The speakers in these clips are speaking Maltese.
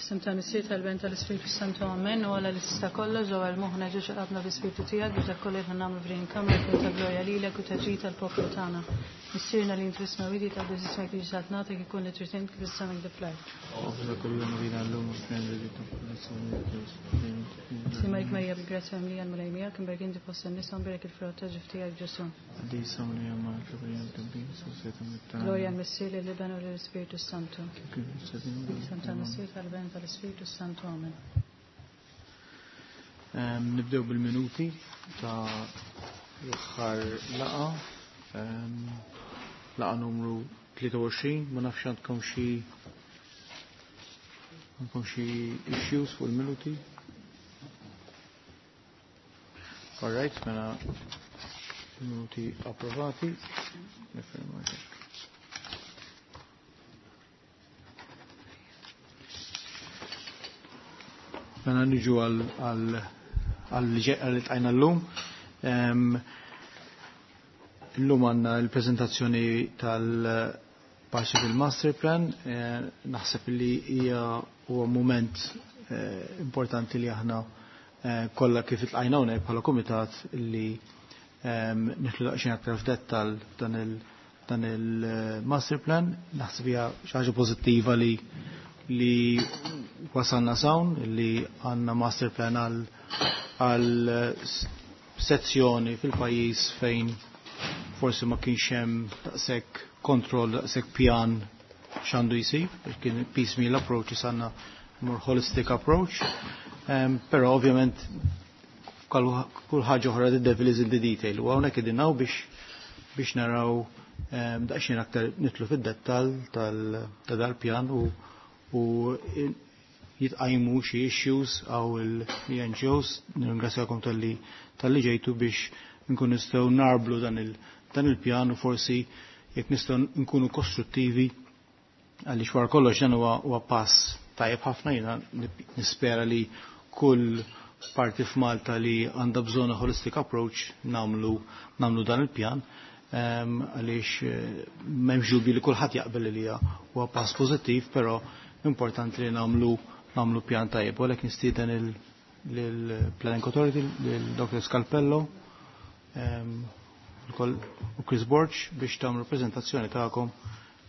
F'isem tal-Missier tal-Ben tal-Ispirtu Santu Amen u għala li tista' kollox ġewwa l-moħħna ġiex qalbna bi-Spirtu tiegħek biex dak kollu li nagħmlu f'din il-kamra jkun ta' glorja lilek u ta' ġid tal-poplu tagħna. Missierna li int fis-smewwiet jitqaddes ismek tiġi saltnatek ikun li trid int kif is-sema kif fl-art. Għafna kull jum għina l-lum u f'nejn li Simarik Marija bil-grazzja mlija l-Mulej miegħek, imberk inti fost in-nisa u mberek il-frott ta' ġuf tiegħek Ġesù. Qaddisa Marija Malta Marija Tabbin, Sosjeta Mittana. Glorja l-Missier lill-Iben u lill-Ispirtu Santu. Isem tal-Missier tal-Iben tal-Ispirtu Santu. Amen. Nibdew bil-minuti ta' l-aħħar laqa. Laqa numru 23, ma nafx għandkom xi għandkom xi issues fuq il-minuti. All right, mela minuti approvati. Nifirma hekk. Mela niġu għal tajna l-lum. Illum għanna l-prezentazzjoni tal-Parsifal Master Plan. Naħseb li hija huwa moment importanti li aħna kollha kif iltqajna hawnhekk bħala kumitat li nidħlu daqsxejn aktar f'dettall dan il-master plan. Naħseb hija xi ħaġa pożittiva li wasalna s'hawn, li għandna master plan għal sezzjoni fil-pajjiż fejn forsi ma kienx hemm daqshekk kontroll, daqshekk pjan x'għandu jsir, kien piecemeal approach, għandna more holistic approach. Però ovvjament kull ħaġa oħra the devil is in the detail. U hawnhekk qegħdin hawn biex naraw daqsxejn aktar nidħlu fid-dettall ta' dal-pjan u jitqajmu xi issues għaw il-NGOs. Nirringrazzjakom tal-li ġejtu biex nkun nistgħu narblu dan il-pjan u forsi jekk nistgħu nkunu kostruttivi għaliex wara kollox dan huwa pass tajjeb ħafna. Jiena nispera li kull parti f'Malta li għandha bżonn holistic approach namlu dan il-pjan għaliex m'hemmx dubju li kulħadd jaqbel li huwa pass pożittiv, però importanti li namlu pjan tajjeb. U għalhekk nistieden lill-Planning Authority, lil Dr. Scalpello u Chris Borg biex tagħmlu prezentazzjoni tagħkom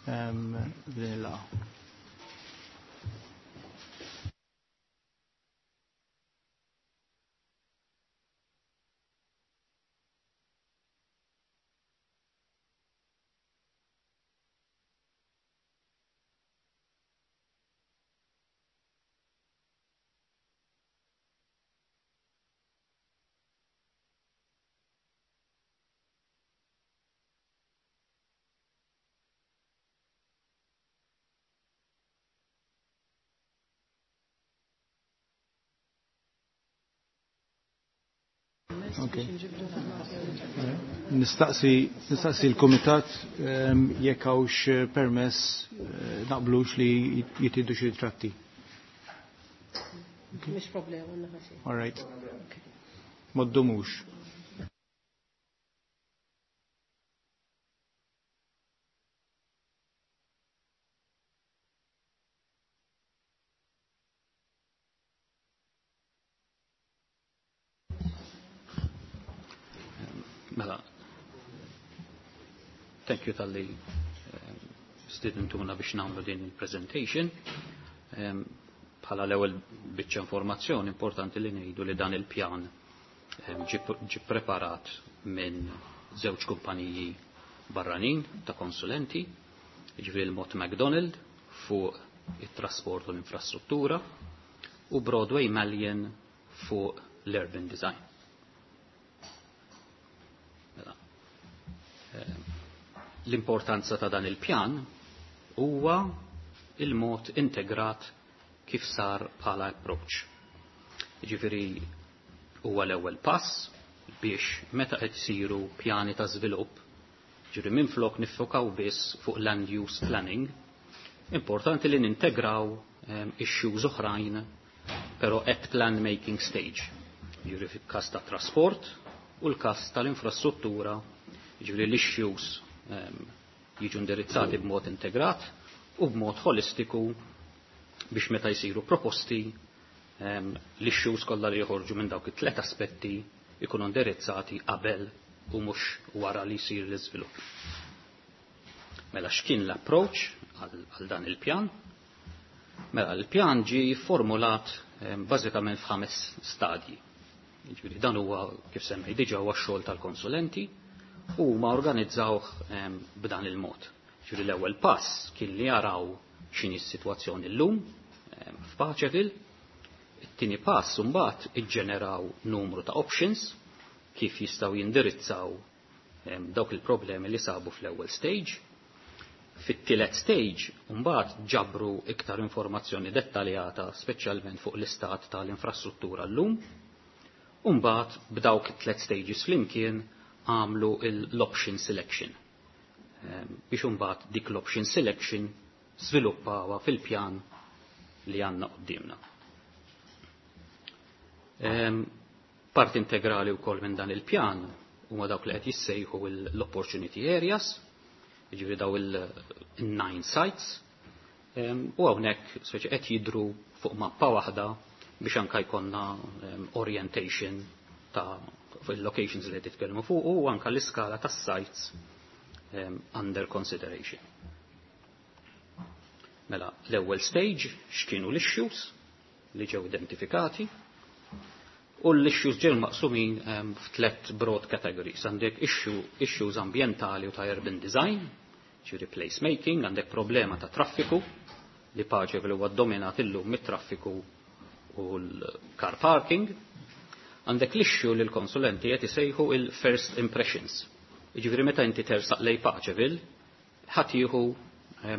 din il-laqgħa. Okay. Nistaqsi l-Kumitat jekk hawnx permess naqblux li jitieħdu xi ritratti. Mhix problema, naħa xejn. All right. Ma ddumux. Mela, thank you tal-li stidentuna biex nagħmlu din il-presentation. Bħala l-ewwel biċċa informazzjoni importanti li ngħidu li dan il-pjan ġi preparat minn żewġ kumpaniji barranin ta' konsulenti, jiġifieri il-Mott MacDonald fuq it-trasport u l-infrastruttura u Broadway Malyan fuq l-urban design. Mela, l-importanza ta' dan il-pjan huwa il-mod integrat kif sar bħala approach. Jiġifieri huwa l-ewwel pass biex meta qed isiru pjani ta' żvilupp, ġifieri minflok niffokaw biss fuq land use planning, importanti li nintegraw issues oħrajn, però at plan making stage. Ġifieri fil-każ ta' trasport u l-każ tal-infrastruttura, ġifieri l-issues jiġu indirizzati b'mod integrat u b'mod holistiku Biex meta jsiru proposti l-issues kollha li joħorġu minn dawk it-tlet aspetti ikunu indirizzati qabel u mhux wara li jsir l-iżvilupp. Mela x'kien l-approach għal dan il-pjan? Mela l-pjan ġie formulat bażikament f'ħames stadji. Jiġifieri dan huwa kif semmej diġà huwa x-xogħol tal-konsulenti u huma organizzawh b'dan il-mod. Jiġifieri l-ewwel pass kien li jaraw x'inhi s-sitwazzjoni llum f'Paċeville. It-tieni pass imbagħad iġġeneraw numru ta' options kif jistgħu jindirizzaw dawk il-problemi li sabu fl-ewwel stage. Fit-tielet stage mbagħad ġabru iktar informazzjoni dettaljata speċjalment fuq l-istat tal-infrastruttura llum. U mbagħad b'dawk it-tliet stages flimkien għamlu l-option selection. Biex imbagħad dik l-option selection żviluppawha fil-pjan li għandna quddiemna. Part integrali wkoll minn dan il-pjan huma dawk li qed jissejħu l-opportunity areas, jiġifieri daw il-nine sites, u hawnhekk speċi qed jidru fuq mappa waħda biex anka jkollna orientation ta' il-locations li qed titkellmu fuq u anka l-iskala tas-sites under consideration. Mela, l-ewwel stage x'kienu l-issues li ġew identifikati u l-issues ġew maqsumin f'tlet broad categories. Għandek issues ambientali u ta' urban design, ġifieri place making, għandek problema ta' traffiku li Paċeville huwa dominat illum mit-traffiku u l-car parking. Għandek l-issue li l-konsulenti qed isejħu il-first impressions. Jiġifieri meta inti tersaq lej Paċeville, ħadd jieħu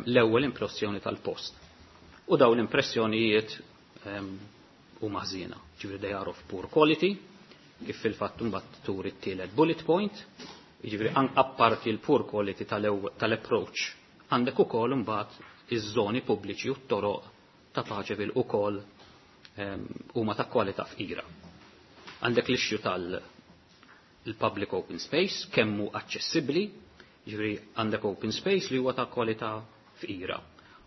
l-ewwel impressjoni tal-post. U dawn l-impressjonijiet huma ħżiena. Ġifieri they are of poor quality, kif fil-fatt imbagħad turi t-tielet bullet point, jiġifieri apparti l-poor quality tal-approach, għandek ukoll imbagħad iż-żoni pubbliċi u t-toroq ta' Paċeville ukoll huma ta' kwalità fqira. Għandek l-issue tal-public open space, kemm hu aċċessibbli, ġifieri għandek open space li huwa ta' kwalità fqira.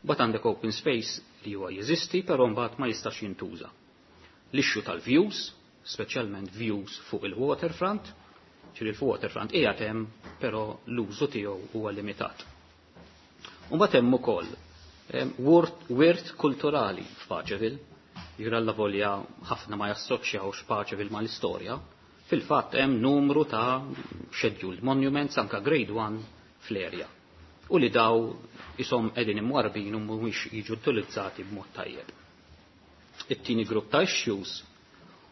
Mbagħad għandek open space li huwa jeżisti, però mbagħad ma jistax jintuża. L-issue tal-views, speċjalment views fuq il-waterfront, ġifieri il-waterfront qiegħed hemm, però l-użu tiegħu huwa limitat. U mbagħad hemm ukoll wirt kulturali f'Paċeville, jiġifieri allavolja ħafna ma jassoċjawx Paċeville mal-istorja, fil-fatt hemm numru ta' scheduled monuments anka grade 1 fl-area. U li daw isom qegħdin imwarbin u mhumiex jiġu utilizzati b'mod tajjeb. It-tieni grupp ta' issues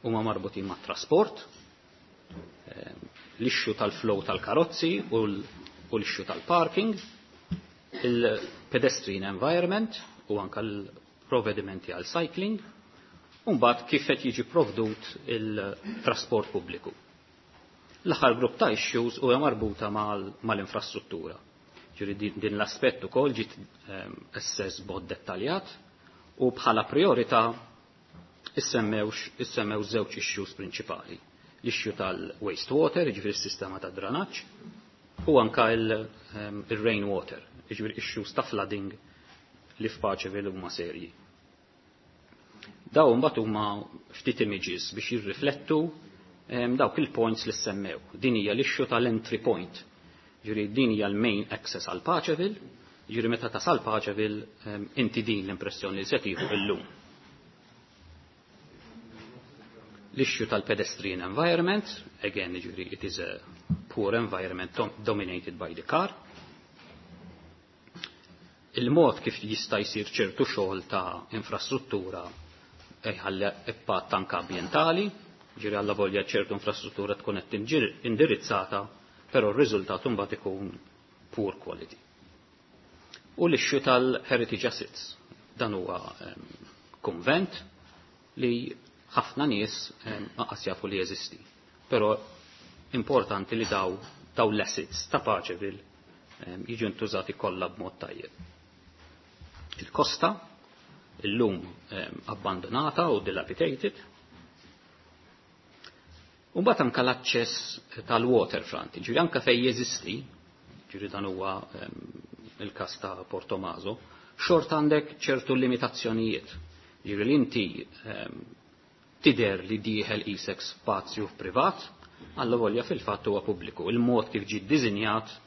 huma marbutin mat trasport, l-issue tal-flow tal-karozzi u l-issue tal-parking, il-pedestrian environment u anka l-provvedimenti għal cycling, u mbagħad kif qed jiġi provdut il-trasport pubbliku. L-aħħar grupp ta' issues huwa marbuta mal-infrastruttura. Ġifieri din l-aspett ukoll ġiet assess b'mod dettaljat u bħala priorità issemmew żewġ issues prinċipali. L-issue tal-wastewater, jiġifieri s-sistema ta' dranaġġ, u anka il-rainwater, jiġifieri issues ta' flooding li f'Paċeville huma serji. Dawn mbagħad huma ftit images biex jirriflettu dawk il-points li semmew. Din hija l-issue tal-entry point. Ġifieri din hija l-main access għal Paċeville, ġifieri meta tasal Paċeville inti din l-impressjoni li se tieħu illum. L-issue tal-pedestrian environment, again, ġifieri it is a poor environment dominated by the car. Il-mod kif jista' jsir ċertu xogħol ta' infrastruttura jħalli impatt anke ambjentali, ġifieri allavolja ċertu infrastruttura tkun qed indirizzata, però r-riżultat imbagħad ikun poor quality. U l-issue tal-heritage assets, dan huwa konvent li ħafna nies lanqas jafu li jeżisti. Però importanti li daw l-assets ta' Paċeville jiġu ntużati kollha b'mod tajjeb. Il-kosta illum abbandonata u dilapidated. U mbagħad anke l-aċċess tal-waterfront, ġifieri anke fejn jeżisti, ġifieri dan huwa il-każ ta' Portomaso, xort għandek ċertu limitazzjonijiet. Ġifieri li inti tidher li dieħel isek spazju privat, alla volja fil-fatt huwa pubbliku. Il-mod kif ġie ddisinjat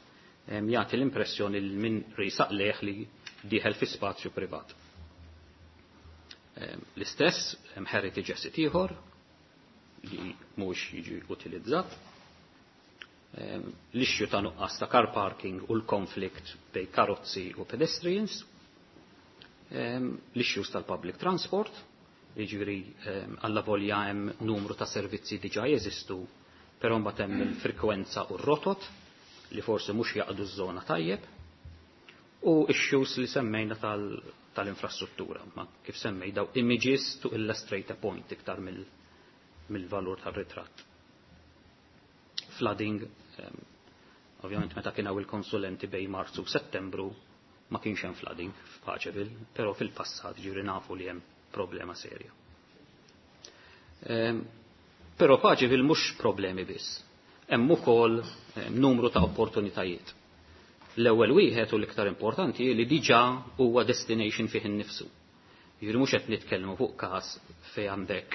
jagħti l-impressjoni li min risaq leħ li dieħel fi spazju privat. L-istess hemm heritage asset ieħor li mhux jiġi utilizzat. L-issue ta' nuqqas ta' car parking u l-konflikt bej karozzi u pedestrians. L-issues tal-public transport, jiġifieri alla volja hemm numru ta' servizzi diġà jeżistu, però mbagħad hemm il-frekwenza u r-rotot li forsi mhux jaqdu ż-żona tajjeb, u issues li semmejna tal-infrastruttura, ma kif semmej daw images to illustrate a point iktar mill-valur tal-ritratt. Flooding, ovvjament meta kien hawn il-konsulenti bej Marzu u Settembru ma kienx hemm flooding f'Paċeville, però fil-passat ġifieri nafu li hemm problema serja. Però Paċeville mhux problemi biss. Hemm ukoll numru ta' opportunitajiet. L-ewwel wieħed u l-iktar importanti li diġà huwa destination fih innifsu. Jiġifieri mhux qed nitkellmu fuq każ fejn għandek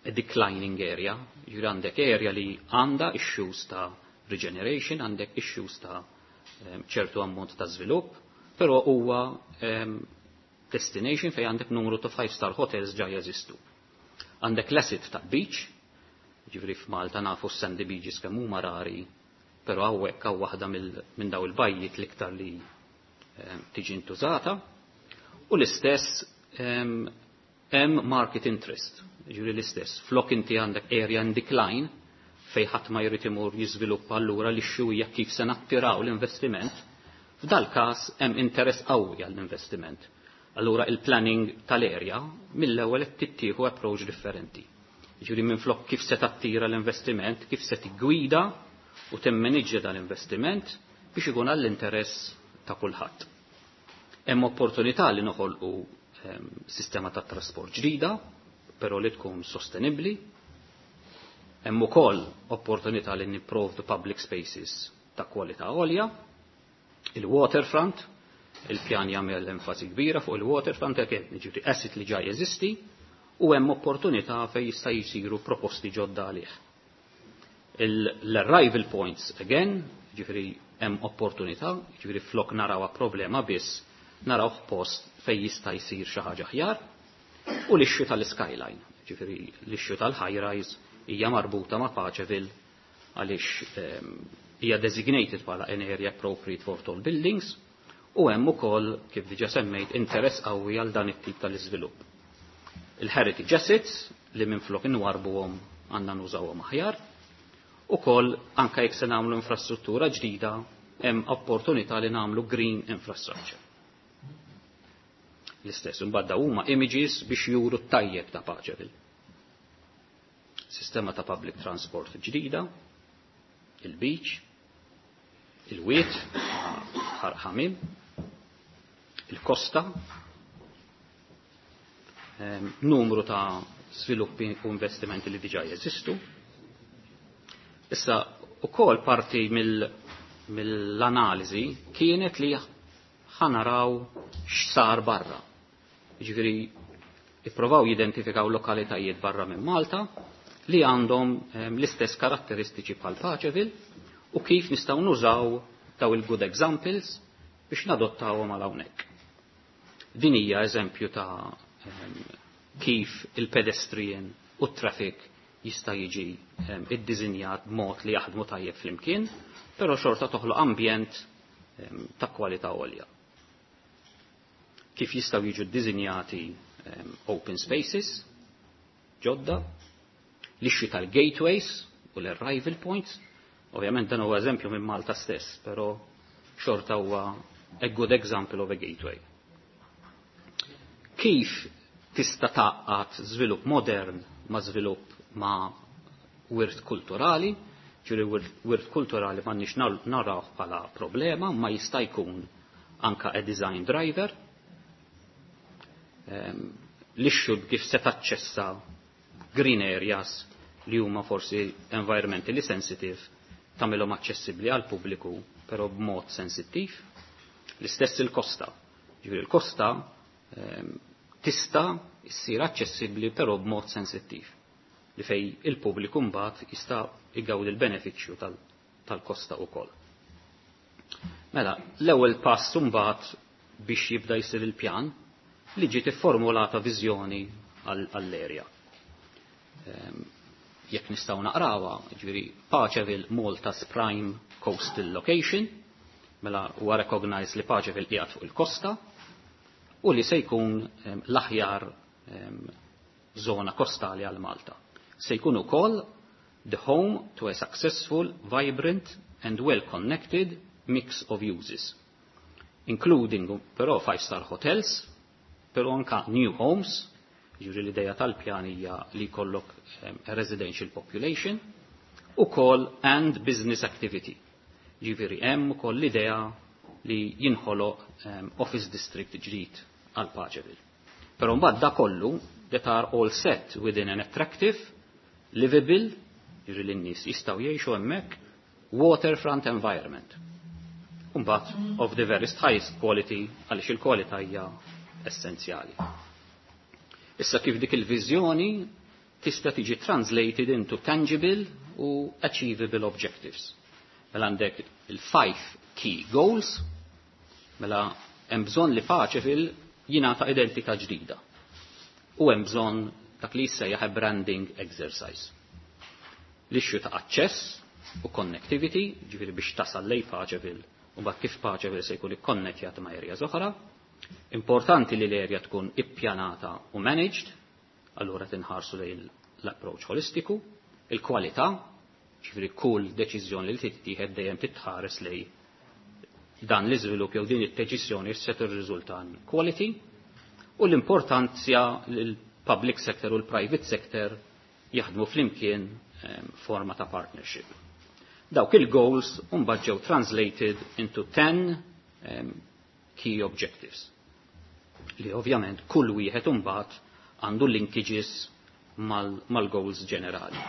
a declining area, jiġifieri għandek area li għandha issues ta' regeneration, għandek issues ta' ċertu ammont ta' żvilupp, però huwa destination fejn għandek numru ta' 5-star hotels ġa jeżistu. Għandek l-asset ta' beach, ġifieri f'Malta nafu s-sandy beaches kemm huma rari, però hawnhekk hawn waħda minn daw il-bajjiet l-iktar li tiġi ntużata. U l-istess hemm market interest, ġifieri l-istess. Flok inti għandek area in decline fejn ħadd ma jrid imur jiżviluppa allura li xjuwija kif se nattiraw l-investiment, f'dal każ hemm interess qawwi għall-investiment. Allura il-planning tal-area mill-ewwel qed tittieħu approach differenti. Ġifieri minflok kif se tattira l-investiment, kif se tiggwida u timmaniġġja dal-investiment biex ikun għall-interess ta' kulħadd. Hemm opportunità li noħolqu sistema ta' trasport ġdida, però li tkun sostenibbli. Hemm ukoll opportunità li nipprovdu public spaces ta' kwalità għolja, il-waterfront, il-pjan jagħmel enfasi kbira fuq il-waterfront, hekk jiġifieri asset li ġa jeżisti, u hemm opportunità fejn jista' jsiru proposti ġodda għalih. L-arrival points, again, ġifieri hemm opportunità, ġifieri flok narawha problema biss, naraw post fejn jista' jsir xi ħaġa aħjar, u l-issue tal-skyline, ġifieri l-issue tal-high rise hija marbuta ma' Paċeville għaliex hija designated bħala an area appropriate for tall buildings, u hemm ukoll, kif diġà semmejt, interess qawwi għal dan it-tip tal-iżvilupp. Il-heritage assets li minflok inwarbuhom għandna nużawhom aħjar, ukoll anke jekk se nagħmlu infrastruttura ġdida hemm opportunità li nagħmlu green infrastructure. L-istess, imbagħad huma images biex juru t-tajjeb ta' Paċeville. Sistema ta' public transport ġdida, il-beach, il-wiet, ħamim, il-kosta, numru ta' sviluppi u investimenti li diġà jeżistu. Issa, ukoll parti mill-analiżi kienet li ħanaraw x'sar barra. Jiġifieri ippruvaw jidentifikaw lokalitajiet barra minn Malta li għandhom l-istess karatteristiċi bħal Paċeville u kif nistgħu nużaw daw il-good examples biex nadottawhom għal hawnhekk. Din hija eżempju ta' kif il-pedestrian u t-traffic jista' jiġi iddiżinjat b'mod li jaħdmu tajjeb flimkien, però xorta toħloq ambjent ta' kwalità għolja. Kif jistgħu jiġu ddiżinjati open spaces ġodda, l-issue tal-gateways u l-arrival points, ovvjament dan huwa eżempju minn Malta stess, però xorta huwa a good example of a gateway. Kif tista' tgħaqqad żvilupp modern ma' żvilupp ma' wirt kulturali, ġifieri wirt kulturali m'għandniex naraw bħala problema, ma jista' jkun anka a design driver. L-issue kif se taċċessa green areas li huma forsi environmentally sensitive tagħmilhom aċċessibbli għal pubbliku però b'mod sensittiv. L-istess il-kosta. Ġifieri il-kosta tista' issir aċċessibbli però b'mod sensittiv li fej il-pubbliku mbagħad jista' igawdi l-benefiċċju tal-kosta wkoll. Mela, l-ewwel pass mbagħad biex jibda jsir il-pjan li ġiet ifformulata viżjoni għall-erja. Jekk nistgħu naqrawha, ġifieri Paceville Malta's Prime Coastal Location, mela huwa recognized li Paceville qiegħed fuq il-kosta u li se jkun l-aħjar zona kostali għal Malta. Se jkun ukoll the home to a successful, vibrant and well-connected mix of uses, including però five-star hotels, però anka new homes, ġifieri l-ideja tal-pjan hija li jkollok residential population, ukoll and business activity. Ġifieri hemm ukoll l-idea li jinħoloq office district ġdid għal Paceville. Però mbagħad da kollu that are all set within an attractive, livable, ġifieri l-nies jistgħu jgħixu hemmhekk, waterfront environment. Mbagħad of the very highest quality għaliex il-kwalità hija essenzjali. Issa kif dik il-viżjoni tista' tiġi translated into tangible u achievable objectives. Mela għandek il-five key goals, mela hemm bżonn li Paceville jingħata identità ġdida. U hemm bżonn dak li jissejjaħ branding exercise. L-issue ta' aċċess u connectivity, ġifieri biex tasal lej Paceville u mbagħad kif Paceville se jkun ikkonnettjat ma' areas oħra. Importanti li l-area tkun ippjanata u managed, allura tinħarsu lejn l-approach holistiku, il-kwalità, ġifieri kull deċiżjoni li tittieħed dejjem titħares lej dan l-iżvilupp jew din id-deċiżjoni se tirriżulta quality, u l-importanza li l-public sector u l-private sector jaħdmu flimkien forma ta' partnership. Dawk il-goals mbagħad ġew translated into 10 key objectives. Li ovvjament kull wieħed imbagħad għandu linkages mal-goals ġenerali.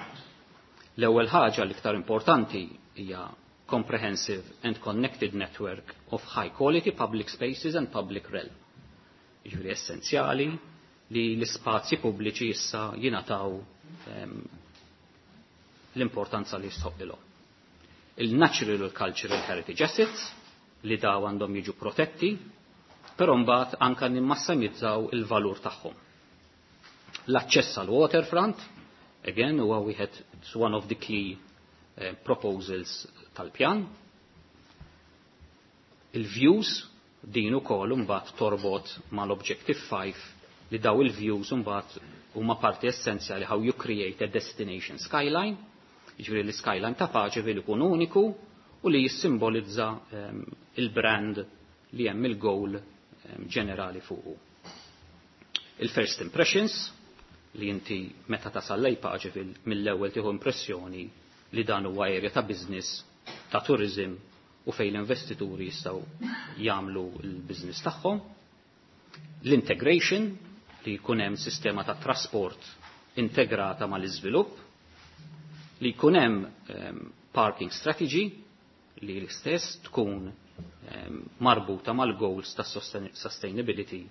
L-ewwel ħaġa l-iktar importanti hija comprehensive and connected network of high quality public spaces and public realm. Jiġifieri essenzjali li l-ispazji pubbliċi issa jingħataw l-importanza li jistħoqqilhom. Il-natural u cultural heritage assets li daw għandhom jiġu protetti, però mbagħad anka nimmassimizzaw il-valur tagħhom. L-aċċess għal waterfront, again, huwa wieħed, it's one of the key proposals tal-pjan. Il-views din ukoll imbagħad torbot mal-objective 5 li daw il-views imbagħad huma parti essenzjali how you create a destination skyline, jiġifieri l-skyline ta' Paceville ikun uniku u li jissimbolizza il-brand li hemm il-goal ġenerali fuqu. Il-first impressions, li inti meta tasal lej Paceville mill-ewwel tieħu impressjoni li dan huwa area ta' business, ta' tourism u fejn l-investituri jistgħu jagħmlu l-business tagħhom. L-integration, li jkun hemm sistema ta' trasport integrata mal-iżvilupp, li jkun hemm parking strategy li l-istess tkun marbuta mal-goals ta' sustainability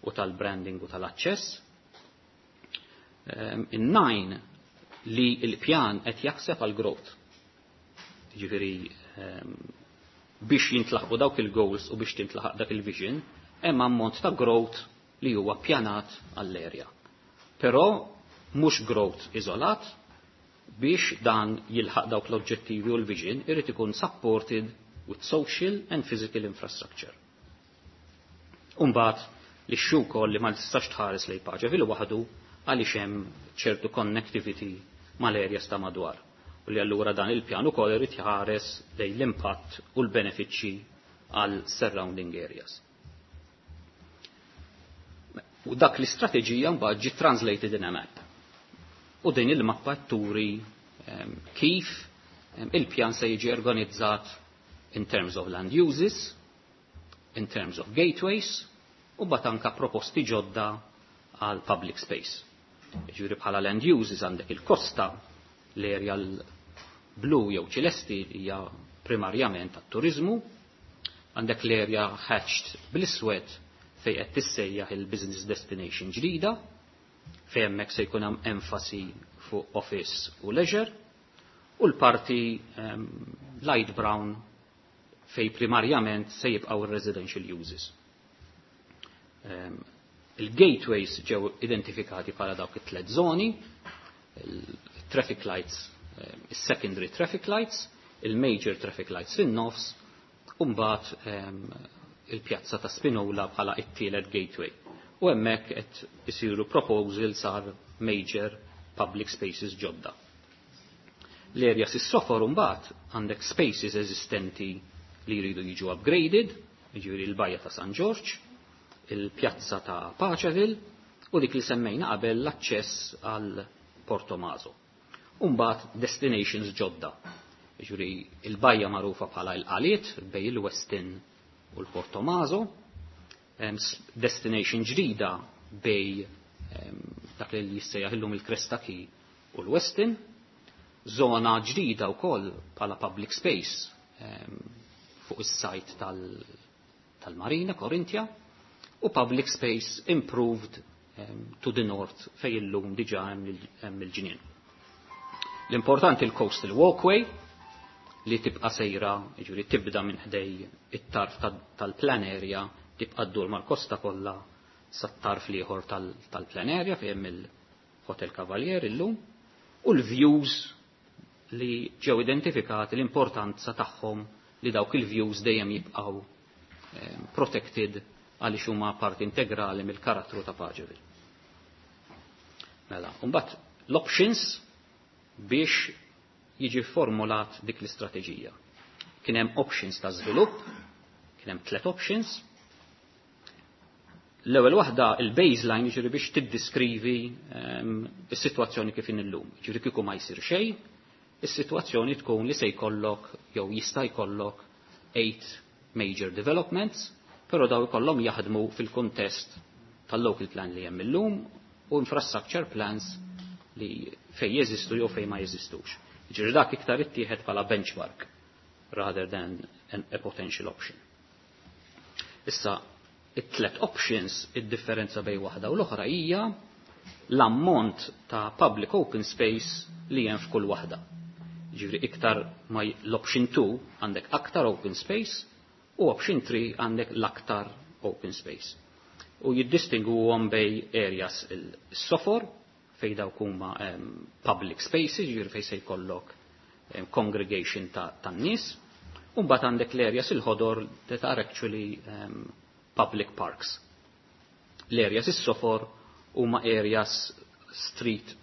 u tal-branding u tal-aċċess. In-nine li l-pjan qed jaħseb għal growth. Jiġifieri biex jintlaħqu dawk il-goals u biex tintlaħaq dak il-vision, hemm ammont ta' growth li huwa pjanat għall-area. Però mhux growth iżolat, biex dan jilħaq dawk l-oġġettivi u l-vision irid ikun supported with social and physical infrastructure. Umbagħad li wkoll li ma tistax tħares lejn Paceville waħdu għaliex hemm ċertu connectivity mal-areas ta' madwar. U li allura dan il-pjan ukoll irid jħares lejn l-impatt u l-benefiċċji għal surrounding areas. U dak l-istrateġija mbagħad ġiet translated in a map. U din il-mappa turi kif il-pjan se jiġi organizzat in terms of land uses, in terms of gateways, u bat anka proposti ġodda għal public space. Ġifieri bħala land uses għandek il-kosta, l-area l-blu jew ċelesti hija primarjament għat-turizmu, Għandek l-area hatched bl-iswed fejn qed tissejjaħ il-business destination ġdida, fejn hemmhekk se jkun hemm enfasi fuq office u leisure, u l-parti light brown fej primarjament se jibqgħu residential uses. Il-gateways ġew identifikati bħala dawk it-tlet zoni, il-traffic lights, il-secondary traffic lights, il-major traffic lights fin-nofs, u mbagħad il-pjazza ta' Spinola bħala it-tielet gateway. U hemmhekk qed isiru proposals għal major public spaces ġodda. L-area is-sofor mbagħad għandek spaces eżistenti li jridu jiġu upgraded, jiġifieri l-bajja ta' San Ġorġ, il-pjazza ta' Paceville u dik li semmejna qabel l-aċċess għal Portomaso. Umbagħad destinations ġodda. Jiġifieri il-bajja magħrufa bħala l-Qaliet bejn il-Westin u l-Portomaso, destination ġdida bejn dak li jissejjaħ illum il-Cresta Quay u l-Westin, zona ġdida wkoll bħala public space fuq is-site tal-Marina Korintia u public space improved to the north fej illum diġà hemm il-ġnien. L-importanti il-coastal walkway li tibqa sejra, jiġifieri tibda minn ħdej it-tarf tal-plan area, tibqa ddur mal-kosta kollha sat-tarf l-ieħor tal-plan area fejn hemm il-Hotel Cavalier illum, u l-views li ġew identifikati l-importanza tagħhom li dawk il-views dejjem jibqgħu protected għaliex huma parti integrali mill-karattru ta' Paceville. Mela, mbagħad l-options biex jiġi formulat dik l-istrateġija. Kien hemm options ta' żvilupp, kien hemm tliet options. L-ewwel waħda il-baseline, jiġifieri biex tiddiskrivi is-sitwazzjoni kif illum. Jiġifieri kieku ma jsir xejn, is-sitwazzjoni tkun li se jkollok jew jista' jkollok eight major developments, però daw ikollhom jaħdmu fil-kuntest tal-local plan li hemm illum u infrastructure plans li fej jeżistu jew fej ma jeżistux. Ġifieri dak iktar ittieħed bħala benchmark rather than a potential option. Issa, it-tlet options, id-differenza bejn waħda u l-oħra hija l-ammont ta' public open space li hemm f'kull waħda. Ġifieri iktar ma l-option 2 għandek aktar open space u option 3 għandek l-aktar open space. U jiddistingu bejn areas il-sofor, fej dawk huma public spaces, ġifieri fej se jkollok congregation tan-nies, u mbagħad għandek l-areas il-ħodor that are actually public parks. L-areas is-sofor huma areas street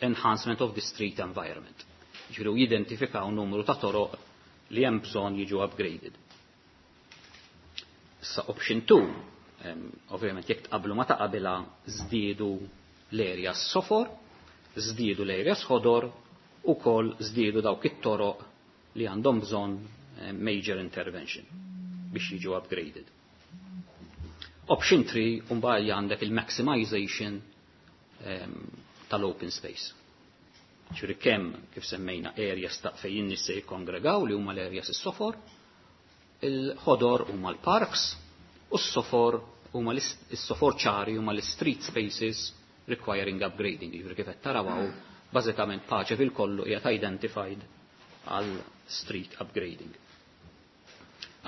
enhancement of the street environment. Ġifieri jidentifikaw numru ta' toroq li hemm bżonn jiġu upgraded. Issa option 2, ovvjament jekk tqablu ma ta' qabilha żdiedu l-areas sofor, żdiedu l-areas ħodor u kol żdiedu dawk it-toroq li għandhom bżonn major intervention biex jiġu upgraded. Option 3 mbagħad għandek il-maximization tal-open space. Ġifieri kemm kif semmejna areas ta' fejn in-nies se jikkongregaw li huma l-areas is-sofor, il-ħodor huma l-parks u s-sofor huma s-sofor ċari huma l-street spaces requiring upgrading. Ġifieri kif qed taraw hawn, bażikament Paceville kollu qiegħed identified għal street upgrading.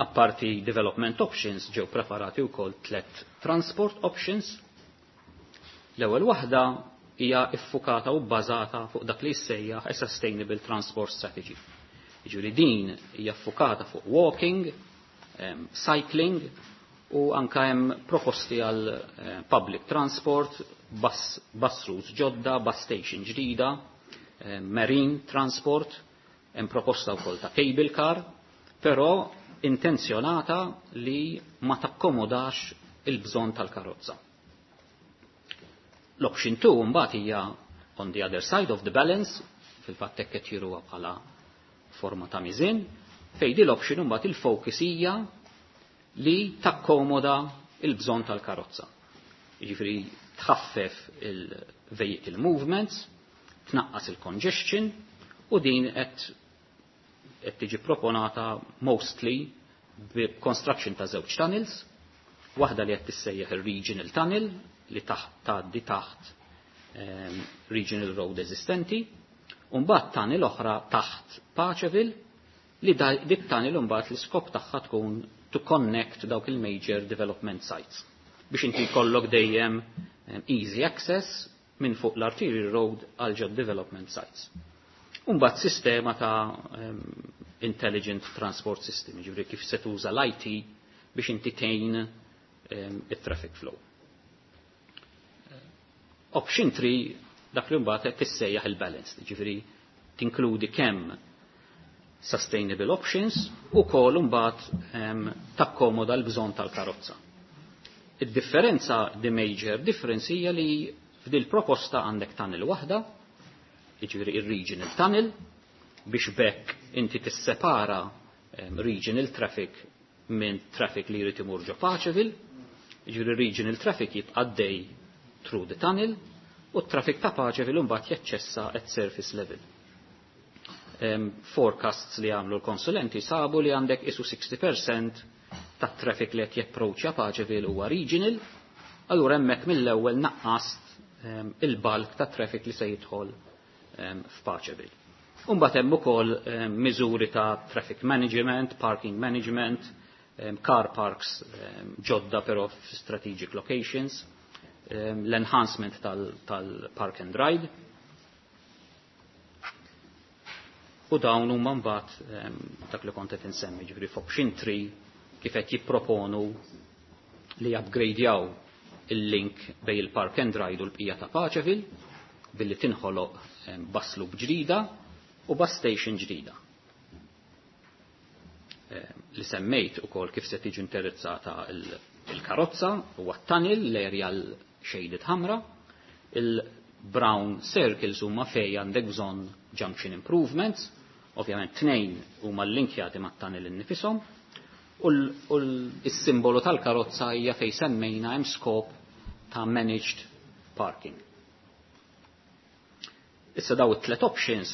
Apparti development options ġew preparati wkoll tlet transport options. L-ewwel waħda hija iffukata u bbażata fuq dak li jissejjaħ a Sustainable Transport Strategy. Jiġifieri din hija ffukata fuq walking, cycling u anka hemm proposti għal public transport, bus routes ġodda, bus station ġdida, marine transport, hemm proposta wkoll ta' cable car, però intenzjonata li ma takkomodax il-bżonn tal-karozza. L-option 2 mbagħad hija on the other side of the balance, fil-fatt hekk qed jiruha bħala forma ta' miżin, fejn di l-option mbagħad il-focus hija li takkomoda il-bżonn tal-karozza. Jiġifieri tħaffef il-vehicle movements, tnaqqas il-congestion u din qed tiġi proponata mostly Construction ta' żewġ tunnels, waħda li qed tissejjaħ ir-Regional Tunnel li taħt tgħaddi taħt Regional Road eżistenti, u mbagħad tunnel oħra taħt Paceville li dik tunnel mbagħad l-iskop tagħha tkun to connect dawk il-major development sites biex inti jkollok dejjem easy access minn fuq l-arterial road għal ġod development sites. Umbagħad sistema ta' intelligent transport system, ġifieri kif se tuża l-IT biex inti tgħin it-traffic flow. Option 3 dak li mbagħad qed tissejjaħ il-balance, ġifieri tinkludi kemm sustainable options u kol mbagħad takkomoda l-bżonn tal-karozza. Id-differenza, the major difference hija li f'dil proposta għandek tunnel waħda, jiġifieri ir-regional tunnel, biex bekk inti tissepara regional traffic minn traffic li jrid imur ġo Paceville, jiġifieri regional traffic jibqa' dej through the tunnel u t-traffic ta' Paceville mbagħad jaċċessa at surface level. Forecasts li għamlu l-konsulenti sabu li għandek isu 60% ta' traffic li qed japproċċja Paceville huwa regional, allura hemmhekk mill-ewwel naqqast il-bulk ta' traffic li se jidħol f'Paceville. Umbagħad hemm ukoll miżuri ta' traffic management, parking management, car parks ġodda però f'strategic locations, l-enhancement tal-park and ride. U dawn huma mbagħad dak li kont qed insemmi, ġifieri f'option 3 kif qed jipproponu li upgradejaw il-link bej il-park and ride u l-bqija ta' Paceville billi tinħoloq bus loop ġdida u bus station ġdida. Li semmejt ukoll kif se tiġi indirizzata il-karozza u tunnel l-area l-shaded ħamra, il-brown circles huma fej għandek bżonn junction improvements, ovvjament tnejn huma linkjati mat-tunnel innifisom, u l-simbolu tal-karozza hija fej semmejna hemm skop ta' managed parking. Issa daw it-tlet options,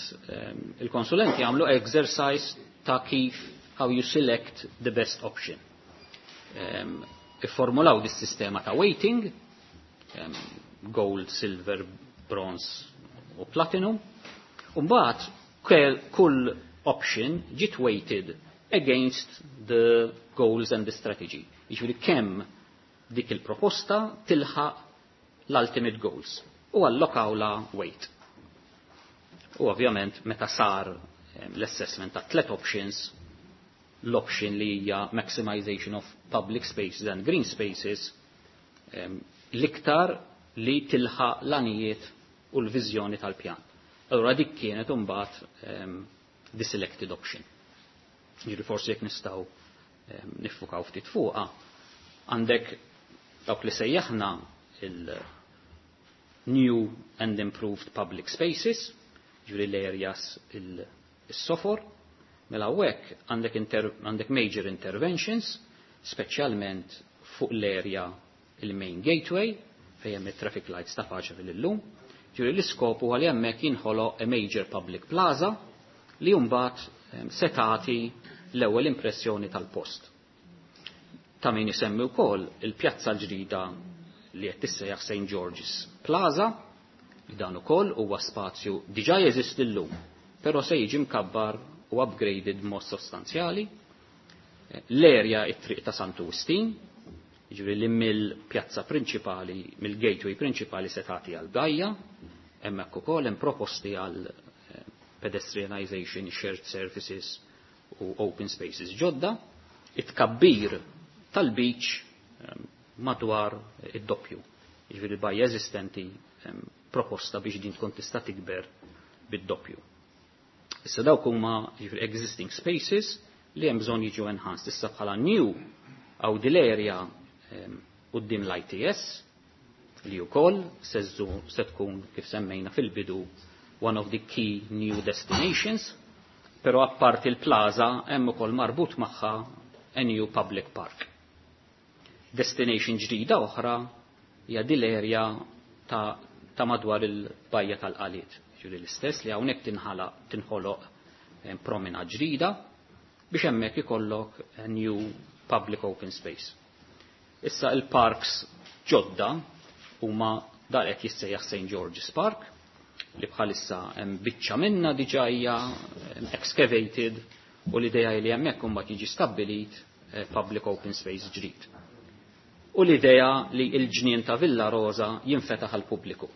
il-konsulenti għamlu exercise ta' kif how you select the best option. Ifformulaw dis-sistema ta' weighting, gold, silver, bronze u platinum, u mbagħad kull option ġiet weighted against the goals and the strategy. Jiġifieri kemm dik il-proposta tilħaq l-ultimate goals u allokawla weight. U ovvjament meta sar l-assessment ta' tlet options, l-option li hija maximization of public spaces and green spaces, l-iktar li tilħaq l-għanijiet u l-viżjoni tal-pjan. Allora dik kienet imbagħad the selected option. Ġifieri forsi jekk nistgħu niffukaw ftit fuqha, għandek dawk li sejjaħna il-new and improved public spaces, ġifieri l-areas il-sofor, mela hawnhekk għandek major interventions, speċjalment fuq l-area il-main gateway, fejn hemm it-traffic lights ta' Paceville illum. Ġifieri l-iskop huwa li hemmhekk jinħoloq a major public plaza li mbagħad se tagħti l-ewwel impressjoni tal-post. Ta' min isemmi wkoll il-pjazza l-ġdida li qed tissejjaħ St. George's Plaza, li dan ukoll huwa spazju diġà jeżisti llum, però se jiġi mkabbar u upgraded mod sostanzjali. L-area it-triq ta' Santu Wistin, jiġifieri li mill-pjazza prinċipali, mill-gateway prinċipali se tagħti għal bajja, hemmhekk ukoll hemm proposti għal pedestrianization, shared services u open spaces ġodda, it-kabbir tal-beach madwar id-doppju. Jiġifieri bajja eżistenti proposta biex din tkun tista' tikber bid-doppju. Issa dawk huma jiġifieri existing spaces li hemm bżonn jiġu enhanced. Issa bħala new għaw dil-area quddiem l-ITS li wkoll se tkun kif semmejna fil-bidu one of the key new destinations, però apparti il-plaza hemm ukoll marbut magħha a new public park. Destination ġdida oħra hija din l-area ta' madwar il-bajja tal-Qaliet. Ġifieri l-istess li hawnhekk tinħoloq promenade ġdida. biex hemmhekk ikollok a new public open space. Issa il-parks ġodda huma dal qed jissejjaħ St. George's Park li bħalissa hemm biċċa minna diġà hija excavated u l-idea li hemmhekk imbagħad jiġi stabbilit public open space ġdid. U l-idea li l-ġnien ta' Villa Rosa jinfetaħ għal pubbliku.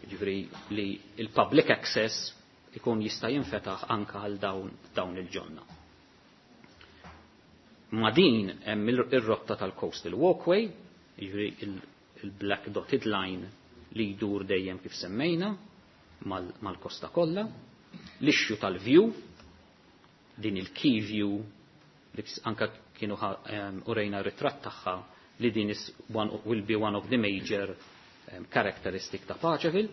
Jiġifieri li il-public access ikun jista' jinfetaħ anka għal dawn il-ġonna. Ma din hemm ir-rotta tal-Coastal Walkway, jiġifieri il-black dotted line li jdur dejjem kif semmejna mal-kosta kollha, l-issue tal-view, din il-key view li anka kienu urejna ritratt tagħha li din is one, will be one of the major characteristic ta' Paceville,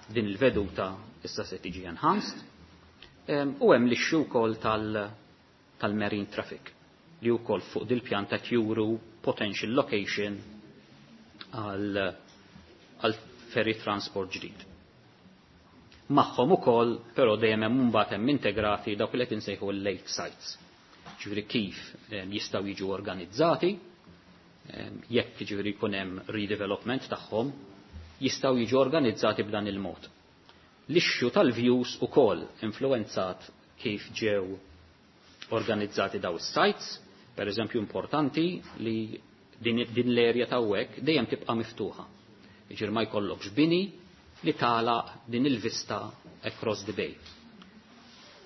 din il-veduta issa se tiġi enhanced, u hemm l-issue wkoll tal-marine traffic li wkoll fuq dil-pjan ta' juru potential location għal ferry transport ġdid. Magħhom ukoll però dejjem hemm mbagħad hemm integrati dawk li qed insejħu l-lake sites. Ġifieri kif jistgħu jiġu organizzati, jekk ġifieri jkun hemm redevelopment tagħhom, jistgħu jiġu organizzati b'dan il-mod. L-issue tal-views ukoll influenzat kif ġew organizzati daw is-sites, per eżempju importanti li din l-area ta' hekk dejjem tibqa' miftuħa. Jiġifieri ma jkollokx bini li tagħlaq din il-vista across the bay.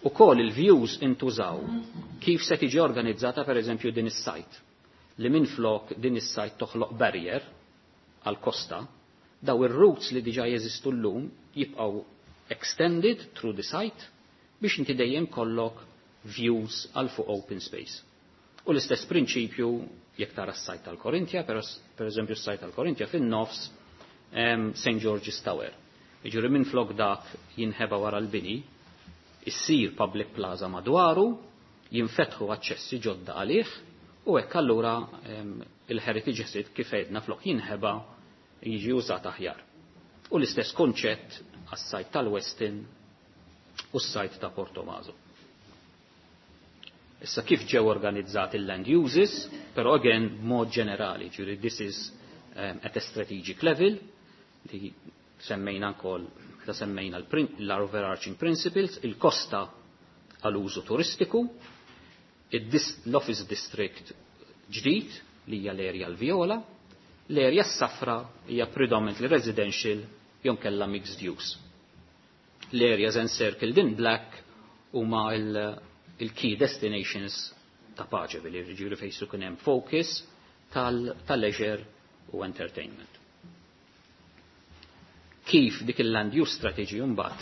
Ukoll il-views intużaw kif se tiġi organizzata per eżempju din is-site li minflok din is-site toħloq barrier għal kosta, daw ir-routes li diġà jeżistu llum jibqgħu extended through the site biex inti dejjem kollok views għal fuq open space. U l-istess prinċipju jekk tara s-sajt tal-Korintja, per eżempju s-sajt tal-Korintja fin-nofs St. George's Tower. Jiġifieri minflok dak jinħeba wara l-bini, issir public plaza madwaru, jinfetħu aċċessi ġodda għalih, u hekk allura il-heritage asset kif għedna flok jinħeba jiġi użat aħjar. U l-istess konċett għas-sajt tal-Westin u s-sajt ta' Portomaso. Issa kif ġew organizzati il-land uses, però again mod ġenerali, ġifieri this is at a strategic level, li semmejna wkoll ta' semmejna l-overarching principles, il-kosta għal-użu turistiku, l-office district ġdid li hija l-area l-viola, l-area s-safra hija predominantly residential jew kella mixed use. L-areas encircled in black huma il-key destinations ta' Paceville, jiġifieri fejn se jkun hemm focus tal-leisure u entertainment. Kif dik il-land use strategy mbagħad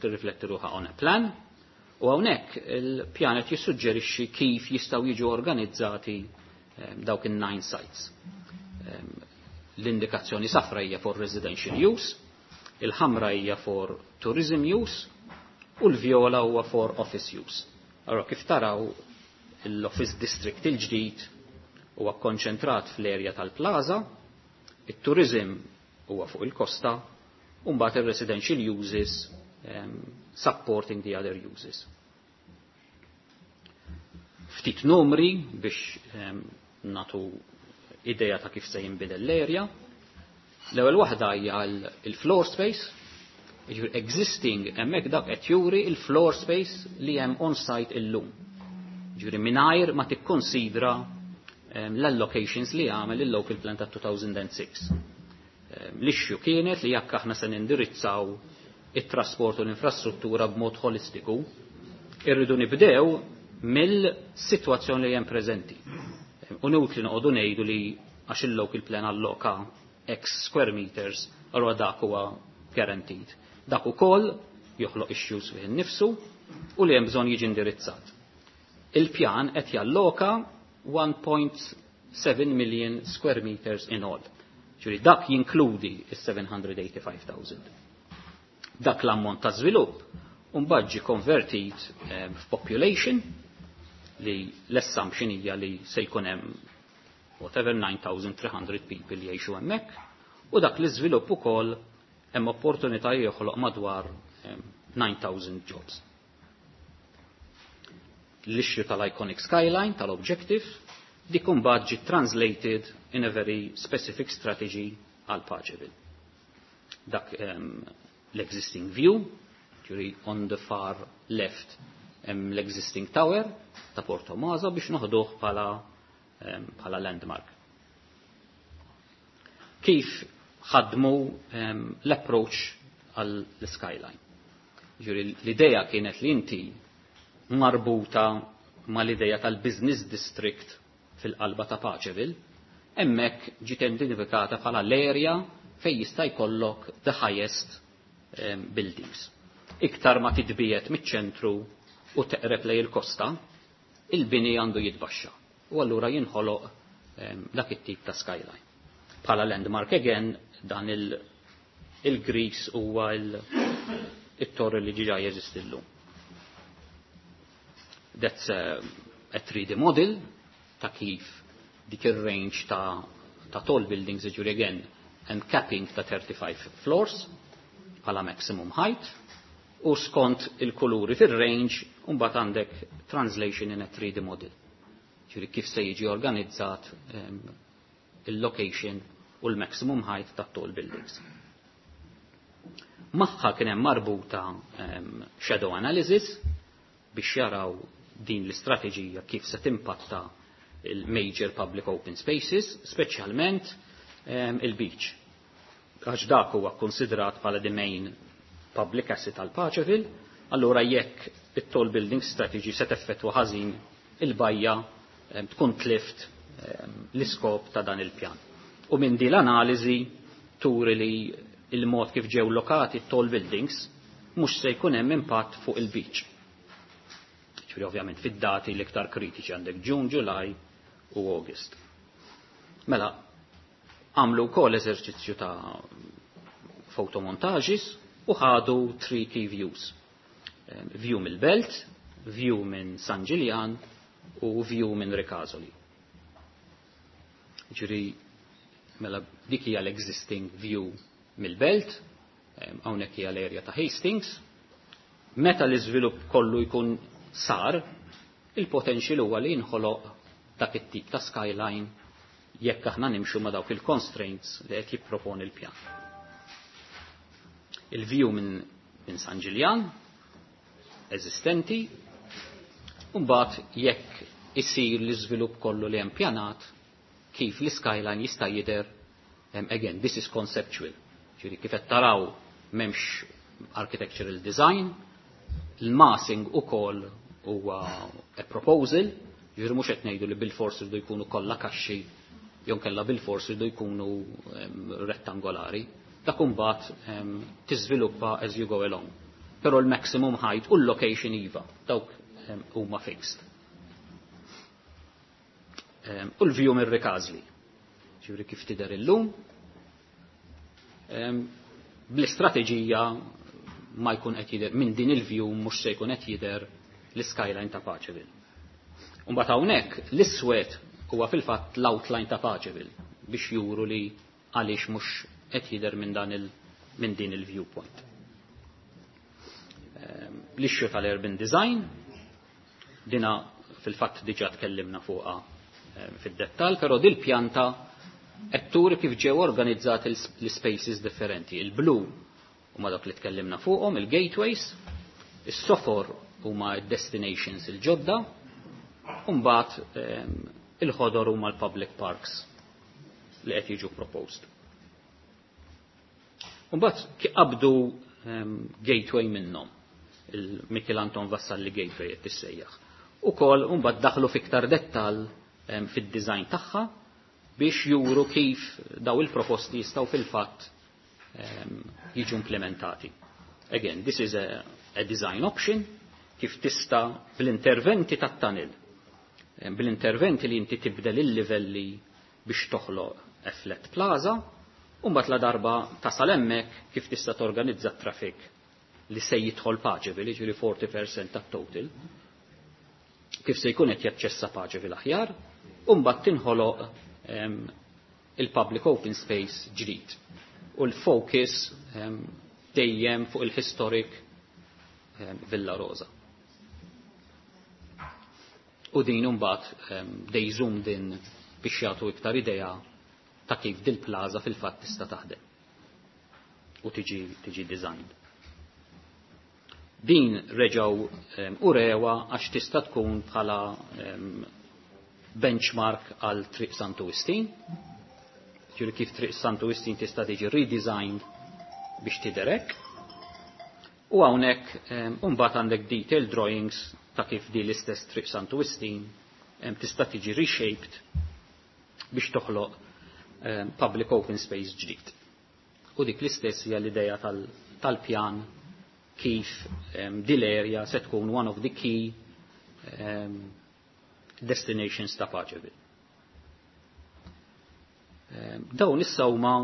tirrifletti ruħha on a plan, u hawnhekk il-pjan qed jissuġġerixxi kif jistgħu jiġu organizzati dawk in-nine sites. L-indikazzjoni safra hija for residential use, il-ħamra hija for tourism use, u l-viola huwa for office use. Allora kif taraw l-office district il-ġdid huwa konċentrat fl-area tal-plaza, il-tourism huwa fuq il-kosta, u mbagħad il-residential uses supporting the other uses. Ftit numri biex natu idea ta' kif se jinbidel l-area. L-ewwel waħda hija il-floor space, jiġifieri existing hemmhekk dak qed juri il-floor space li hemm on-site illum. Jiġifieri mingħajr ma tikkonsidra l-allocations li għamel il-local plan ta' 2006. L-issue kienet li jekk aħna se nindirizzaw it-trasport u l-infrastruttura b'mod holistiku, irridu nibdew mill-sitwazzjoni li hemm preżenti. U inutli noqogħdu ngħidu li għax il-local plan alloka X square meters, allura dak huwa guaranteed. Dak ukoll joħloq issues fih innifsu u li hemm bżonn jiġi indirizzat. Il-pjan qed jalloka 1.7 million square meters in all. Ġifieri dak jinkludi is-785,000. Dak l-ammont ta' żvilupp mbagħad ġie konvertit f'population li l-assumption hija li se jkun hemm whatever 9,300 people jgħixu hemmhekk u dak l-iżvilupp ukoll hemm opportunità joħloq madwar 9,000 jobs. L-issue tal-iconic skyline, tal-objective, dik imbagħad ġiet translated in a very specific strategy għal Paceville. Dak l-existing view, ġifieri on the far left hemm l-existing tower ta' Porto Maza biex noħduh bħala landmark. Kif ħadmu l-approach għall-skyline? Ġifieri l-idea kienet li inti marbuta mal-idea tal-business district fil-qalba ta' Paceville, hemmhekk ġiet identifikata bħala l-area fejn jista' jkollok the highest buildings. Iktar ma titbiet miċ-ċentru u teqreb lej il-kosta, il-bini għandu jitbaxxa. U allura jinħoloq dak it-tip ta' skyline. Bħala landmark again, dan il-gris huwa il-torri li ġiġa jeżisti llum. That's a 3D model ta' kif dik ir-range ta' tall buildings, ġifieri again, and capping ta' 35 floors bħala maximum height, u skont il-kuluri fil-range, mbagħad għandek translation in a 3D model. Ġifieri kif se jiġi organizzat il-location u l-maximum height ta' tall buildings. Magħha kien hemm marbuta shadow analysis biex jaraw din l-istrateġija kif se timpatta il-major public open spaces, speċjalment il-beach. Għax dak huwa konsidrat bħala the main public asset tal Paceville, allura jekk it-tall building strategy se teffettwa ħażin il-bajja, tkun tlift l-iskop ta' dan il-pjan. U minn din l-analiżi turi li il-mod kif ġew lokati tall buildings mhux se jkun hemm impatt fuq il-beach. Ġifieri ovvjament fid-dati l-iktar kritiċi għandek June, July u August. Mela, għamlu wkoll eżerċizzju ta' photomontages u ħadu three key views. View mill-Belt, view minn San Ġiljan u view minn Ricasoli. Ġifieri, mela dik hija l-existing view mill-Belt, hawnhekk hija l-area ta' Hastings. Meta l-iżvilupp kollu jkun sar, il-potential huwa li jinħoloq dak it-tip ta' skyline jekk aħna nimxu ma' dawk il-constraints li qed jipproponi l-pjan. Il-view minn San Ġiljan eżistenti, u mbagħad jekk isir l-iżvilupp kollu li hemm pjanat, kif l-skyline jista' jidher, again, this is conceptual. Ġifieri kif qed taraw m'hemmx architectural design, il-massing ukoll huwa a proposal, ġifieri mhux qed ngħidu li bil-fors irdu jkunu kollha kaxxi jew kellha bil-fors irdu jkunu rettangolari. Dak imbagħad tiżviluppa as you go along. Però l-maximum height u l-location iva, dawk huma fixed. U l-view mir-Ricasoli. Ġifieri kif tidher illum, bl-istrateġija ma jkun qed jidher minn din il-view, mhux se jkun qed jidher l-skyline ta' Paceville. Mbagħad hawnhekk l-iswed huwa fil-fatt l-outline ta' Paceville biex juru li għaliex mhux qed jidher minn din il-viewpoint. L-issue tal-urban design, dina fil-fatt diġà tkellimna fuqha fid-dettall, però dil-pjanta qed turi kif ġew organizzati l-spaces differenti. Il-blu huma dak li tkellimna fuqhom, il-gateways, is-sofor huma destinations il-ġodda, u mbagħad il-ħodor huma l-public parks li qed jiġu proposed. Mbagħad qabdu gateway minnhom, il-Michel Anton Vassalli Gateway qed tissejjaħ. Ukoll mbagħad daħlu fiktar dettal fid-design tagħha biex juru kif daw il-proposti jistgħu fil-fatt jiġu implementati. Again, this is a design option kif tista' bl-interventi tat-tunnel, bl-interventi li inti tibdel il-livelli biex toħloq a flat plaza, u mbagħad la darba tasal hemmhekk kif tista' torganizza t-traffic li se jidħol Paceville, jiġifieri 40% tat-total, kif se jkun qed jaċċessa Paceville aħjar, u mbagħad tinħoloq il-public open space ġdid. U l-focus dejjem fuq il-historic Villa Rosa. U din imbagħad they zoomed in biex jagħtu iktar idea ta' kif dil-plaza fil-fatt tista' taħdem u tiġi designed. Din reġgħu urewa għax tista' tkun bħala benchmark għal Triq Santu Wistin. Ġifieri kif Triq Santu Wistin tista' tiġi redesigned biex tiderek. U hawnhekk imbagħad għandek detailed drawings ta' kif di l-istess Triq Santu Wistin tista' tiġi reshaped biex toħloq public open space ġdid. U dik l-istess hija l-idea tal-pjan kif dil-area se tkun one of the key destinations ta' Paceville. Dawn issa huma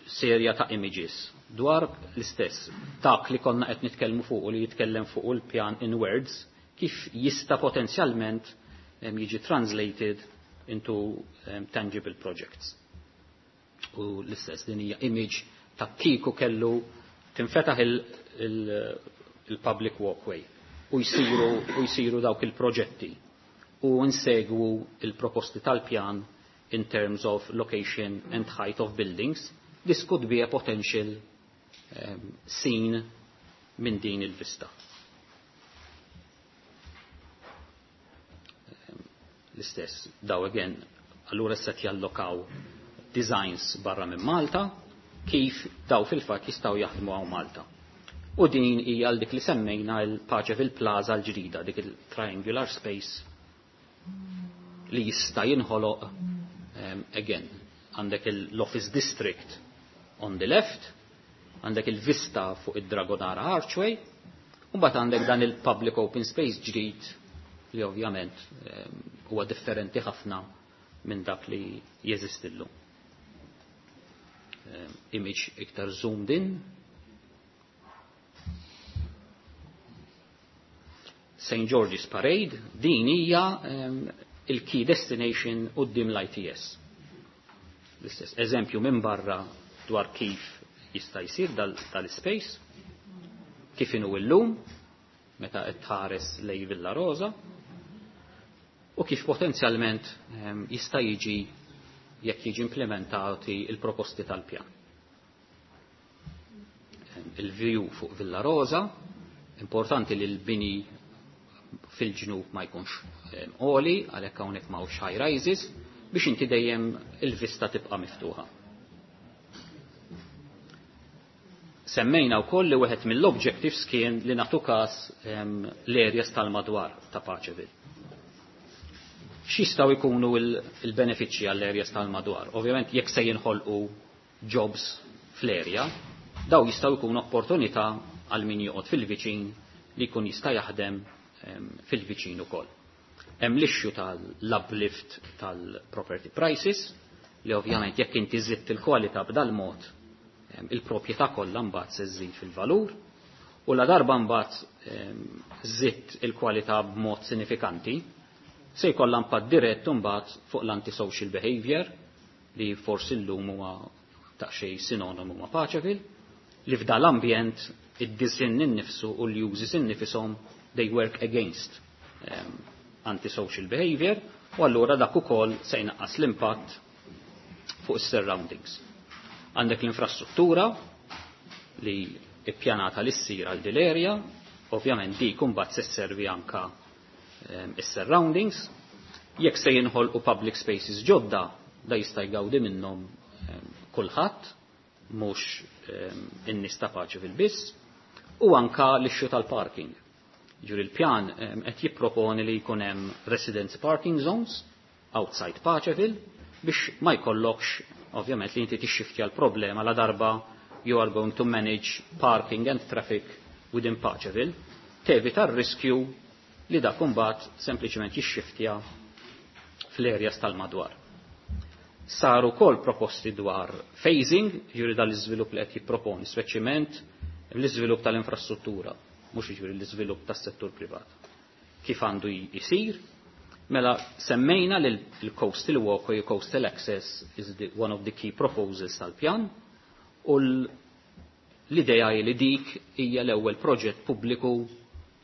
serja ta' images dwar l-istess dak li konna qed nitkellmu fuq u li jitkellem fuq il-pjan in words kif jista' potenzjalment jiġi translated into tangible projects. U l-istess din hija image ta' kieku kellu tinfetaħ il-public walkway u jsiru dawk il-proġetti u nsegwu il-proposti tal-pjan in terms of location and height of buildings. This could be a potential scene minn din il-vista. L-istess, daw again, allura set jallokaw designs barra minn Malta, kif daw fil-fatt jistgħu jaħdmu hawn Malta. U din hija għal dik li semmejna l-Paceville Plaza l-ġdida, dik il-triangular space li jista' jinħoloq again. Għandek l-Office District on the left, għandek il-vista fuq id-Dragonara Archway, u mbagħad għandek dan il-public open space ġdid li ovvjament huwa differenti ħafna minn dak li jeżisti llum. Image iktar zoomed in. St. George's Parade, din hija il-key destination quddiem l-ITS. L-istess eżempju minn barra dwar kif jista' jsir dal-space, kif inhu llum, meta qed tħares lej Villa Rosa, u kif potenzjalment jista' jiġi jekk jiġi implementati il-proposti tal-pjan. Il-view fuq Villa Rosa, importanti li l-bini fil-ġnub ma jkunx għoli, għalhekk hawnhekk m'hawnx high rises, biex inti dejjem il-vista tibqa' miftuħa. Semmejna wkoll li wieħed mill-objectives kien li nagħtu każ l-areas tal-madwar ta' Paceville. X'jistgħu jkunu il-benefiċċji għall-areas tal-madwar? Ovvjament jekk se jinħolqu jobs fl-area, daw jistgħu jkunu opportunità għal min joqgħod fil-viċin li jkun jista' jaħdem fil-viċin ukoll. Hemm l-issue tal-uplift tal-property prices li ovvjament jekk inti żidt il-kwalità b'dal-mod il-proprjetà kollha mbagħad se żżid fil-valur u la darba mbagħad żidt il-kwalità b'mod sinifikanti se jkollha impatt dirett mbagħad fuq l-antisocial behavior li forsi llum huwa daqsxejn sinonimu ma' Paceville, li f'dal ambjent id-disinn innifsu u l-uses innifisom they work against antisocial behavior u allura dak ukoll se jnaqqas l-impatt fuq is-surroundings. Għandek l-infrastruttura li ippjanata li ssir għal din l-area, ovvjament dik imbagħad se sservi anka is-surroundings. Jekk se jinħolqu public spaces ġodda, da jista' jgawdi minnhom kulħadd, mhux in-nies ta' Paceville biss, u anka l-issue tal-parking. Ġuri l-pjan qed jipproponi li jkun hemm residence parking zones outside Paceville biex ma jkollokx ovvjament li inti tixxiftja l-problema la darba you are going to manage parking and traffic within Paceville, tevita r-riskju li dak imbagħad sempliċement jixxiftja fl-areas tal-madwar. Saru kol proposti dwar phasing, ġuri dal-iżvilupp li qed jipproponi, speċjalment l-iżvilupp tal-infrastruttura, mhux jiġifieri l-iżvilupp tas-settur privat. Kif għandu jisir? Mela semmejna li l-coastal walkway, coastal access is one of the key proposals tal-pjan u l-idea li dik hija l-ewwel proġett pubbliku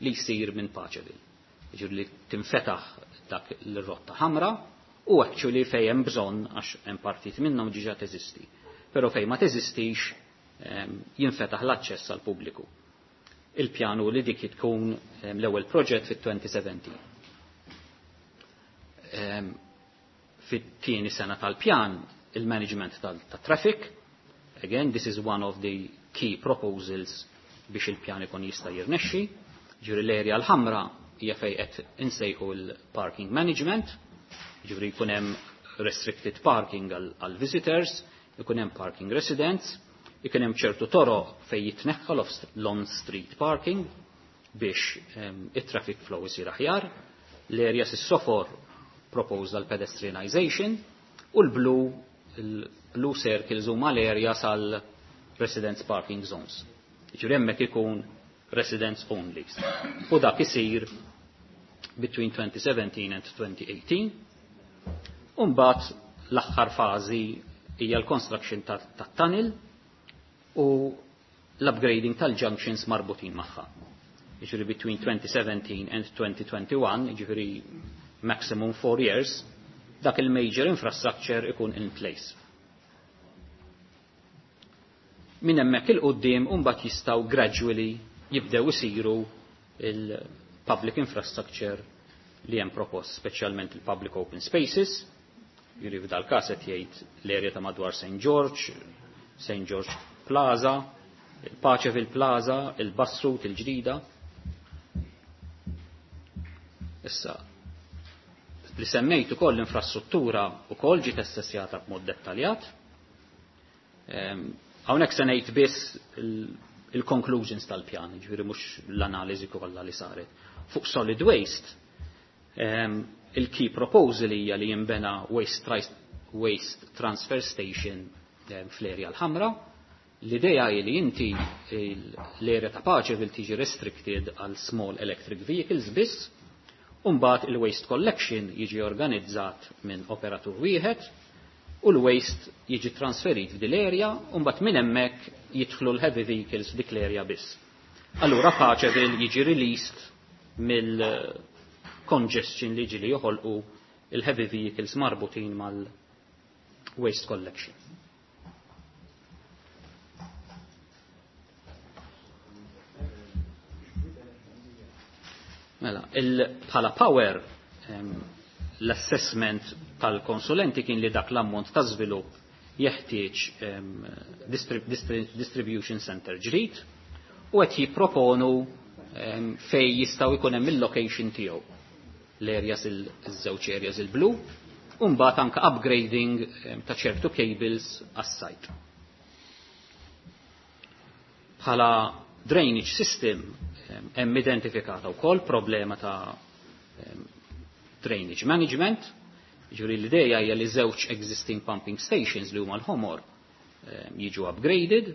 li jsir minn Paceville. Jiġifieri li tinfetaħ Dak l-rotta ħamra u actually fejn hemm bżonn, għax hemm partit minnhom diġà teżisti. Però fejn ma teżistix jinfetaħ l-aċċess għal pubbliku. Il-pjanu li dik tkun l-ewwel proġett fit-2017. Fit-tieni sena tal-pjan, il-management tal-traffic, again, this is one of the key proposals biex il-pjan ikun jista' jirnexxi. Ġifieri l-area l-ħamra hija fejn qed insejħu l-parking management, ġifieri jkun hemm restricted parking għal visitors, ikun hemm parking residents, ikun hemm ċertu toroq fejn jitneħħa l-on-street parking biex it-traffic flow isir aħjar, l-areas is-sofor proposed għal pedestrianization u l-blue circles huma l-areas għal residence parking zones. Ġifieri hemmhekk ikun residents only. U dak isir between 2017 and 2018. Umbagħad l-aħħar fażi hija l-construction tat-tunnel u l-upgrading tal-junctions marbutin magħha. Jiġifieri between 2017 and 2021, jiġifieri maximum 4 years, dak il-major infrastructure ikun in place. Minn hemmhekk il-qudiem mbagħad jistgħu gradually jibdew isiru il-public infrastructure li hemm propost, speċjalment il-public open spaces, jiġifieri f'dal każ qed jgħid l-area ta' madwar St. George, St. George Plaza, il-Paceville Plaza, il-Bus Route il-ġdida. Issa, li semmejt ukoll l-infrastruttura ukoll ġiet assessjata b'mod dettaljat. Hawnhekk se ngħid biss il-conclusions tal-pjan, ġifieri mhux l-analiżi kollha li saret. Fuq solid waste, il-key proposal hija li jinbena waste transfer station fl-area l-ħamra. L-idea hi li inti l-area ta' Paceville tiġi restricted għal small electric vehicles biss, u mbagħad il-waste collection jiġi organizzat minn operatur wieħed u l-waste jiġi trasferit f'dil area u mbagħad minn hemmhekk jidħlu l-heavy vehicles f'dik l-area biss. Allura Paceville jiġi released mill-congestion li ġili joħolqu il-heavy vehicles marbutin mal-waste collection. Mela, bħala power, l-assessment tal-konsulenti kien li dak l-ammont ta' żvilupp jeħtieġ distribution center ġdid u qed jipproponu fej jistgħu jkun hemm il-location tiegħu. L-areas iż-żewġ areas il-blu, u mbagħad anke upgrading ta' ċertu cables għas-site. Bħala drainage system hemm identifikata wkoll problema ta' drainage management, ġifieri l-idea hija li żewġ existing pumping stations li huma l-ħomor jiġu upgraded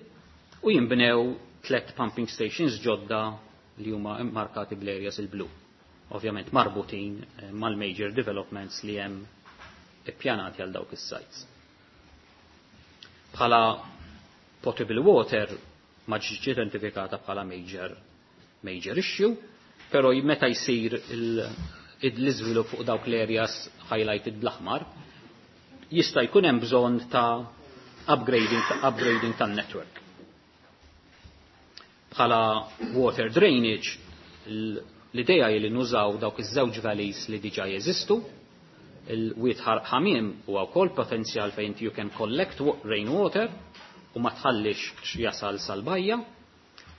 u jinbnew 3 pumping stations ġodda li huma immarkati bl-areas il-blu. Ovvjament marbutin mal-major developments li hemm ippjanati għal dawk is-sites. Bħala potable water ma ġietx identifikata bħala major issue, però meta jsir l-iżvilupp fuq dawk l-areas highlighted bl-aħmar, jista' jkun hemm bżonn ta' upgrading tan-network. Bħala water drainage, l-idea hi li nużaw dawk iż-żewġ valleys li diġà jeżistu, il-wied ħamiem huwa wkoll potenzjal fejn you can collect rainwater u ma tħallix jasal sal-bajja,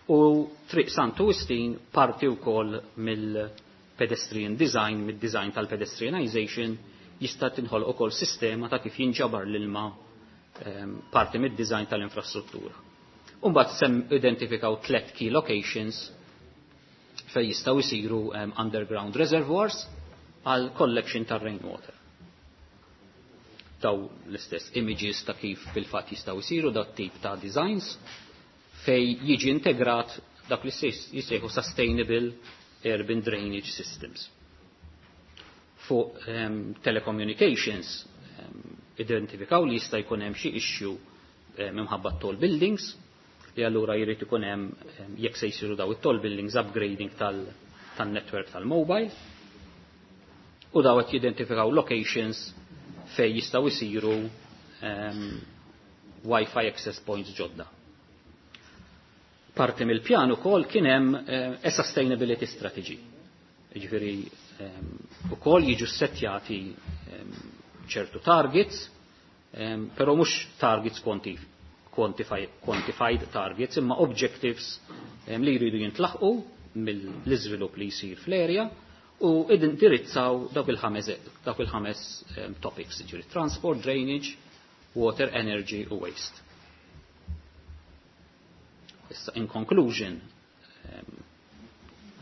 u Triq Santu Wistin parti wkoll mill-pedestrian design, mid-design tal-pedestrianization, jista' tinħoloq ukoll sistema ta' kif jinġabar l-ilma parti mid-design tal-infrastruttura. U mbagħad sem identifikaw 3 key locations fejn jistgħu jsiru underground reservoirs għal collection tar-rainwater. Daw l-istess images ta' kif fil-fatt jistgħu jsiru dat tip ta' designs fej jiġi integrat dak li jissejħu sustainable urban drainage systems. Fuq telecommunications identifikaw li jista' jkun hemm xi issue minħabba tall buildings, li allura jrid ikun hemm jekk se jsiru daw it-tall buildings upgrading tan-network tal-mobile. U daw qed jidentifikaw locations fejn jistgħu jsiru Wi-Fi access points ġodda. Parti mill-pjan ukoll kien hemm a sustainability strategy. Jiġifieri ukoll jiġu settjati ċertu targets, però mhux targets quantified targets, imma objectives li jridu jintlaħqu mill-iżvilupp li jsir fl-area u indirizzaw dawk il-ħames topics, jiġifieri transport, drainage, water, energy u waste. Issa, in conclusion,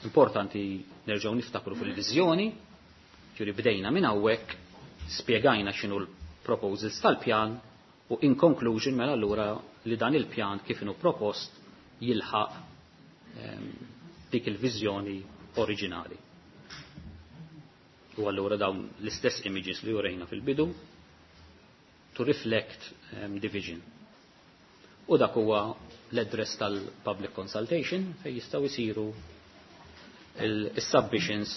importanti nerġgħu niftakru fil-viżjoni, ġifieri bdejna minn hawnhekk, spjegajna x'inhu l-proposals tal-pjan u in conclusion mela allura li dan il-pjan kif inhu propost jilħaq dik il-viżjoni oriġinali. U allura dawn l-istess images li urejna fil-bidu to reflect the vision. U dak huwa l-address tal-public consultation fejn jistgħu jsiru il-submissions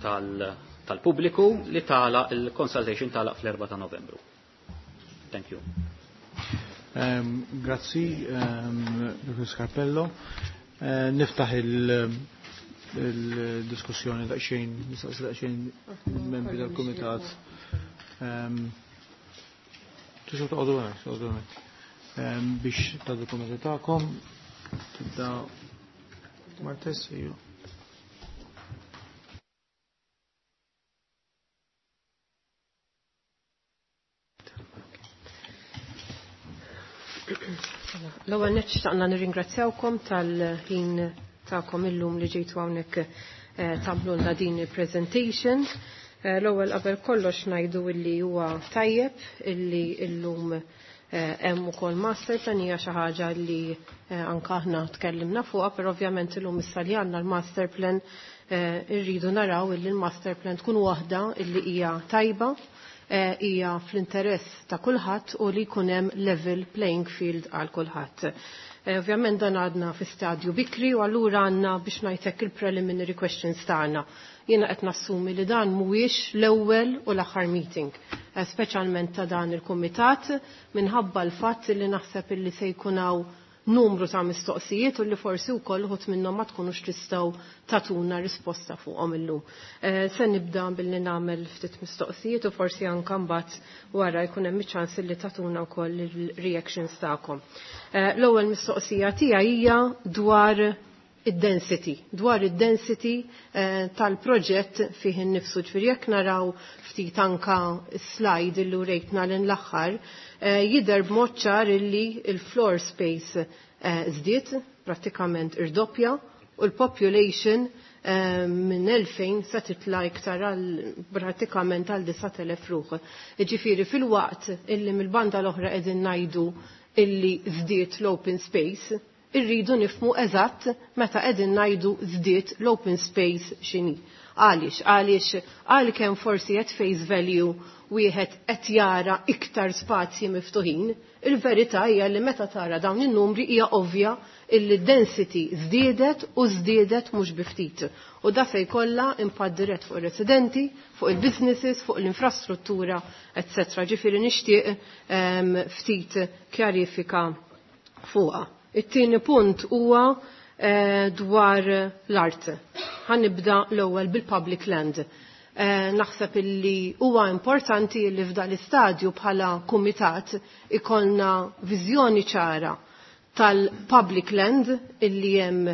tal-pubbliku li tala il-consultation tala fl-4 ta' Novembru. Thank you. Grazzi, Dr. Scarpello. Niftaħ il-diskussjoni daqsxejn, nistaqsi daqsxejn membri tal-kumitat. Tistgħu toqgħodu hemmhekk, toqgħodu hemmhekk. Biex tagħtu kummenti tagħkom, tibda Martes, iju. L-ewwel nett xtaqna nirringrazzjawkom tal-ħin tagħkom illum li ġejtu hawnhekk tagħmlulna din il-presentation. L-ewwel qabel kollox ngħidu illi huwa tajjeb illi illum hemm ukoll master plan, hija xi ħaġa li anke aħna tkellimna fuqha, però ovvjament illum issa li għandna l-master plan irridu naraw illi l-master plan tkun waħda illi hija tajba, hija fl-interess ta' kulħadd u li jkun hemm level playing field għal kulħadd. Ovvjament dan għadna fi stadju bikri u allura għandna biex ngħidlek il-preliminary questions tagħna. Jiena qed nassumi li dan mhuwiex l-ewwel u l-aħħar meeting, speċjalment ta' dan il-kumitat, minħabba l-fatt li naħseb illi se jkun hawn numru ta' mistoqsijiet u li forsi wkoll uħud minnhom ma tkunux tistgħu tatuna risposta fuqhom illum. Se nibda billi nagħmel ftit mistoqsijiet u forsi anke mbagħad wara jkun hemm iċ-ċans li tatuna wkoll il-reactions tagħkom. L-ewwel mistoqsija tiegħi hija dwar id-density, dwar id-density tal-proġett fih innifsu. Ġifieri jekk naraw ftit anka slide illi urejtna l l-aħħar, jidher b'mod ċar illi il-floor space żdied, prattikament irdoppja, u l-population minn 2000 se titla' iktar għal prattikament għal 9000 ruħ. Ġifieri fil-waqt illi mill-banda l-oħra qegħdin ngħidu illi żdied l-open space, irridu nifmu eżatt meta qegħdin ngħidu żdied l-open space x'inhi. Għaliex? Għaliex għalkemm forsi qed face value wieħed qed jara iktar spazji miftuħin, il-verità hija li meta tara dawn in-numri hija ovvja illi density żdiedet u żdiedet mhux bi ftit. U da se jkollha impatt dirett fuq ir-residenti, fuq il-businesses, fuq l-infrastruttura, etc. Ġifieri nixtieq ftit kjarifika fuqha. It-tieni punt huwa dwar l-art. Ħanibda l-ewwel bil-public land. Naħseb illi huwa importanti li f'dan l-istadju bħala kumitat ikollna viżjoni ċara tal-public land illi hemm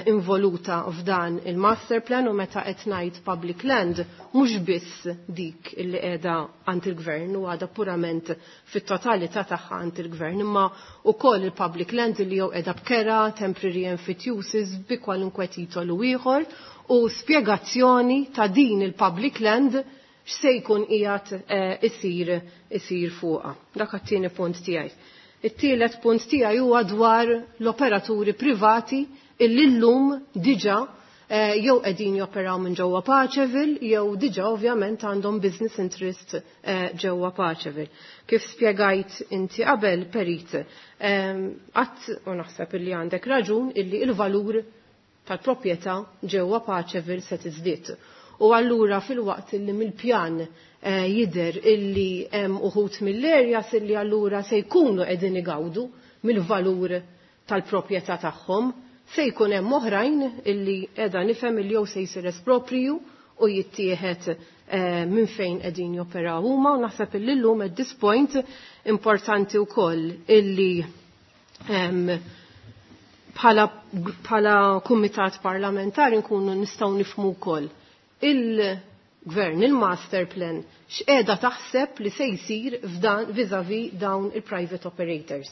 involuta f'dan il-master plan, u meta qed ngħid public land mhux biss dik illi qiegħda għand il-gvern u għadha purament fit-totalità tagħha għand il-gvern, imma wkoll il-public land illi jew qiegħda b'kera, temporary emphyteusis, bi kwalunkwe titolu ieħor, u spjegazzjoni ta' din il-public land x'se jkun qiegħed isir fuqha. Dak għat-tieni punt tiegħi. It-tielet punt tiegħi huwa dwar l-operaturi privati illi llum diġà jew qegħdin joperaw minn ġewwa Paceville jew diġà ovvjament għandhom business interest ġewwa Paceville. Kif spjegajt inti qabel, Perit, qatt u naħseb illi għandek raġun illi il-valur tal-proprjetà ġewwa Paceville se tiżdied. U allura fil-waqt illi mill-pjan jidher illi hemm uħud mill-areas illi allura se jkunu qegħdin igawdu mill-valur tal-proprjetà tagħhom, se jkun hemm oħrajn illi qiegħda nifhem illi jew se jsir espropriju u jittieħed minn fejn qegħdin joperaw huma, u naħseb illi llum at this point importanti wkoll illi bħala kumitat parlamentari nkunu nistgħu nifhmu wkoll il-gvern, il-master plan, x'qiegħda taħseb li se jsir f'dan vis-a-vis dawn il-private operators.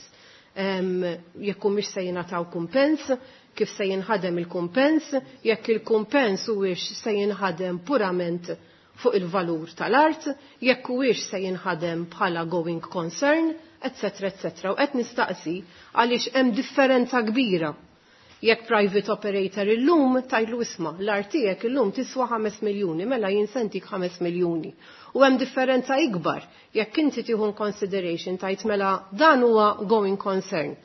Jekk humiex se jingħataw kumpens, kif se jinħadem il-kumpens, jekk il-kumpens huwiex se jinħadem purament fuq il-valur tal-art, jekk huwiex se jinħadem bħala going concern, etc. etc. U qed nistaqsi għaliex hemm differenza kbira. Jekk private operator illum tajlu isma' l-art tiegħek illum tiswa 5 miljuni, mela jien se ntik 5 miljuni. U hemm differenza ikbar jekk inti tieħu consideration tajt mela dan huwa going concern.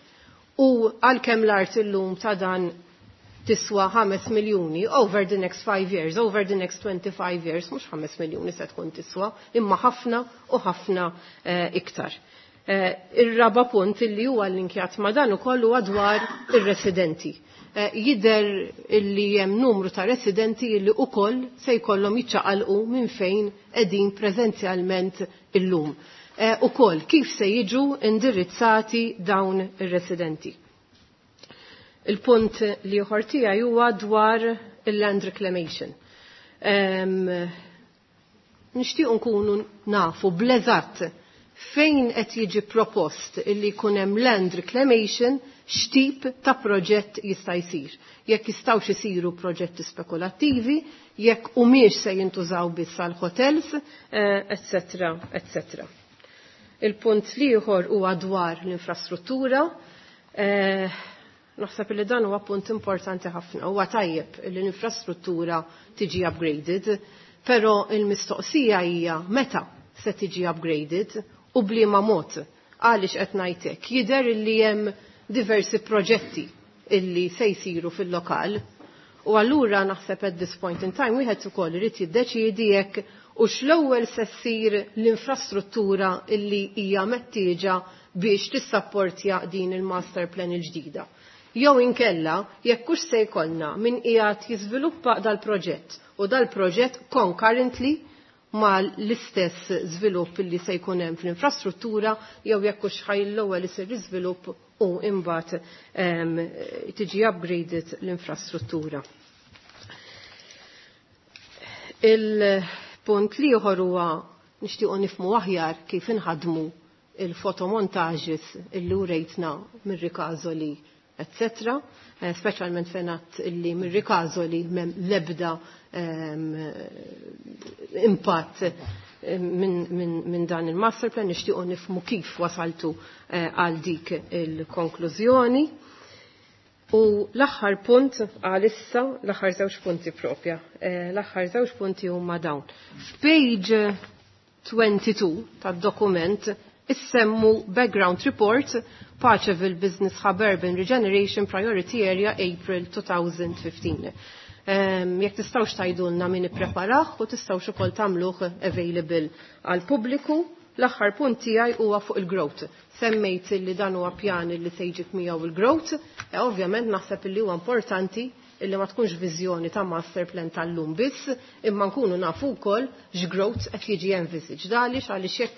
U għalkemm l-art illum ta' dan tiswa 5 miljuni over the next 5 years, over the next 25 years, mhux 5 miljuni se tkun tiswa, imma ħafna u ħafna iktar. Ir-raba punt illi huwa linkjat ma' dan ukoll huwa dwar ir-residenti. Jidher illi hemm numru ta' residenti illi ukoll se jkollhom jiċċaqalqu minn fejn qegħdin preżenzjalment illum. Ukoll kif se jiġu indirizzati dawn ir-residenti. Il-punt li ieħor tiegħi huwa dwar il-land reclamation. Nixtieq nkunu nafu bl-eżatt fejn qed jiġi propost illi jkun hemm land reclamation, x'tip ta' proġett jista' jsir. Jekk jistgħux isiru proġetti spekulattivi, jekk humiex se jintużaw biss għal hotels, etc. etc. Il-punt l-ieħor huwa dwar l-infrastruttura. Naħseb li dan huwa punt importanti ħafna. Huwa tajjeb li l-infrastruttura tiġi upgraded, però il-mistoqsija hija meta se tiġi upgraded u bliema mod. Għaliex qed ngħidlek? Jidher li hemm diversi proġetti illi se jsiru fil-lokal. U allura naħseb at this point in time wieħed ukoll irid jiddeċiedi jekk u x-l-ewwel se ssir l-infrastruttura illi hija mettieġa biex tissapportja din il-master plan il-ġdida. Jew inkella jekk hux se jkollna min qiegħed jiżviluppa dal-proġett u dal-proġett concurrently ma l-istess żvilupp illi se jkun hemm fl-infrastruttura, jew jekk hux ħaj l-ewwel isir iżvilupp u imbagħad tiġi upgraded l-infrastruttura. Il-punt l-ieħor huwa nixtiequ nifhmu aħjar kif inħadmu il-fotomontages illi urejtna mir-Ricasoli, etc. Speċjalment fejn għadt illi mir-Ricasoli m'hemm l-ebda impatt minn dan il-master plan, nixtiequ nifhmu kif wasaltu għal dik il-konklużjoni. U l-aħħar punt għalissa, l-aħħar żewġ punti propja, l-aħħar żewġ punti huma dawn. F'page 22 tad-dokument issemmu Background Report Paceville Business Hub Urban Regeneration Priority Area April 2015. Jekk tistgħux tgħidulna min ippreparah u tistgħux ukoll tagħmluh available għal pubbliku. L-aħħar punt tiegħi huwa fuq il-growth. Semmejt li dan huwa pjan li se jġib miegħu il-growth, ovvjament naħseb li huwa importanti illi ma tkunx viżjoni ta' master plan tal-lum biss, imma nkunu nafu wkoll x'growth qed jiġi envisaged. Għaliex? Għaliex jekk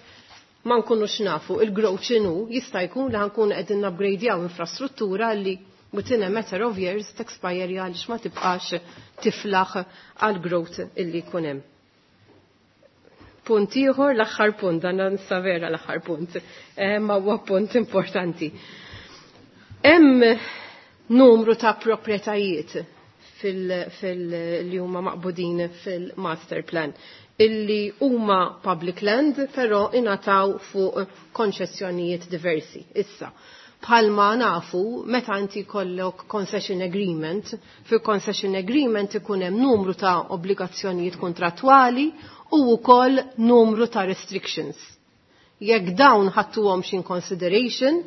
ma nkunux nafu il-growth x'inhu, jista' jkun li ħankunu qegħdin upgradejaw infrastruttura li within a matter of years texpire għaliex ma tibqax tiflaħ għal growth illi jkun hemm. Punt ieħor, l-aħħar punt, dan nsa vera l-aħħar punt, ma huwa punt importanti. Hemm numru ta' proprjetajiet li huma maqbudin fil-master plan illi huma public land, però ingħataw fuq konċessjonijiet diversi. Issa, bħalma nafu, meta inti jkollok concession agreement, fil-concession agreement ikun hemm numru ta' obbligazzjonijiet kontrattwali u wkoll numru ta' restrictions. Jekk dawn ħadtuhomx in consideration,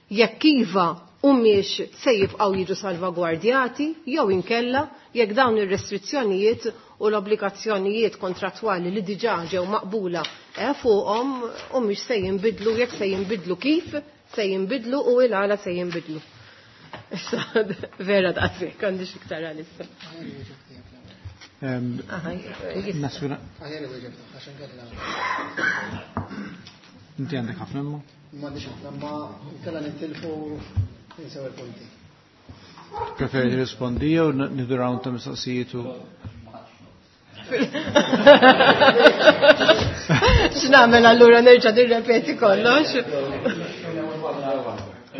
jekk iva Humiex se jibqgħu jiġu salvagwardjati jew inkella jekk dawn ir-restrizzjonijiet u l-obbligazzjonijiet kontrattwali li diġà ġew maqbula fuqhom humiex se jinbidlu, jekk se jinbidlu kif se jinbidlu u il-għala se jinbidlu. Issa, vera daqshekk, għandix iktar għalissa. Inti għandek ħafna imma? M'għandix ħafna, ma nkella nintilfu ninsew il-punti. Preferi rispondi jew nidu round ta' mistoqsijiet u X'nagħmel allura nerġa' nirrepeti kollox?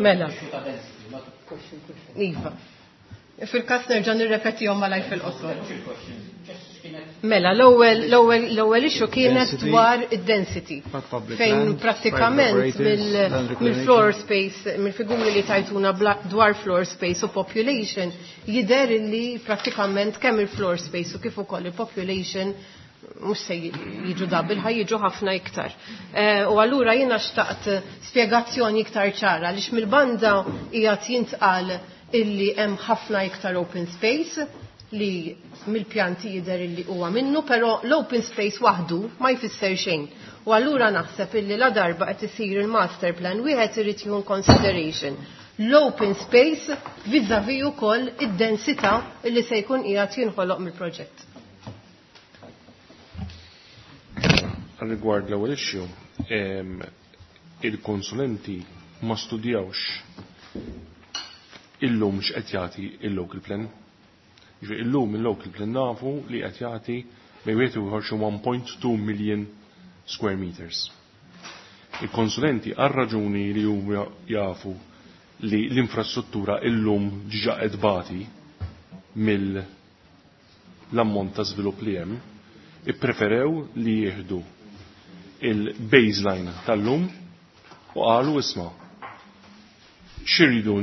Mela. Iva. Fil-każ nerġa' nirrepetihom malaj fil-qosor. Mela, l-ewwel issue kienet dwar id-density. Fejn prattikament mill-floor space, mill-figuri li tajtuna dwar floor space u population, jidher li prattikament kemm il-floor space u kif ukoll il-population mhux se jiġu double, ħaj jiġu ħafna iktar. U allura jiena xtaqt spjegazzjoni iktar ċara għaliex mill-banda qiegħed jintqal illi hemm ħafna iktar open space li mill-pjanti jidher illi huwa minnu, però l-open space waħdu ma jfisser xejn. U allura naħseb illi la darba qed isir il-master plan wieħed irid jieħu consideration l-open space vis-à-vis ukoll id-densità illi se jkun qiegħed jinħoloq mill-proġett. Rigward l-ewwel issue, il-konsulenti ma studjawx illum x'qed jagħti il-local plan. Jiġifieri illum il-local plan nafu li qed jagħti bejn wieħed u ieħor xi 1.2 million square meters. Il-konsulenti għal raġuni li huma jafu li l-infrastruttura illum ġiġa qed bati mill-ammont ta' żvilupp li hemm, ippreferew li jieħdu il-baseline tal-lum u qalu isma' x'iridu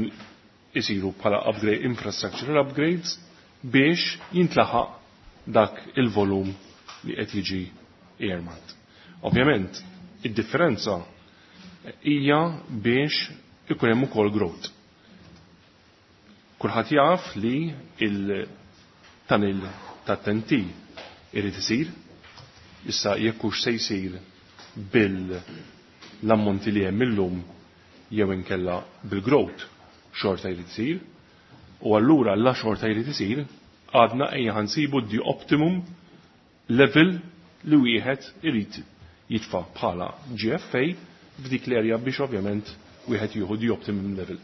isiru bħala upgrade, infrastructural upgrades biex jintlaħaq dak il-volum li qed jiġi earmarked. Ovvjament, id-differenza hija biex ikun hemm ukoll growth. Kulħadd jaf li il-tunnel tat-TNT irid isir, issa jekk hux se jsir bil-ammonti li hemm illum jew inkella bil-growth xorta jrid isir, u allura la xorta jrid isir għadna ejja ħansibu the optimum level li wieħed irid jitfa' bħala GFA f'dik l-area biex ovvjament wieħed jieħu the optimum level.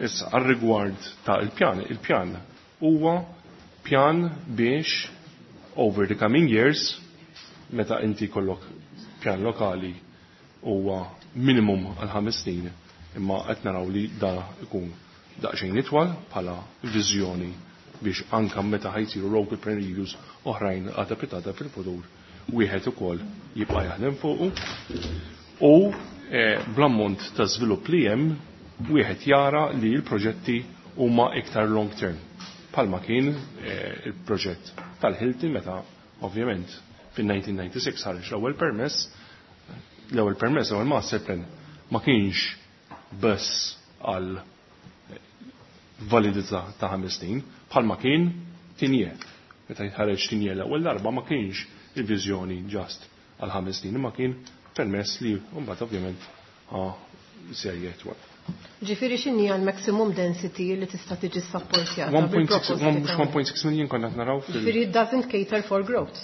Issa, għal-rigward ta' il-pjan, il-pjan huwa pjan biex over the coming years, meta inti kollok pjan lokali huwa minimum għal 5 snin, imma qed naraw li da ikun daqsxejn itwal bħala viżjoni biex anka meta ħajsiru local plan reviews oħrajn għada pitata fil-futur wieħed ukoll jibqa' jaħdem fuqu. U bl-ammont ta' żvilupp li hemm wieħed jara li l-proġetti huma iktar long term. Palma kien il-proġett tal-Hilton meta ovvjament fin-1996 ħareġ l-ewwel permess, l-ewwel master plan ma kienx biss għal validità ta' 5 snin, bħalma kien Tigné. Meta jitħareġ Tigné l-ewwel darba ma kienx il-viżjoni ġast għal 5 snin, imma kien permess li mbagħad ovvjament serje twal. Ġifieri x'inhi għal maximum density li tista' tiġi sapportjata? Mhux 1.6 million konna qed naraw fil- Ġifieri it doesn't cater for growth.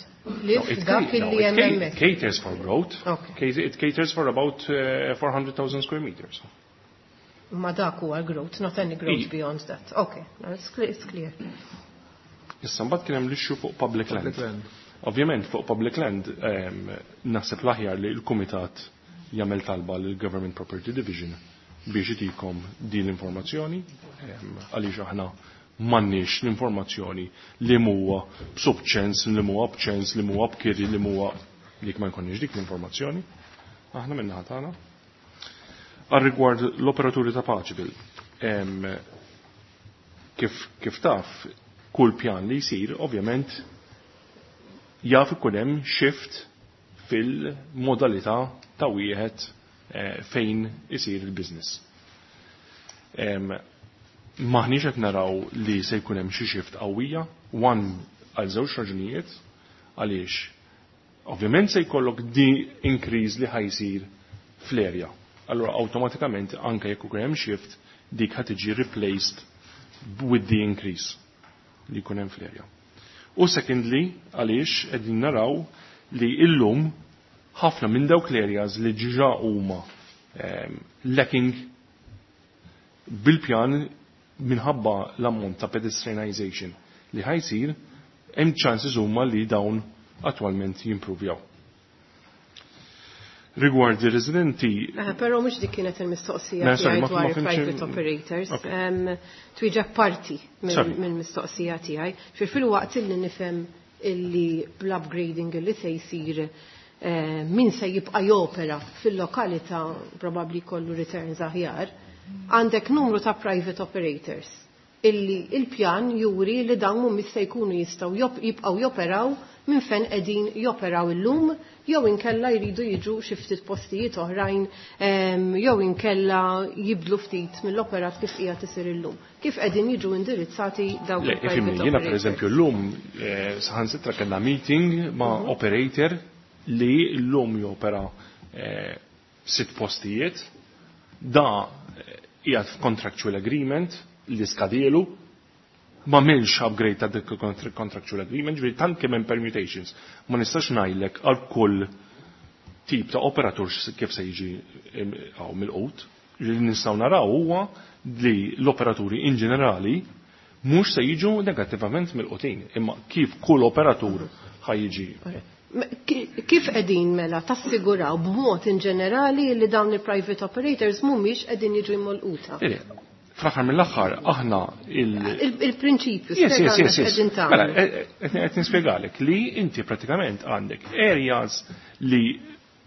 Li No, dak illi hemm hemmhekk. it caters for growth. Okay. It caters for about 400,000 square meters. Ma dak huwa growth, not any growth beyond that. Okay, no, it's clear, it's clear. Issa mbagħad kien hemm l-issue fuq public land. Public land. Ovvjament fuq public land naħseb l-aħjar li l-Kumitat jagħmel talba lill Government Property Division biex itikom din l-informazzjoni, għaliex aħna m'għandniex l-informazzjoni li huwa b'subċens, li huwa b'ċens, li huwa b'kiri, li huwa dik ma jkollniex dik l-informazzjoni. Aħna minnaħa tagħna. Għal rigward l-operaturi ta' Paceville, kif taf, kull pjan li jsir, ovvjament, jaf ikun hemm shift fil-modalità ta' wieħed fejn isir il-business. Maħniex qed naraw li se jkun hemm xi shift qawwija, one għal żewġ raġunijiet, għaliex ovvjament se jkollok di increase li ħa jsir fl-area. Allura awtomatikament anke jekk ikun hemm shift dik ħa tiġi replaced with the increase li jkun hemm fl-area. U secondly, għaliex qegħdin naraw li illum ħafna minn dawk l-areas li ġiġa huma lacking bil-pjan minħabba l-ammont ta' pedestrianization li ħa jsir, hemm chances huma li dawn attwalment jimprovjaw. Rigward ir-residenti. Però mhux dik kienet il-mistoqsija tiegħi dwar private operators. Twieġeb parti mill-mistoqsija tiegħi. Fil-waqt illi nifhem illi bl-upgrading illi se jsir min se jibqa' jopera fil-lokalità probabbli kollu returns aħjar, għandek numru ta' private operators illi il-pjan juri li dawn mhumiex se jkunu jistgħu jibqgħu joperaw minn fejn qegħdin joperaw illum jew inkella jridu jiġu xi ftit postijiet oħrajn jew inkella jibdlu ftit mill-operat kif qiegħed isir illum. Kif qegħdin jiġu indirizzati dawk il-private operators? Jiena pereżempju llum saħansitra kellna meeting ma' operator li llum jopera 6 postijiet, da qiegħed f'contractual agreement li skadielu, ma milx upgrade ta' dik contractual agreement, ġifieri tant kemm hemm permutations. Ma nistax ngħidlek għal kull tip ta' operatur kif se jiġi hawn mill-qut. Li nistgħu naraw huwa li l-operaturi in ġenerali mhux se jiġu negattivament mill-qutin, imma kif kull operatur ħa jiġi. Kif qegħdin mela tassiguraw b'mod in ġenerali li dawn il-private operators mhumiex qegħdin jiġu jmolquta? Fl-aħħar mill-aħħar aħna il-prinċipju yes. Mela, qed nispjegalek li inti pratikament għandek areas li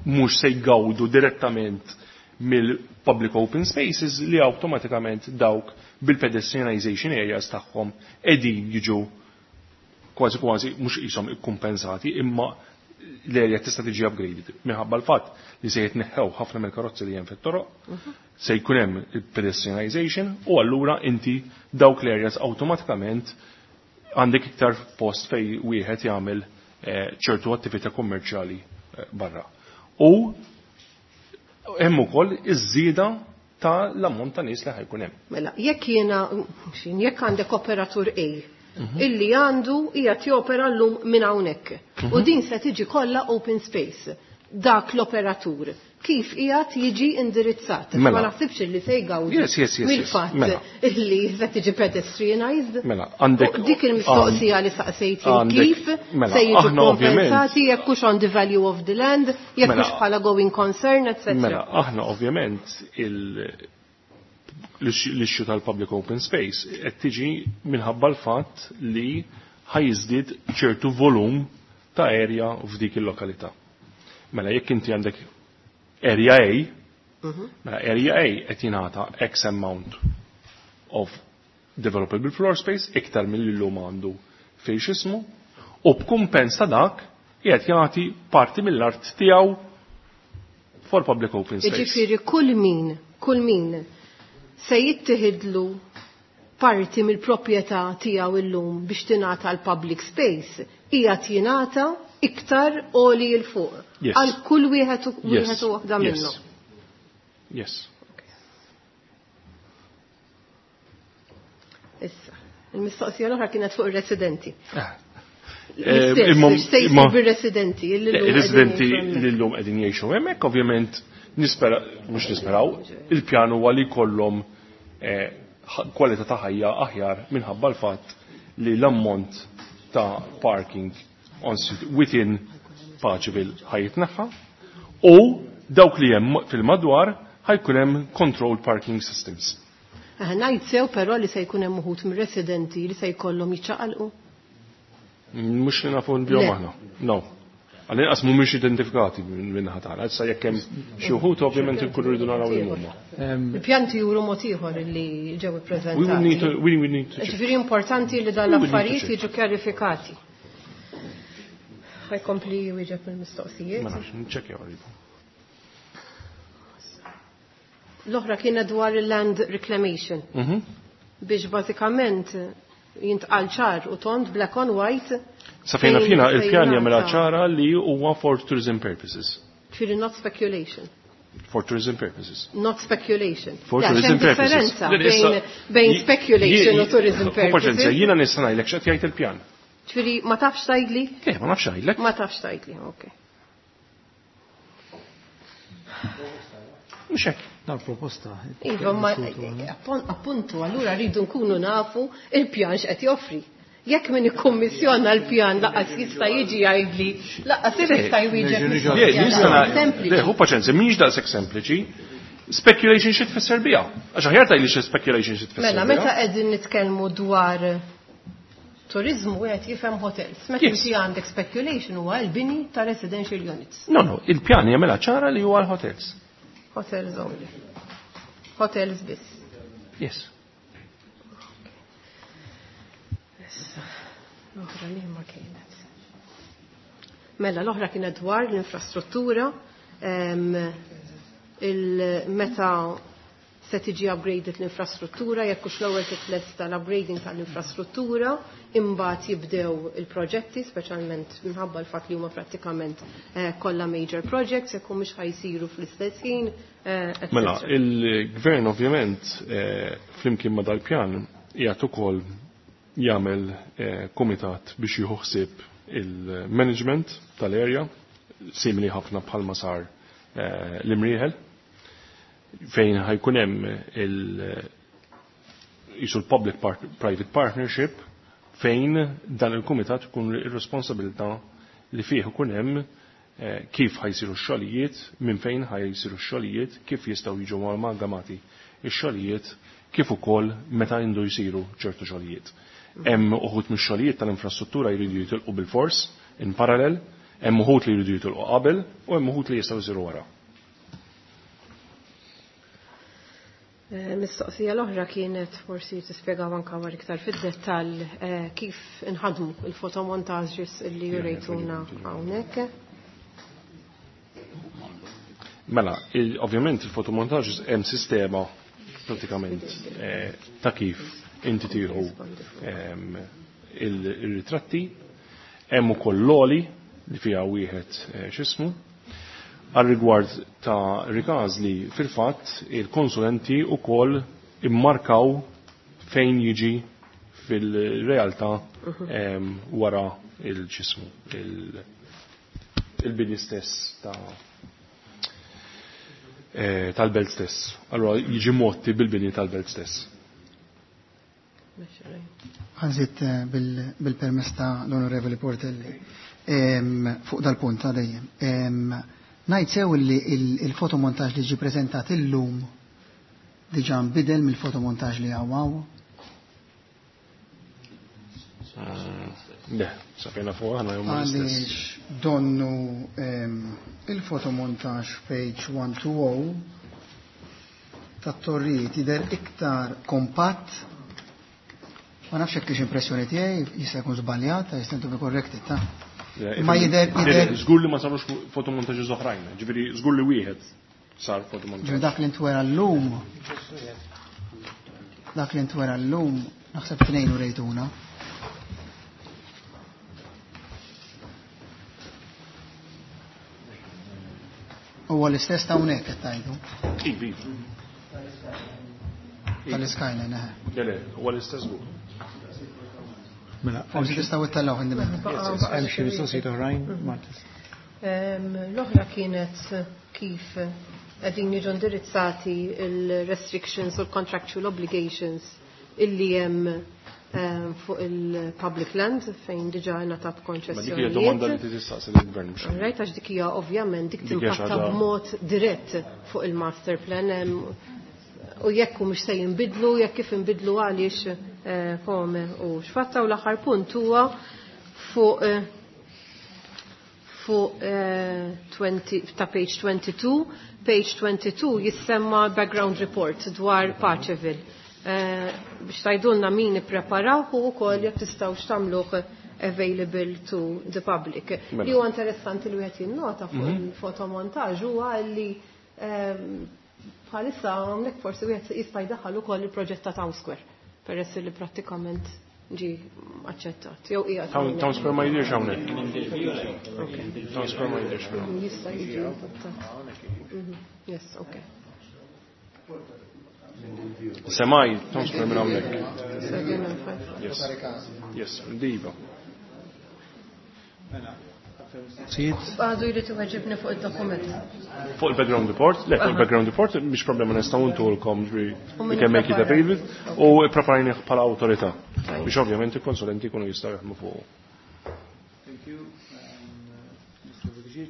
mhux se jgawdu direttament mill-public open spaces li awtomatikament dawk bil-pedestrianization areas tagħhom qegħdin jiġu kważi kważi mhux qishom ikkumpensati imma l-area tista' tiġi upgraded minħabba l-fatt li se jitneħħew ħafna mill-karozzi li hemm fit-toroq, se jkun hemm il-pedestrianization u allura inti dawk l-areas awtomatikament għandek iktar post fej wieħed jagħmel ċertu attività kummerċjali barra. U hemm ukoll iż-żieda ta' l-ammont ta' nies li ħajkun hemm. Mela, jekk jiena jekk għandek operatur A illi għandu qiegħed jopera llum minn hawnhekk. U din se tiġi kollha open space. Dak l-operatur kif qiegħed jiġi indirizzat. Ma naħsibx li se jgawdi mill-fatt illi se tiġi pedestrianized. Mela, għandek dik il-mistoqsija li saqsejt kif se jiġu kompensati jekk hux on the value of the land, jekk hux bħala going concern, etc. Mela, aħna ovvjament l-issue tal-public open space qed tiġi minħabba l-fatt li ħajżdied ċertu volum ta' area f'dik il-lokalità. Mela jekk inti għandek area A, mela area A qed jingħata X amount of developable floor space iktar milli llum għandu fejn x'ismu, u b'kumpens ta' dak qiegħed jagħti parti mill-art tiegħu for public open space. Jiġifieri kull min se jittieħidlu parti mill-proprjetà tiegħu illum biex tingħata l public space, qiegħed jingħata iktar għoli 'l fuq. Għal kull wieħed u waħda minnhom. Yes. Issa, il-mistoqsija l-oħra kienet fuq ir-residenti. L-istess, se jsir bir-residenti illi llum Ir-residenti li llum qegħdin jgħixu hemmhekk, ovvjament nispera, mhux nisperaw, il-pjan huwa li jkollhom kwalità ta' ħajja aħjar minħabba l-fatt li l-ammont ta' parking on street within Paceville ħajjitneħħa u dawk li hemm fil-madwar ħajkun hemm controlled parking systems. Ngħid sew però li se jkun hemm uħud mir-residenti li se jkollhom jiċċaqalqu? Mhux li nafu bihom aħna. No. Għal-inqas mhumiex identifikati minn tagħna. Issa jekk hemm xi wħud ovvjament inkunu rridu naraw lil huma. Il-pjanti juru mod ieħor li ġew ippreżentati. We will need to check. Ġifieri importanti li dan l-affarijiet jiġu kjarifikati. Ħajkompli wieġeb mill-mistoqsijiet. Ma nafx, nċekkjaw rridu. L-oħra kienet dwar il-land reclamation. Biex bażikament jintqal ċar u tond black on white. Sa fejna fina il-pjan jagħmilha ċara li huwa for tourism purposes. Ġifieri not speculation. For tourism purposes. Not speculation. For tourism purposes. Differenza bejn speculation u tourism purposes. Jiena nista' ngħidlek x'qed jgħid il-pjan. Ġifieri ma tafx tgħidli? Le, ma nafx ngħidlek. Ma tafx tgħidli, okej. Mhux hekk. Dal proposta. Iva, ma appuntu, allura rridu nkunu nafu il-pjan x'qed joffri. Jekk min ikkummissjona l-pjan laqas jista' jiġi jgħidli, laqas jista' jwieġeb. Le, hu paċenza, mhix daqshekk sempliċi. Speculation xi tfisser biha. Għax aħjar tgħidli xi speculation xi tfisser. Mela, meta qegħdin nitkellmu dwar turizmu wieħed jifhem hotels. Meta inti għandek speculation huwa l-bini ta' residential units. No, no, il-pjan jagħmilha ċara li huwa l-hotels. Hotels only. Hotels biss. Yes. Issa, l-oħra li ma kienet. Mela, l-oħra kienet dwar l-infrastruttura, il-meta se tiġi upgraded l-infrastruttura, jekk hux l-ewwel titlesta l-upgrading tal-infrastruttura, imbagħad jibdew il-proġetti, speċjalment minħabba l-fatt li huma prattikament kollha major projects, jekk mhux ħajsiru fl-istess ħin. Mela, il-gvern ovvjament flimkien ma' dal-pjan qiegħed ukoll jagħmel kumitat biex jieħu ħsieb il-management tal-area, simili ħafna bħalma sar l-Imrieħel, fejn ħajkun hemm jisu l-public private partnership, fejn dan il-kumitat ikun ir-responsabilità li fih ikun hemm kif ħajsiru x-xogħlijiet, minn fejn ħajsiru x-xogħlijiet, kif jistgħu jiġu amalgamati x-xogħlijiet, kif ukoll meta jindu jsiru ċertu xogħlijiet. Hemm uħud mix-xogħlijiet tal-infrastruttura jridu jitilqu bil-fors in parallel, hemm uħud li jridu jitilqu qabel u hemm uħud li jistgħu jsiru wara. Mistoqsija l-oħra kienet forsi tispjegaw anke war iktar fid-dettall kif inħadmu il-fotomontaġġis li jurejtuna hawnhekk. Mela, ovvjament il-fotomontaġġis hemm sistema pratikament ta' kif inti tieħu il-ritratti, hemm ukoll l-oli li fiha wieħed x'ismu. Għal rigward ta' Rikażli, fil-fatt il-konsulenti u koll immarkaw fejn jiġi fil-realtà wara il-ġismu, il-bini stess tal-belt stess. Allora jiġi motti bil-bini tal-belt stess. Għanżit bil-permess ta' l-Onorevoli Portelli fuq dal-punt ta' dejjem. Ngħid sew li il-fotomontaġġ li ġie preżentat illum diġà nbidel mill-fotomontaġġ li hawn. Le, safejna fuq aħna huma l-istess. Għaliex donnu il-fotomontaġġ page 120 tat-torrijiet jidher iktar kompatt. Ma nafx hekk impressjoni tiegħi jista' jkun żbaljat, jista' to be corrected, ta'. Ma jidher żgur li ma sarux fotomontaġġi oħrajn, ġifieri żgur li wieħed sar fotomontaġġ. Ġifieri dak li ntwera llum, dak li ntwera llum naħseb tnejn u rejtuna. Huwa l-istess ta' hawnhekk qed tgħidu. Ivi. Tal-Skyline, eħe. Le, le, huwa l-istess żgur. Mela, forsi tistgħu ittellgħu indipendenti. Hemm xi mistoqsijiet oħrajn, Marta? L-oħra kienet kif qegħdin jiġu indirizzati il-restrictions u l-contractual obligations illi hemm fuq il-public land fejn diġà ngħatat Ma dik hija domanda li tistaqsi lill-gvern mhux. Right, għax dik hija ovvjament dik Dik hija xi timpatta ħaġa b'mod dirett fuq il-master plan u jekk hu mhux se jinbidlu, jekk kif inbidlu għaliex kome u x'fatta. U l-aħħar punt huwa fuq ta' page 22. Page 22 jissemma background report dwar Paceville. Biex tajdulna min ippreparaw u wkoll jekk tistgħu x'tagħmluh available to the public. Mela. Li huwa interessanti li wieħed jinnota fuq il-fotomontaġġ huwa li Bħalissa hawnhekk forsi wieħed jista' jdaħħal ukoll il-proġett ta' Town Square peress li prattikament ġi aċċettat. Jew qiegħed Town Square ma jidirx hawnhekk. Town Square ma jidirx però. Jista' jiġi adottat. Yes, okay. Semaj, Town Square minn hawnhekk. 7 and 5. Yes. Yes, diva. Sijiet? Għadu jrid iweġibni fuq id-dokument. Fuq il-background report, le, fuq il-background report, mhix problema nistgħu ntulkom ġri U we can make it min available u preparajnih bħala awtorità biex ovvjament il-konsulenti jkunu jistgħu jaħdmu fuq. Thank you. Mr. Buttigieg.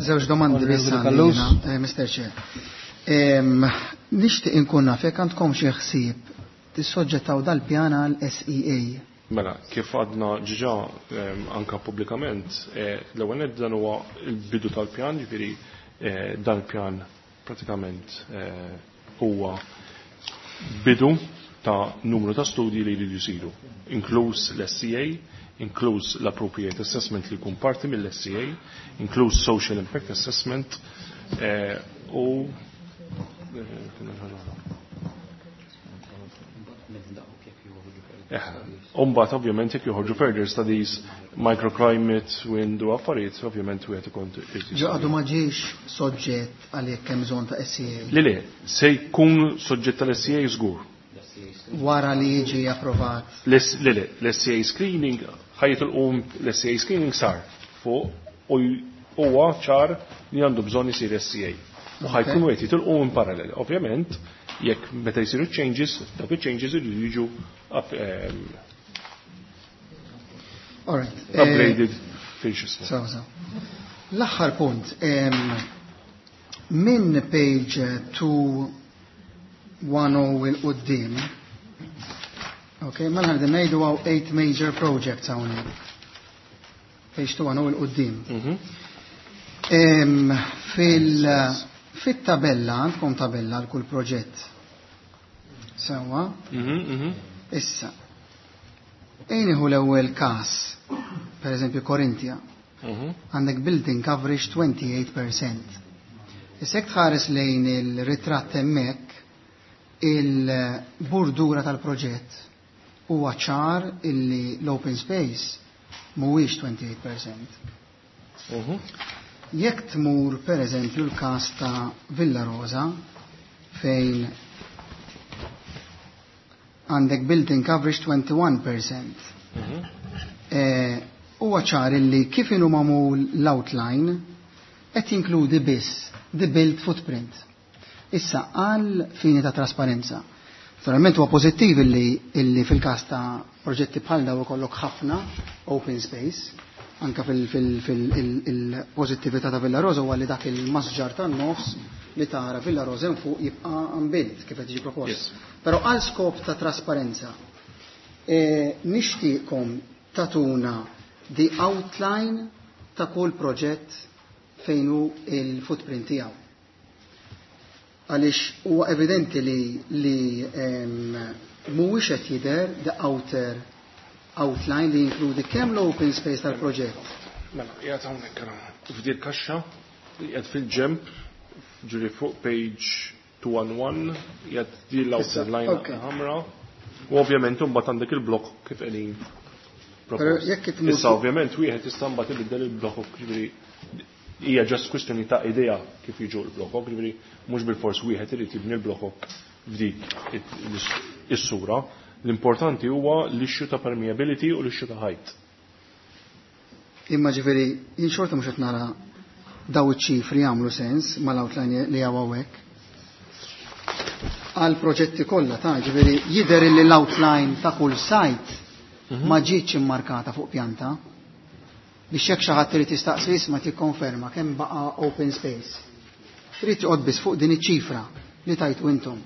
Żewġ domandi biss Onorevoli għandi Callus. jiena, Mr. Chair. Nixtieq inkun naf jekk għandkom xi ħsieb tissoġġettaw dal-pjan għal SEA. Mela, kif għadna ġiġa anka pubblikament, l-ewwel nett dan huwa l-bidu tal-pjan, ġifieri dan il-pjan pratikament huwa bidu ta' numru ta' studji li jridu jsiru, inkluż l-SCA, inkluż l-appropriate assessment li jkun parti mill-SCA, inkluż social impact assessment u kien hemm ħaġa oħra. Umbat ovvjament jekk joħorġu further studies, microclimate, wind u affarijiet, ovvjament wieħed ikun irid Ġo għadu ma ġiex soġġett għal jekk hemm bżonn ta' SEA. Le, se jkun soġġett tal-SEA żgur. Wara li jiġi approvat. Le, l-SEA screening, ħajjet il-qum l-SEA screening sar fuq u huwa ċar li għandu bżonn isir SEA. U ħajkunu qed jitilqu in parallel. Ovvjament, jekk meta jsiru changes, dawk il-changes iridu jiġu All right. upgraded fil-xismu. So. L-aħħar punt, minn page 210 il-qoddim, ok, mela ħadem ngħidu hawn 8 major projects hawnhekk. Page 210 il-qoddim. Fit-tabella, għandkom tabella għal kull proġett. Sewwa? Issa, ejn iħu l-ewwel każ, per eżempju Korintia, għandek building coverage 28%. Issa jekk tħares lejn il-ritratt hemmhekk, il-bordura tal-proġett huwa ċar illi l-open space mhuwiex 28%. Jekk tmur per eżempju l-każ ta' Villa Rosa fejn għandek building coverage 21%. Huwa ċar illi kif inhu magħmul l-outline qed jinkludi biss the built footprint. Issa għal fini ta' trasparenza. Naturalment huwa pożittiv illi fil-każ ta' proġetti bħal daw ikollok ħafna open space, anka fil-pożittività ta' Villa Rosa huwa li dak il-masġar tan-nofs li tara Villa Rosa hemm fuq jibqa' unbuilt kif qed jiġi propost. Però għal skop ta' trasparenza, nixtieqkom tatuna the outline ta' kull proġett fejn hu il-footprint tiegħu. Għaliex huwa evidenti li mhuwiex qed jidher the outer outline li jinkludi kemm l-open space tal-proġett. Mela, qiegħed hawnhekk ara. F'dil kaxxa, qiegħed fil-ġemp, ġuri fuq page 211, qiegħed din l-outer line ħamra. U ovvjament imbagħad għandek il-blok kif qegħdin Però propost. jekk itmur Issa ovvjament wieħed jista' mbagħad ibiddel il-blok, ġifieri hija just kwistjoni ta' idea kif jiġu l-blokok, ġifieri mhux bil-fors wieħed irid jibni l-blokok f'dik is-sura. L-importanti huwa l-issue ta' permeability u l-issue ta' height. Imma ġifieri jien xorta mhux qed nara daw iċ-ċifri jagħmlu sens mal-outline li hawn hawnhekk. Għal proġetti kollha ta' ġifieri jidher li l-outline ta' kull site ma ġietx immarkata fuq pjanta biex jekk xi ħadd irid jistaqsi isma' tikkonferma kemm baqa' open space. Trid toqgħod biss fuq din iċ-ċifra li tajtu intom.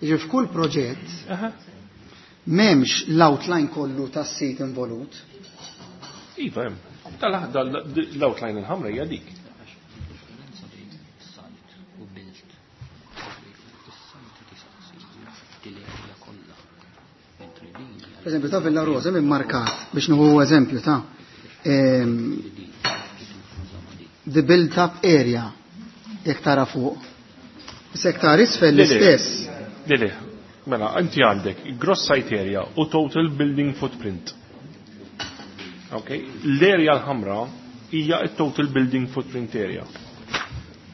Jiġifieri f'kull proġett m'hemmx l-outline kollu tas-sit involut. Iva hemm. L-outline il-ħamra hija dik. Differenza bejn site u built. Is-site tista' l-area kollha. Mentri din hija Per eżempju, ta' Villa Rosa minn markat biex nieħu eżempju ta' the built-up area. Jekk tara fuq. Issa jekk tara isfel l-istess. Le, le, mela, inti għandek gross site area u total building footprint. Ok, l-area l-ħamra hija il-total building footprint area.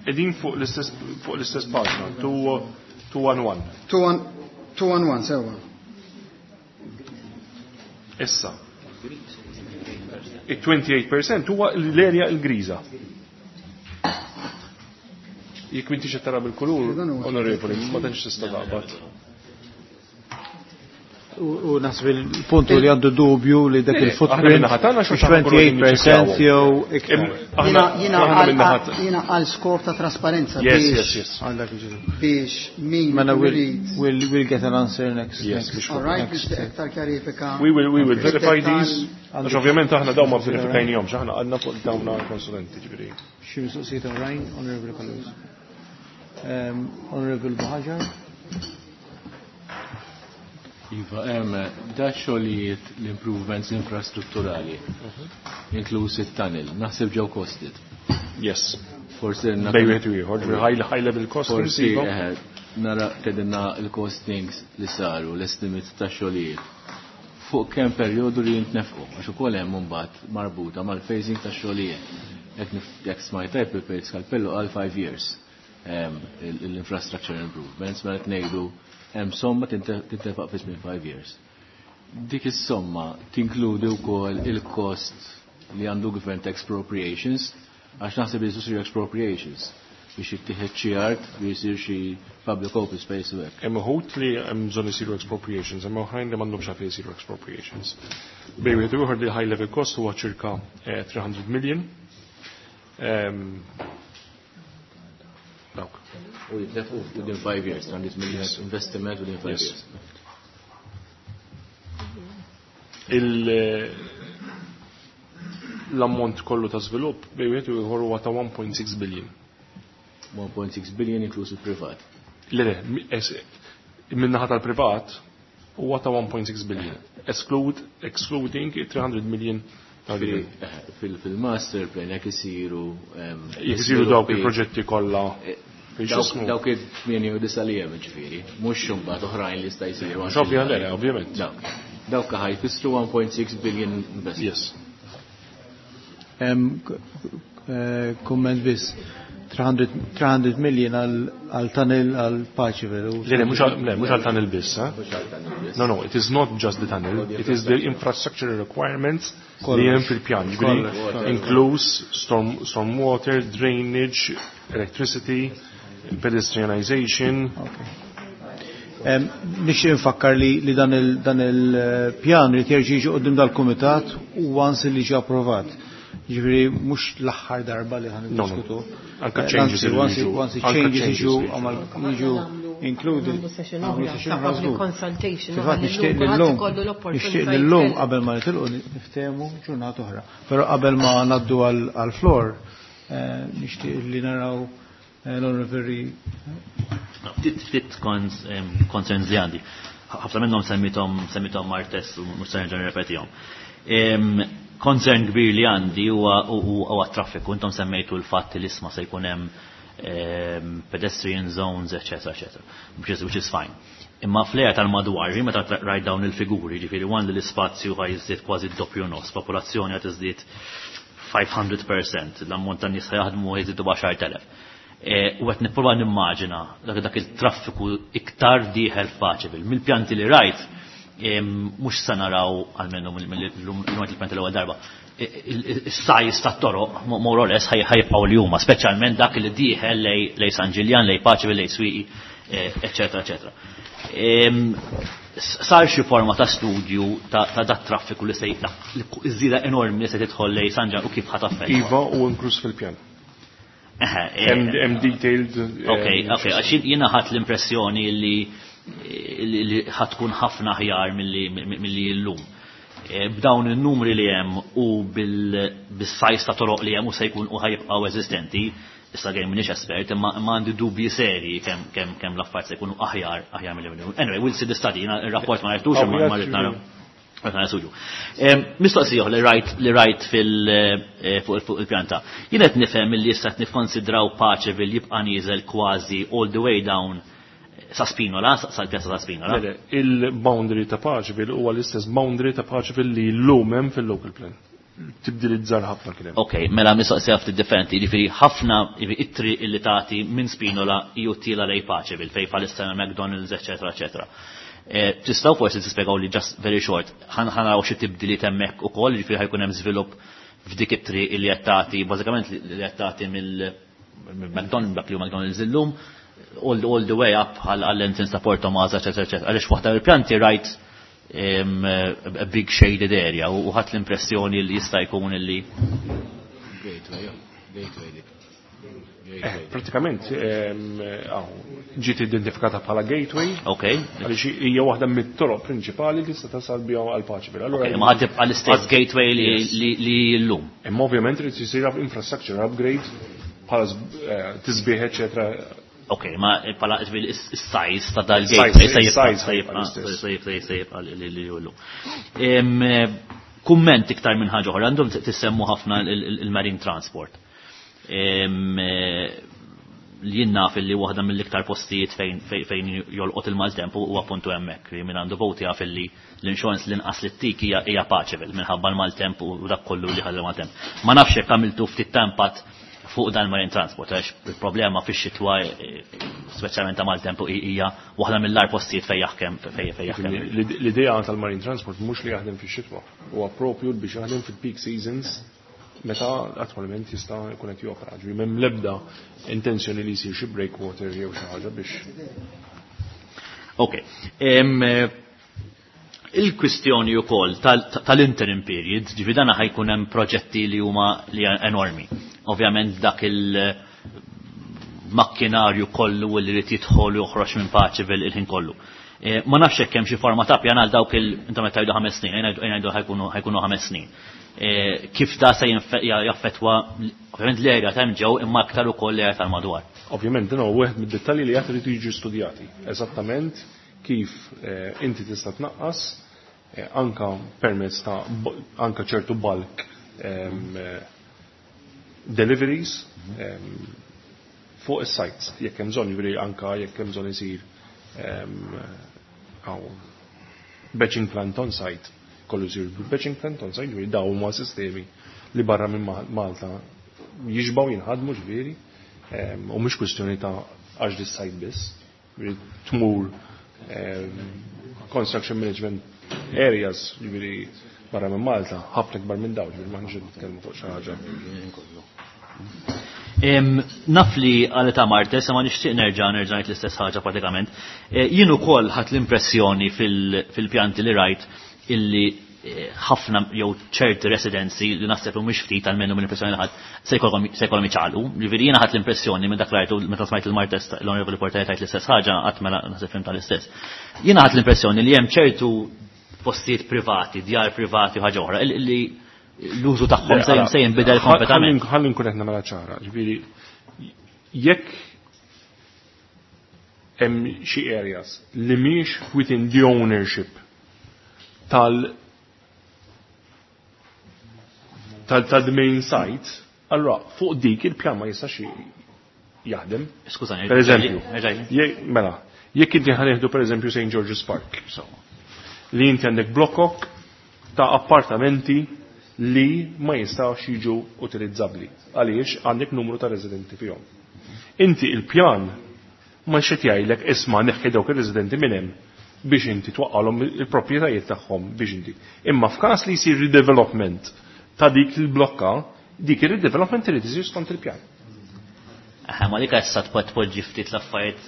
Edin fuq l-istess paġna, 211. 211, sewwa. Issa. Il-28% huwa l-area l-griża. Jekk m'intix qed tara bil-kulur, Dan huwa onorevoli, ma tantx tista' taqbad. U naħseb il-puntu li għandu dubju li dak Le, aħna il-footprint min-naħa tagħna xorta ħa nkunu qegħdin 28% jew iktar. Aħna Jiena aħna min-naħa jiena għal skop ta' trasparenza Yes, biex yes. Għal dak il-ġidu. biex min Mela we'll, irid. we'll get an answer next. Yes, next, biex All right, next. biex iktar kjarifika. We will verify Fid-dettall. these. Għax ovvjament aħna dawn ma verifikajnihomx, aħna għadna fuq dawn konsulenti ġifieri. Xi mistoqsijiet oħrajn, Honorable Callus. Honorable Buhagiar. Iva, hemm da xogħlijiet l-improvements infrastrutturali, inkluż it-tunnel, naħseb ġew costed. Yes. Forsi Bejn wieħed u ieħor, ġifieri high level costings. Forsi iva. nara tgħidilna l-costings li saru, l-estimates ta' xogħlijiet. Fuq kemm perjodu li jintnefqu, għax ukoll hemm imbagħad marbuta mal-phasing ta' xogħlijiet. Jekk smajt tajb il-Perit Scalpello għal 5 years l-infrastructure improvements, mela qed ngħidu hemm somma tintefaq fi żmien 5 years. Dik is-somma tinkludi wkoll il-cost li għandu gvern ta' expropriations, għax naħseb li jsiru expropriations biex jittieħed xi art biex jsir xi public open space u hekk. Hemm uħud li hemm bżonn isiru expropriations, hemm oħrajn li m'għandhomx għalfejn isiru expropriations. Bejn wieħed u ieħor li high level cost huwa ċirka 300 million. Dawk. U jitnefqu within 5 years, 300 million investiment within 5 Yes. years. L-ammont kollu ta' żvilupp bejn wieħed u ieħor huwa ta' 1.6 billion. 1.6 billion inkluż il-privat. Le, min-naħa tal-privat huwa ta' 1.6 billion. Excluding 300 million tal-gvern. Fil-master plan jekk isiru Jekk isiru dawk żviluppi- il-proġetti kollha biex jismu. Dawk it-8 u li hemm ġifieri, mhux imbagħad oħrajn li jista' jsiru. Mhux ovvja, le, ovvjament. Dawk. Dawk ħa jfissru 1.6 billion investment. Yes. Komment biss. 300 300 million għal tunnel għal Paceville. Le, mhux għal tunnel biss, eh? No, it is not just the tunnel, it is the infrastructure requirements li hemm fil-pjan. Ġifieri Kollox. Inkluż storm water, drainage, electricity, pedestrianization. Nixtieq nfakkar li dan il-pjan li jerġa' jiġi quddiem dal-kumitat u once li ġie approvat. Ġifieri mhux l-aħħar darba li ħan No. niddiskutu. Anka changes Anzi, li jiġu. once Anka changes changes jiġu li jiġu. għamal jiġu included. Nagħmlu session Nagħmlu oħra session ta' oħra public żgur. consultation. Fil-fatt u nixtieq ħalli lillum kulħadd ikollu l-opportunità nixtieq lillum jitkellem. qabel ma nitilqu niftehmu ġurnata oħra. Però qabel ma ngħaddu għal-floor, nixtieq li naraw l-Onorevoli Ftit concerns li għandi. Ħafna minnhom semmithom Martes u mhux se nerġa' nirrepetihom. Concern kbir li għandi huwa traffiku. Intom semmejtu l-fatt li isma' se jkun hemm pedestrian zones, eccetera, eccetera, which is fine. Imma fl-area tal-madwar, meta rajt dawn il-figuri, ġifieri one li l-ispazju ħa jiżdied kważi d-doppju nofs, popolazzjoni qed iżdied 500%, l-ammont ta' nies jaħdmu jiżdiedu b'10,000. U qed nipprova nimmaġina dak il-traffiku iktar dieħel f'Paceville. Mill-pjanti li rajt, mhux se naraw almenu mill-lum il-pjanti l-ewwel darba. Is-size tat-toroq more or less ħa jibqgħu li huma, speċjalment dak li dieħel lej San Ġiljan, lej Paceville, lej Swieqi, eccetera, eccetera. Sar xi forma ta' studju ta' dat traffiku li se iż-żieda enormi li se tidħol lej San Ġiljan u kif ħa taffettwa? Iva, u inkluż fil-pjan. Hemm detailed. Ok, għax jiena ħadt l-impressjoni li ħa tkun ħafna aħjar milli llum. B'dawn il-numri li hemm u bil-size ta' toroq li hemm u se jkun u ħa jibqgħu eżistenti, issa għejn m'iniex espert, imma għandi dubji seri kemm l-affarijiet se jkunu aħjar milli. Anyway, we'll see the study, jiena ir-rapport ma rajtux imma ma rrid nara. Mistoqsija li rajt li rajt fil fuq il-pjanta. Jien qed nifhem li issa qed nikkonsidraw Paceville jibqa' nieżel kważi all the way down sa Spinola, sal-pjazza ta' Spinola. Le, il-boundary ta' Paceville huwa l-istess boundary ta' Paceville li llum hemm fil-local plan. Tibdil iżgħar ħafna kien hemm. Ok, mela mistoqsija ftit differenti, jiġifieri ħafna it-triq illi tagħti minn Spinola ju tiela lejn Paceville fejn bħalissa McDonald's, eċetera, eċetera. Tistgħu forsi tispjegaw li just very short, ħa naraw xi tibdiliet hemmhekk ukoll, jiġifieri ħa jkun hemm żvilupp f'dik it-triq illi qed tagħti, bażikament li qed tagħti mill-McDonald's, dak li hu McDonald's illum, all the way up għall-entrance ta' Porto Maza, eċetera, eċetera. Għaliex waħda mill-pjanti rajt a big shaded area u ħadt l-impressjoni li jista' jkun illi Gateway, gateway dik. Pratikament ġiet identifikata bħala gateway. Għaliex hija waħda mit-toroq prinċipali li tista' tasal biha għal Paceville. Allura Ma ħad tibqa' l-istess gateway li llum. Imma ovvjament irid isir infrastructure upgrade bħala tisbieħ, eċetera. Ok, ma bħala is-size ta' dal-gateway se jibqa' Size se jibqa' l-istess. se jibqa' se jibqa' li llum. Kumment iktar minn ħaġa oħra, għandhom tissemmu ħafna il-marine transport. Li jien naf li waħda mill-iktar postijiet fejn jolqot il-maltemp huwa appuntu hemmhekk, li min għandu voti jaf li l-insurance l-inqas li ttik hija Paceville minħabba l-maltemp u dak kollu li ħalli maltemp. Ma nafx jekk għamiltu ftit tempat fuq dan marine transport, għax il-problema fix-xitwa, speċjalment ta' maltemp, hija waħda mill-agħar postijiet fejn jaħkem, fejn jaħkem. L-idea tal-marine transport mhux li jaħdem fix-xitwa, huwa propju biex jaħdem fil-peak seasons meta attwalment jista' jkun qed jopera. Ġifieri m'hemm l-ebda intenzjoni li jsir xi breakwater jew xi ħaġa biex. Ok. Il-kwistjoni wkoll tal-interim period, ġifieri dana ħa jkun hemm proġetti li huma li enormi. Ovvjament dak il-makkinarju kollu li rid jidħol u joħroġ minn Paceville il-ħin kollu. Ma nafx hekk hemm xi forma ta' pjan għal dawk il intom qed tgħidu 5 snin, ngħidu ħajkunu 5 snin. Kif da se jaffettwa ovvjament l-area ta' ġew imma aktar ukoll l-area tal-madwar. Ovvjament dan huwa wieħed mid-dettalji li qed iridu jiġu studjati. Eżattament kif inti tista' tnaqqas anka permezz ta' anka ċertu bulk deliveries fuq is-sites, jekk hemm bżonn, jiġifieri anka jekk hemm bżonn isir batching plant on site, kollu jsir batching plant on site, jiġifieri dawn huma sistemi li barra minn Malta jiġbaw jinħadmu ġifieri, u mhux kwistjoni ta' għax dis-site biss, jiġifieri tmur construction management areas, jiġifieri barra minn Malta, ħafna kbar minn dawn, ġifieri m'aħniex qed nitkellmu fuq xi ħaġa. Naf li għal ta' Marte, ma nixtieq nerġa' ngħid l-istess ħaġa pratikament. Jien ukoll ħadt l-impressjoni fil-pjanti li rajt illi ħafna jew ċerti residenzi li naħseb li mhux ftit għalmenu mill-impressjoni li ħadd se jkollhom iċaqalqu. Ġifieri jiena ħadt l-impressjoni minn dak rajtu meta smajt il-Martes l-Onorevoli Portelli tajt l-istess ħaġa, qatt mela naħseb fim tal-istess. Jiena ħadt l-impressjoni li hemm ċertu postijiet privati, djar privati u ħaġa oħra, li l-użu tagħhom se jinbidel kompletament. Ħalli nkun qed nagħmilha ċara, ġifieri jekk hemm xi areas li mhix within the ownership tal main site, allora fuq dik il-pjan ma jistax jaħdem. Skużani, Per eżempju, erġa'. mela, jekk inti ħa nieħdu per eżempju St. George's Park, li inti għandek blokok ta' appartamenti li ma jistawx jiġu utilizzabbli għaliex għandek numru ta' residenti fihom. Inti il-pjan ma xed jgħidlek isma' neħħi dawk ir-residenti minn hemm biex inti twaqqalhom il-proprjetajiet tagħhom biex inti. Imma f'każ li jsir redevelopment ta' dik il-blokka, dik ir-redevelopment irid isir skont il-pjan. Aha, ma dik issa tpoġġi ftit l-affarijiet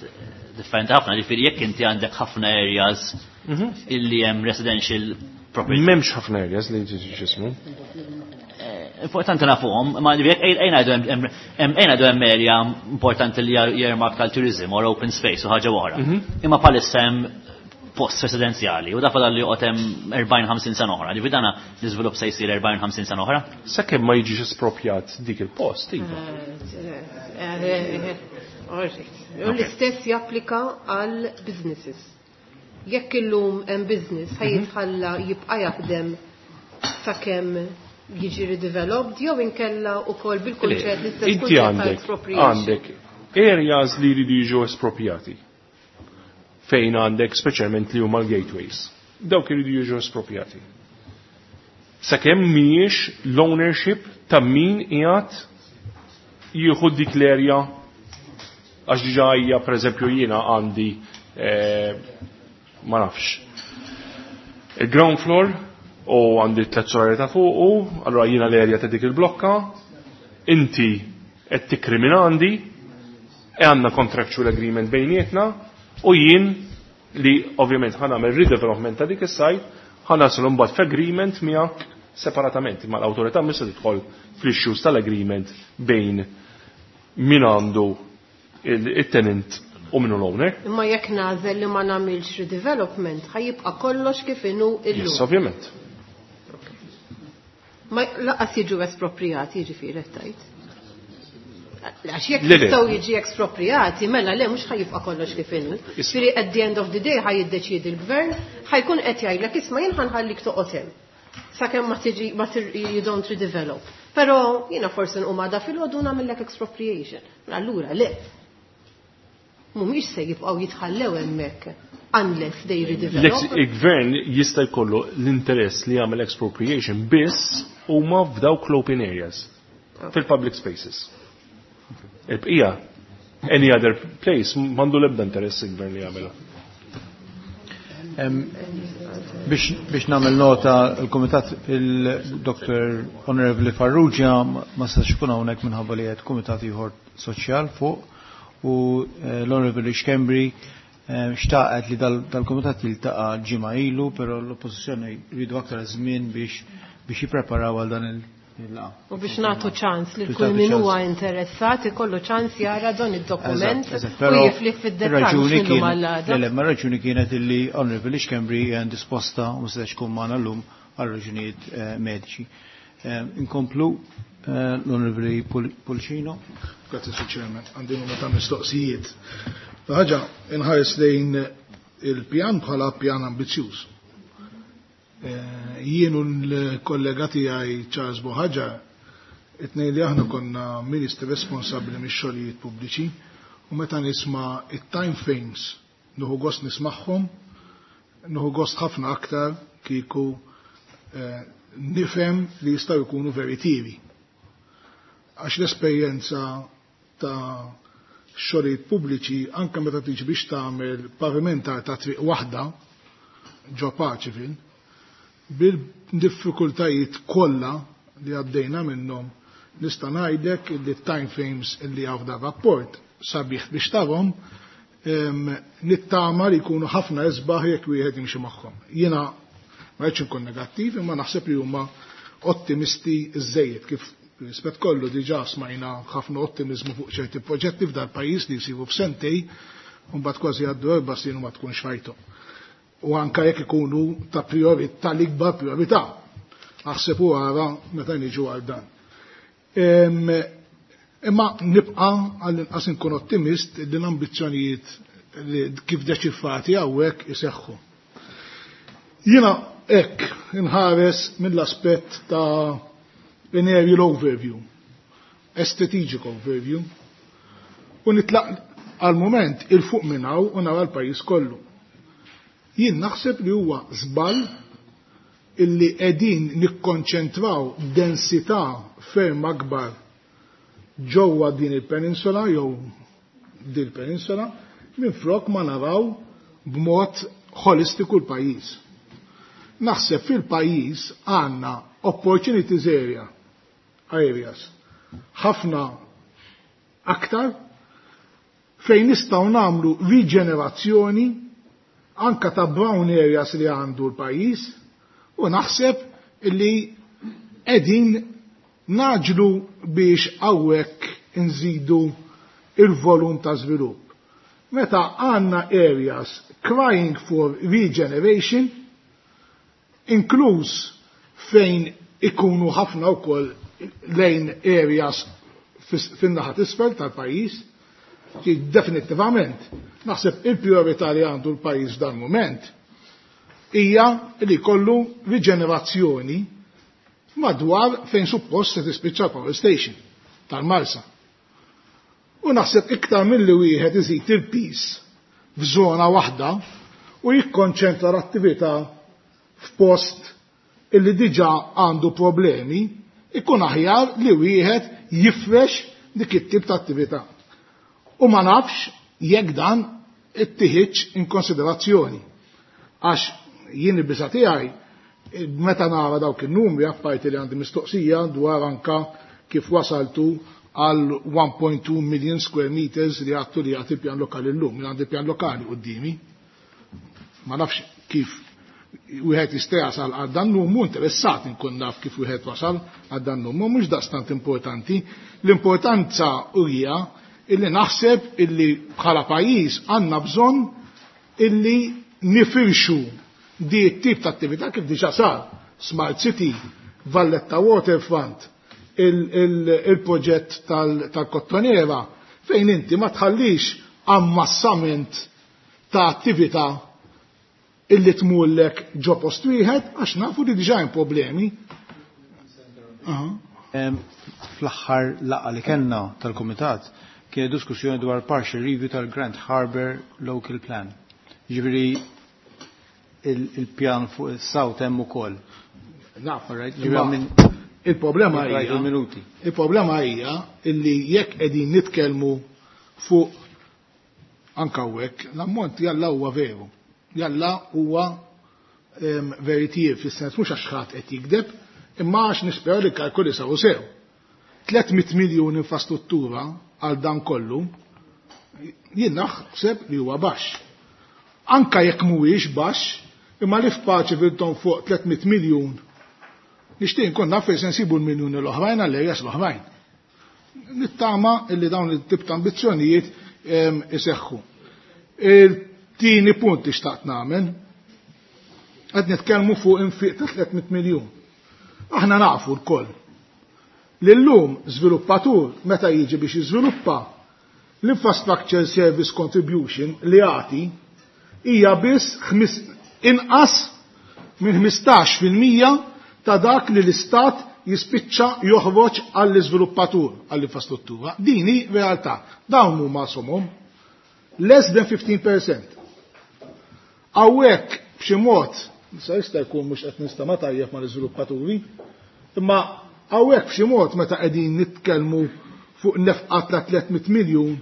differenti ħafna, ġifieri jekk inti għandek ħafna areas illi hemm residential property. M'hemmx ħafna areas li ġismu. Importanti nafuhom, ma jekk ejn ngħidu hemm ejn ngħidu hemm area importanti li earmark tal-tourism or open space u ħaġa oħra. Imma bħalissa hemm post residenzjali u da fadal li joqgħod hemm 40-50 sena oħra. Ġifieri dana l-iżvilupp se jsir 40-50 sena oħra? Sakemm ma jiġix esproprjat dik il-post, iva. U l-istess japplika għal businesses. Jekk illum hemm business ħa jitħalla jibqa' jaħdem sakemm jiġi redeveloped jew inkella wkoll bil-kunċett l-istess Inti kunċett ta' għandek expropriation. għandek areas li jridu jiġu espropjati. Fejn għandek speċjalment li huma l-gateways. Dawk iridu jiġu espropjati. Sakemm mhijiex l-ownership ta' min qiegħed jieħu dik l-area għax diġà hija pereżempju jiena għandi ma nafx. Il-ground floor u għandi tlet solari ta' fuqu, allura jiena l-area ta' dik il-blokka, inti qed tikri minn għandi, e għandna contractual agreement bejnietna, u jien li ovvjament ħa nagħmel redevelopment ta' dik is-site, ħa naslu mbagħad f'agreement miegħek separatament, imma l-awtorità mhux se tidħol fl-issues tal-agreement bejn min għandu il-tenant u minnu l-owner. Imma jekk nagħżel li ma nagħmilx redevelopment, ħa jibqa' kollox kif inhu illum. Yes, ovvjament. Ma lanqas jiġu esproprijati, jiġifieri qed tgħid. Għax jekk Le, le. jistgħu jiġi esproprijati, mela le mhux ħa jibqa' kollox kif inhu. Ġifieri at the end of the day ħa jiddeċiedi l-gvern, ħa jkun qed jgħidlek isma' jien ħa nħallik toqgħod hemm. Sakemm ma tiġi ma you don't redevelop. Però jiena forsi nqum għada filgħodu nagħmellek expropriation. Allura le. Mhumiex se jibqgħu jitħallew hemmhekk unless they redevelop. Il-gvern jista' jkollu l-interess li jagħmel expropriation biss huma f'dawk l-open areas, fil-public spaces. Il-bqija, any other place, m'għandu l-ebda interess il-gvern li jagħmilha. Biex nagħmel nota il-Kumitat il-Dr. Honorable Farrugia ma setax ikun hawnhekk minħabba li qed kumitat ieħor soċjal fuq u l-Honorable Schembri xtaqet li dal-kumitat jiltaqa' ġimgħa ilu, però l-oppożizzjoni jridu aktar żmien biex jippreparaw għal dan il-laqgħa. U biex nagħtu ċans li Biex kull nagħtu min ċans. huwa interessat ikollu ċans jara dan id-dokument Eżatt, u però jiflih fid-dettall ir-raġuni mhux illum kienet- għall-għada. Le, ma raġuni kienet illi Honorable Schembri hija indisposta u ma setax tkun magħna llum għal raġunijiet mediċi. Inkomplu l-Honorable Pullicino. Grazie, Sir Chairman. Għandi numru ta' mistoqsijiet. Ħaġa, inħares lejn il-pjan bħala pjan ambizzjuż. Jien u l-kollega tiegħi Charles Buhagiar, it-tnejn li aħna konna ministri responsabbli mix-xogħlijiet pubbliċi u meta nisma' it-time frames nieħu gost nismagħhom, nieħu gost ħafna aktar kieku nifhem li jistgħu jkunu veritieri. Għax l-esperjenza ta' xogħlijiet pubbliċi anke meta tiġi biex tagħmel pavimentar ta' triq waħda ġo Paceville, bil-diffikultajiet kollha li għaddejna minnhom, nista' ngħidlek li time frames li hawn da rapport sabiħ biex tarhom, nittama li jkunu ħafna isbaħ jekk wieħed jimxi magħhom. Jiena ma rridx inkun negattiv, imma naħseb li huma ottimisti żejjed kif rispett kollu diġà smajna ħafna ottimizmu fuq ċerti proġetti f'dal pajjiż li jsiru f'sentej, u mbagħad kważi għaddu 4 snin u ma tkunx rajthom. U anka jekk ikunu ta' priorità, tal-ikbar priorità. Aħseb u ara meta niġu għal dan. Imma nibqa' għall-inqas inkun ottimist li l-ambizzjonijiet li kif deċifrati hawnhekk iseħħu. Jiena hekk inħares mill-aspett ta' an aerial overview, a strategic overview, u nitlaq għal-moment il-fuq minn hawn u nara l-pajjiż kollu. Jien naħseb li huwa żball illi qegħdin nikkonċentraw densità ferm akbar ġewwa din il-peninsula jew din il-peninsula minflok ma naraw b'mod holistiku l-pajjiż. Naħseb fil-pajjiż għandna opportunities areas ħafna aktar fejn nistgħu nagħmlu riġenerazzjoni anka ta' brown areas li għandu l-pajjiż u naħseb li qegħdin naġlu biex hawnhekk inżidu il-volum ta' żvilupp. Meta għandna areas crying for regeneration, inkluż fejn ikunu ħafna wkoll lejn areas fin-naħa t'isfel tal-pajjiż, Definittivament, naħseb il-priorità li għandu l-pajjiż dan mument hija li jkollu riġenerazzjoni madwar fejn suppost se tispiċċa power station tal-Marsa. U naħseb iktar milli wieħed iżid il-pis f'żona waħda u jikkonċentra l-attività f'post illi diġà għandu problemi, ikun aħjar li wieħed jifrex dik it-tip ta' attività. U ma nafx jekk dan ittieħidx in konsiderazzjoni. Għax jien il-biża' tiegħi meta nara dawk in-numri apparti li għandi mistoqsija dwar anka kif wasaltu għal 1.2 million square meters li għattu li għati pjan lokali l-lum, li għandi pjan lokali qoddimi. Ma nafx kif wieħed jista' jasal għal dan numru, interessat inkun naf kif wieħed wasal għal dan numru, mhux daqstant importanti. L-importanza hija illi naħseb illi bħala pajjiż għandna bżonn illi nifirxu di t-tip ta' attività kif diġà sar Smart City, Valletta Waterfront, il-proġett tal-Kottonera, fejn inti ma tħallix ammassament ta' attività illi tmullek ġo post wieħed għax nafu li diġà hemm problemi. Fl-aħħar laqgħa li kellna tal-Kumitat kien diskussjoni dwar partial review tal-Grand Harbour Local Plan. Ġifieri il-pjan fuq is-South hemm ukoll. Naf, All right, imma ġifieri il-problema Rajt hija il-minuti. Il-problema hija illi jekk qegħdin nitkellmu fuq anka hawnhekk l-ammont jalla huwa veru. Jalla huwa veritier fis-sens mhux għax ħadd qed jikdeb, imma għax nispera li kalkoli saru sew. 300 miljun infrastruttura għal dan kollu jien naħseb li huwa baxx. Anka jekk mhuwiex baxx, imma li f'paċi viltom fuq 300 miljun, nixtieq nkun naf fejn se nsibu l-miljuni l-oħrajn għall-areas l-oħrajn. Nittama illi dawn it-tip ta' ambizzjonijiet iseħħu. Il-tieni punt li xtaqt nagħmel, qed nitkellmu fuq infiq ta' 300 miljun. Aħna nafu lkoll li llum żviluppatur meta jiġi biex jiżviluppa l-infrastructure service contribution li jagħti hija biss inqas minn ħmistax fil-mija ta' dak li l-istat jispiċċa joħroġ għall-iżviluppatur għall-infrastruttura. Din hi realtà. Dawn huma somom less than 15%. Hawnhekk b'xi mod, issa jista' jkun mhux qed nistama' tajjeb mal-iżviluppaturi, imma hawnhekk b'xi mod meta qegħdin nitkellmu fuq nefqa ta' 300 miljun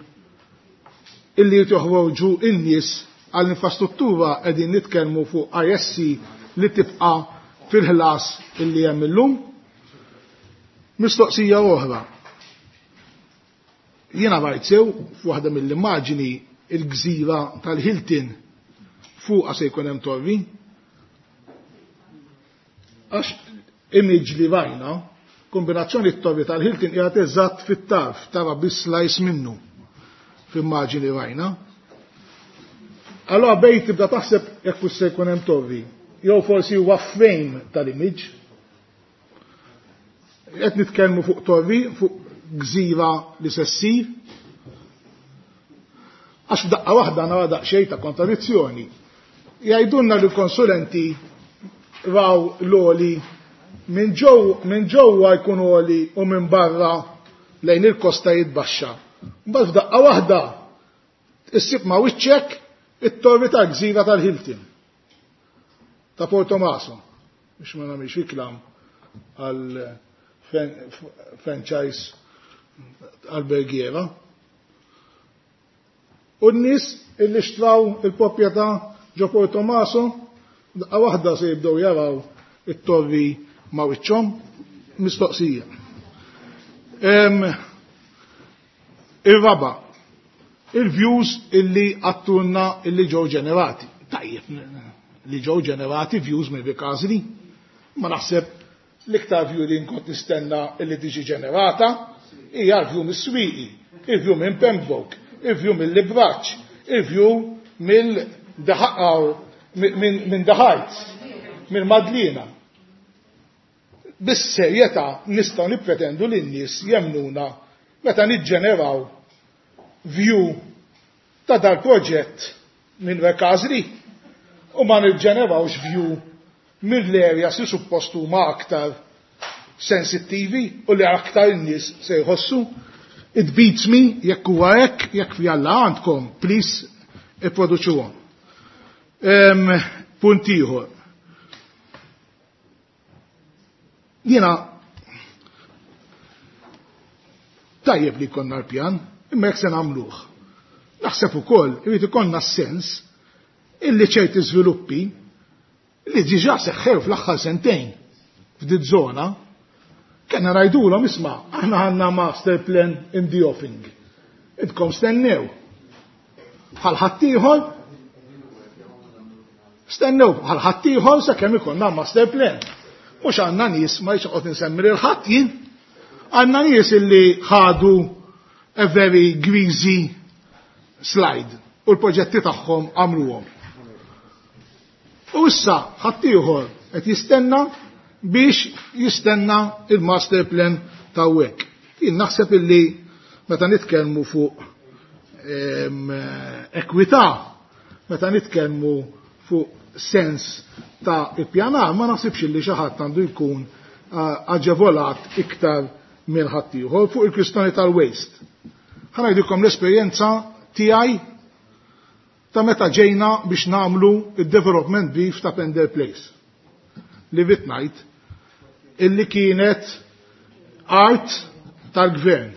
illi joħroġu in-nies għall-infrastruttura qegħdin nitkellmu fuq ISC li tibqa' fil-ħlas illi hemm illum. Mistoqsija oħra. Jiena rajt sew f'waħda mill-immaġini il-gżira tal-Hilton fuqha se jkun hemm torri. Għax image li rajna, kombinazzjoni t-torri tal-Hilton qiegħed eżatt fit-tarf, tara biss slice minnu f'immaġini rajna. Allora bejn tibda taħseb jekk se jkun hemm torri, jew forsi huwa frame tal-image. Qed nitkellmu fuq torri, fuq gżira li se ssir. Għax f'daqqa waħda nara daqsxejn ta' kontradizzjoni. Jgħidulna li l-konsulenti raw l-oli minn ġewwa jkun oli u minn barra lejn il-kosta jitbaxxa. Mbagħad f'daqqa waħda issib ma' wiċċek it-torri tal-gżira tal-Hilton ta' Portomaso, biex ma nagħmilx riklam għal franchise albergiera. U n-nies illi xtraw il-proprjetà ġo Portomaso, daqqa waħda se jibdew jaraw it-torri ma' wiċċhom, mistoqsija. Ir-raba, il-views illi għattunna illi ġew ġenerati. Tajjeb, li ġew ġenerati views minn Rikażli, ma naħseb l-iktar view li nkun nistenna illi tiġi ġenerata hija l-view mis-Swieqi, il-view minn Pembroke, il-view mill-Libraċ, il-view minn The Heights, minn Madlina. Bis-serjetà nistgħu nippretendu li n-nies jemnuna meta niġġeneraw view ta' dal-proġett minn Rekażri u ma niġġenerawx view mill-areas li suppost huma aktar sensittivi u li aktar in-nies se jħossu. It beats me jekk huwa hekk, jekk fjalla għandkom, please ipproduċuhom. Punt ieħor. Jiena tajjeb li jkollna l-pjan, imma jekk se nagħmluh. Naħseb ukoll irid ikollna s-sens illi ċerti żviluppi li diġà seħħew fl-aħħar sentejn f'din żona kellna ngħidulhom isma' aħna għandna master plan in the offing. Idkom stennew. Bħal ħaddieħor stennew bħal ħaddieħor sakemm ikollna master plan. Mhux għandna nies ma jxoqgħod insemmi lil ħadd jien. Għandna nies illi ħadu a very greasy slide u l-proġetti tagħhom għamluhom. U issa ħaddieħor qed jistenna biex jistenna il-master plan ta' hekk. Jien naħseb illi meta nitkellmu fuq ekwità, meta nitkellmu fuq sens ta' ippjanar, ma naħsibx illi xi ħadd għandu jkun aġevolat iktar minn ħaddieħor fuq il-kwistjoni tal-waste. Ħa ngħidilkom l-esperjenza tiegħi ta' meta ġejna biex nagħmlu id-development brief ta' Pender Place. Li rrid ngħid illi kienet art tal-gvern,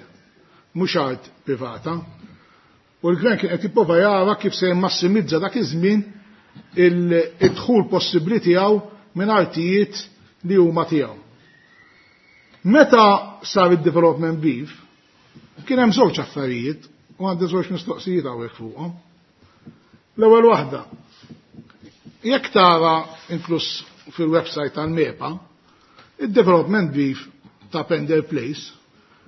mhux art privata. U l-gvern kien qed jipprova jara kif se jimmassimizza dak iż-żmien il-dħul possibbli tiegħu minn artijiet li huma tiegħu. Meta sar id-development brief, kien hemm żewġ affarijiet u għandi żewġ mistoqsijiet hawnhekk fuqhom. L-ewwel waħda, jekk tara inkluż fil-website tal-MEPA, il-development brief ta' Pender Place,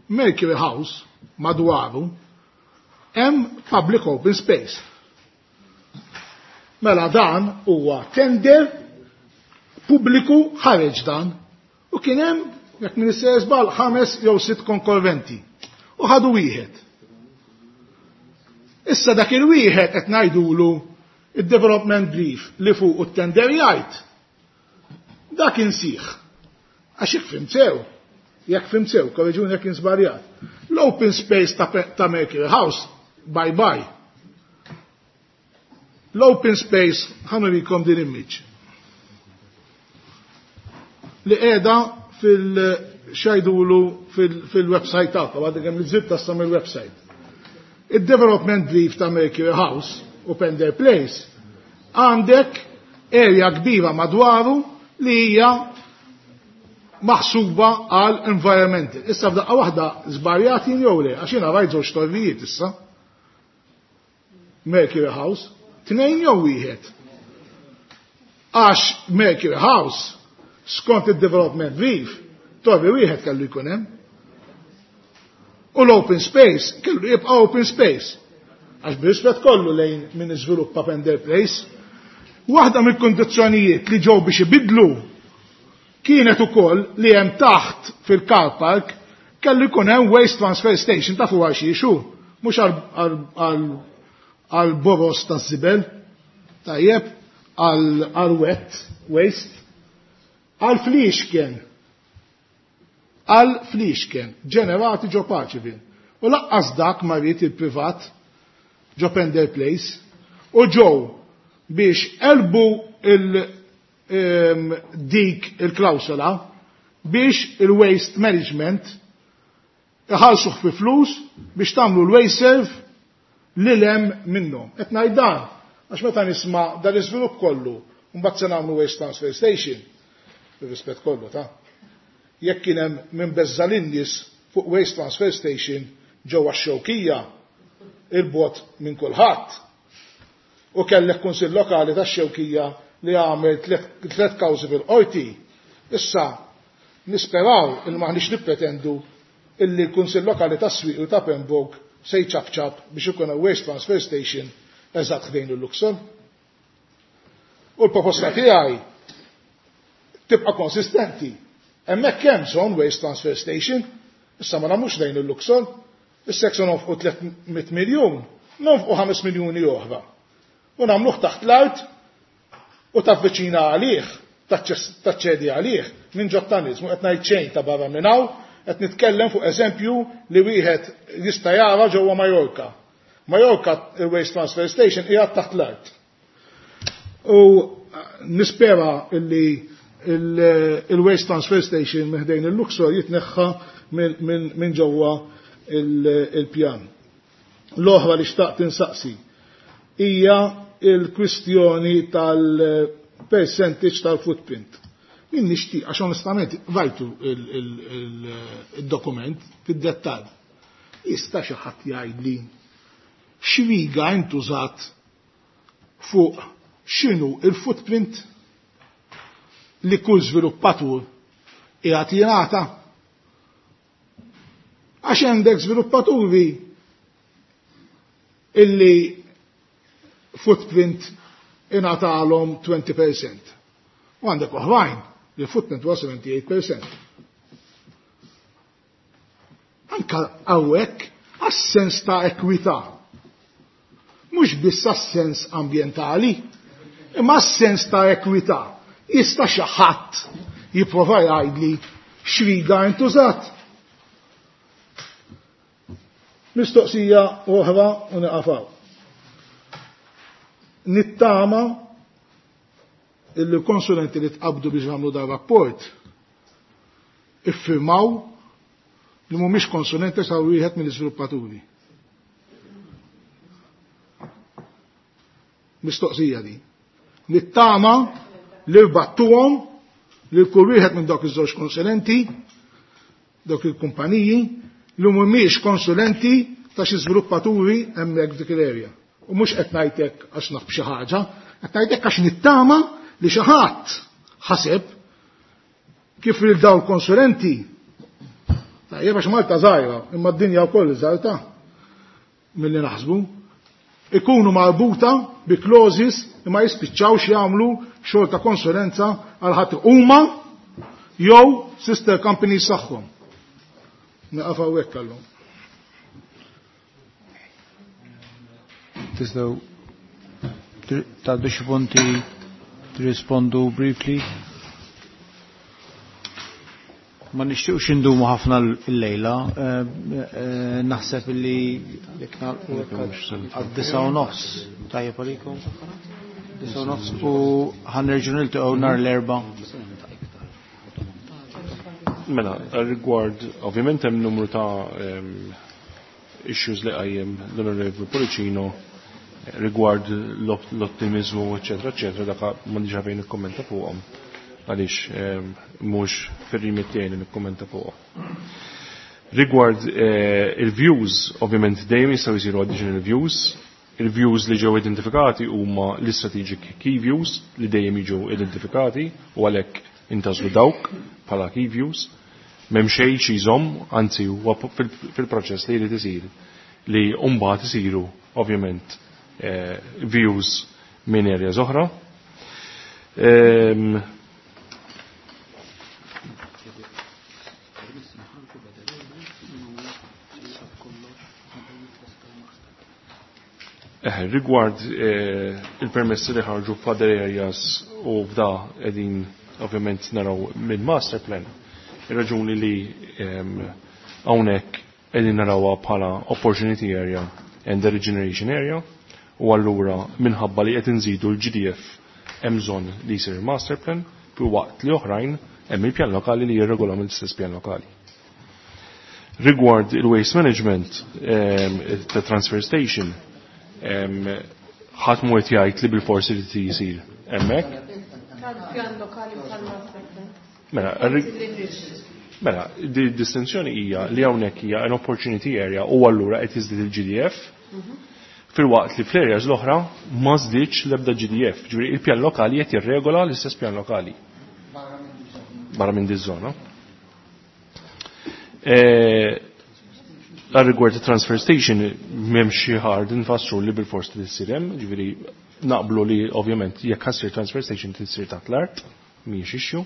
Mercury House madwaru, hemm public open space. Mela dan huwa tender pubbliku ħareġ dan u kien hemm jekk min żball 5 jew 6 konkorrenti u ħadu wieħed. Issa dak il-wieħed qed ngħidulu id-development brief li fuq u t-tender jgħid. Dak insih. Għax jekk fhimt sew, jekk fhimt sew, korreġuni jekk żbaljat. L-open space ta' Mercury House, bye bye. L-open space, ħa nurikom din image. Li qiegħda fil-xajdulu fil-website tagħha, għadha kemm li tassa mill-website. Il-development brief ta' Mercury House u Pender Place għandek area kbira madwaru li hija maħsuba għal environmental. Issa f'daqqa waħda żbarjati jew le, għax jiena rajt żewġ torrijiet issa. Mercury House, 2 jew wieħed. Għax Mercury House, skont il-development brief, torri wieħed kellu jkun hemm. U l-open space kellu jibqa' open space. Għax b'rispett kollu lejn min iżviluppa Pender Place. Waħda mill-kondizzjonijiet li ġew biex ibidlu kienet ukoll li hemm taħt fil-car park kellu jkun hemm waste transfer station ta' fuq għal xi mhux għal boros ta' żibel, tajjeb, għal wet waste, għal fliexken, għal fliexken ġenerati ġo Paceville. U laqqas dak ma ried il-privat ġo Pender Place u ġew biex elbu dik il-klawsola biex il-waste management iħallsuh fi flus biex tagħmlu l-waste serve li lem minnhom. Qed ngħid dan għax meta nisma' dan l-iżvilupp kollu mbagħad se nagħmlu waste transfer station, bir-rispett kollu ta' jekk kien hemm minn beżża lin-nies fuq waste transfer station ġewwa x-Xewkija il-bot minn kulħadd. U kellek kunsill lokali tax-Xewkija li għamel 3 kawżi fil-qorti. Issa nisperaw il maħniex nippretendu illi l-Kunsill Lokali tas-Swieqi u ta' Pembroke se jċabċab biex ikun hemm waste transfer station eżatt ħdejn il-Luxol. U l-proposta tiegħi tibqa' konsistenti. Hemmhekk hemm bżonn waste transfer station, issa ma nagħmlux lejn il-Luxol. Issa jekk se nonfqu 300 miljun, nonfqu 5 miljuni oħra. U nagħmluh taħt l-art u tavviċina għalih, taċċedi għalih minn ġot-tunnels. Mhu qed ngħid xejn ta' barra minn hawn, qed nitkellem fuq eżempju li wieħed jista' jara ġewwa Majorca. Majorca il-Waste Transfer Station qiegħed taħt l-art. U nispera illi il-Waste Transfer Station minn ħdejn il-Luxor jitneħħa minn ġewwa il-pjan. L-oħra li xtaqt insaqsi hija il-kwistjoni tal-percentage tal-footprint. Min nixtieq, għax onestament rajtu il-dokument fid-dettall. Jista' xi ħadd jgħidli x'riga intużat fuq x'inhu il-footprint li kull żviluppatur qiegħed jingħata? Għax għandek żviluppaturi illi footprint ingħatalhom 20%. U għandek oħrajn li footprint huwa 78%. Anka hawnhekk għas-sens ta' ekwità. Mhux biss għas-sens ambjentali, imma għas-sens ta' ekwità. Jista' xi ħadd jipprova jgħidli x'riga intużat. Mistoqsija oħra u nieqaf. Nittama il-konsulenti li tqabdu biex jagħmlu dan rapport iffirmaw li mhumiex konsulenti sa wieħed mill-iżviluppaturi. Mistoqsija di. Nittama li rbattuhom li kull wieħed minn dawk iż-żewġ konsulenti, dawk il-kumpaniji, li mhumiex konsulenti ta' xi żviluppaturi hemmhekk f'dik l-area. U mhux qed ngħidlek għax naf b'xi ħaġa, qed ngħidlek għax nittama li xi ħadd ħaseb kif lil dawn konsulenti. Tajjeb għax Malta żgħira, imma d-dinja wkoll żgħirta milli naħsbu. Ikunu marbuta bi clauses li ma jispiċċawx jagħmlu xogħol ta' konsulenza għal ħadd huma jew sister companies tagħhom. Nieqaf hawnhekk għallum. Tistgħu tgħaddu xi punti tirrispondu briefly. Ma nixtieqx indumu ħafna l-lejla, naħseb li jekk nagħlqu għad-9:30. Tajjeb għalikom? 9:30 u ħa nerġgħu niltaqgħu nhar l-Erbgħa. Mela, rigward, ovvjament hemm numru ta' issues li qajjem l-Onorevoli Pullicino rigward l-ottimizmu, eccetera, eccetera, dak m'għandix għalfejn nikkommenta fuqhom għaliex mhux fir-remit tiegħi li nikkommenta fuqhom. Rigward il-views, ovvjament dejjem jistgħu jsiru additional views. Il-views li ġew identifikati huma l-strategic key views li dejjem jiġu identifikati u għalhekk intgħażlu dawk bħala key views. M'hemm xejn xi jżomm, anzi huwa fil-proċess li jrid isir li mbagħad isiru ovvjament views minn areas oħra. Rigward il-permessi li ħarġu f'other areas u f'da qegħdin ovvjament naraw minn master plan. Ir-raġuni li hawnhekk qegħdin narawha bħala opportunity area and the regeneration area u allura minħabba li qed inżidu l-GDF hemm bżonn li jsir master plan fi waqt li oħrajn hemm il-pjan lokali li jirregola mill-istess pjan lokali. Rigward il-waste management ta' transfer station, ħadd mhu qed jgħid li bil-forsi li jsir hemmhekk. Tal-pjan lokali u tal-master plan. Mela, di distinzjoni hija li hawnhekk hija an opportunity area u allura qed jiżdied il-GDF fil-waqt li fl-areas l-oħra ma żdiedx l-ebda GDF. Ġifieri il-pjan lokali qed jirregola l-istess pjan lokali. Barra minn di żona. Għal rigward transfer station m'hemmx xi hard nfassru li bil-fors li ssir hemm, ġifieri naqblu li ovvjament jekk ħa ssir transfer station tisir taħt l-art, mhijiex issue.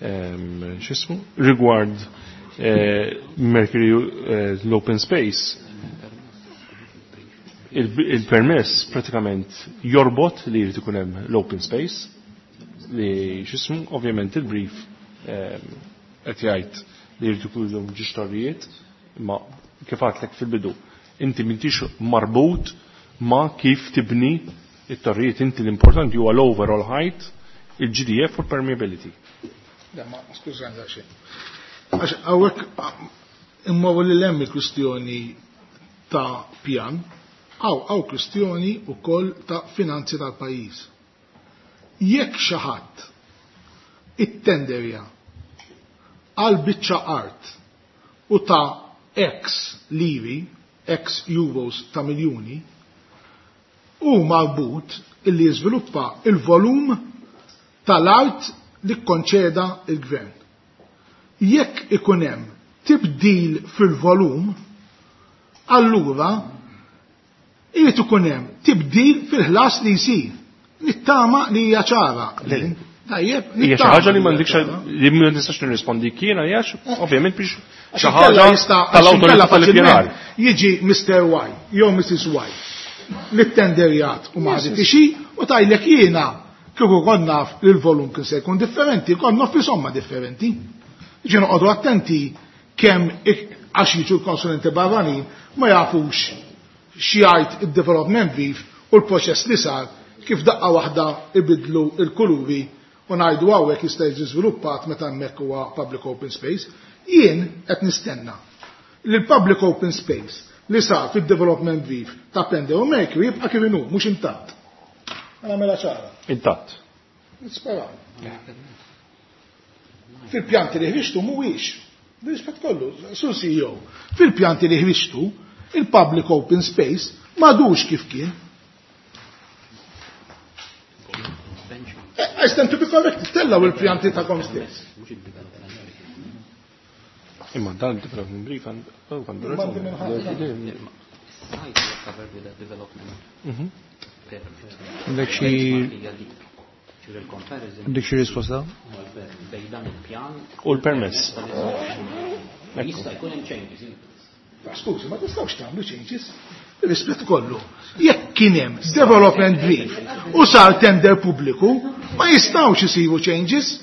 X'ismu? Rigward Mercury l-open space il-permess pratikament jorbot li jrid ikun hemm l-open space li x'ismu ovvjament il-brief qed jgħid li jrid ikun ġiex torrijiet imma kif għadlek fil-bidu inti m'intix marbut ma kif tibni it-torrijiet, inti l-importanti huwa l-overall height, il-GDF u l-permeability. Le, ma skużani daqsxejn. Għax hawnhekk imma li hemm il-kwistjoni ta' pjan, hawn kwistjoni wkoll ta' finanzi tal-pajjiż. Jekk xi ħadd ittenderja għal biċċa art u ta' X liri, X euros ta' miljuni, hu marbut illi jiżviluppa il-volum tal-art li kkonċeda il-gvern. Jekk ikun hemm tibdil fil-volum, allura irid ikun hemm tibdil fil-ħlas li jsir. Nittama li hija ċara. Tajjeb, Hija xi ħaġa li m'għandikx li ma nistax nirrispondi kien għaliex ovvjament biex xi ħaġa tal-awtorità tal-ippjanar. Jiġi Mr. Y jew Mrs. Y li tenderjat u ma ħaditixi u tajlek jiena kieku kont naf li l-volum kien se jkun differenti, kont naf somma differenti. Ġi noqogħdu attenti kemm għax jiġu l-konsulenti barranin ma jafux x'jgħid id-development brief u l-proċess li sar kif daqqa waħda ibidlu il-kuluri u ngħidu hawnhekk jista' jiġi żviluppat meta hemmhekk huwa public open space. Jien qed nistenna li l-public open space li sar fid-development brief ta' Pender u Mercury jibqa' kif inhu, mhux intatt. Għana mela ċara. Intatt. Nisperaw. Fil-pjanti li ħriġtu mhuwiex. Rispett kollu, sur CEO, fil-pjanti li ħriġtu, il-public open space m'għadux kif kien. I stand to be corrected, tellaw il-pjanti ta' stess. Imma dan il-development brief għandu raġuni. Għandek xi risposta? U l-permess. Jista' jkun hemm changes. Skużi, ma tistgħux tagħmlu changes. Rispett kollu. Jekk kien hemm development brief u sar tender pubbliku, ma jistgħux isiru changes.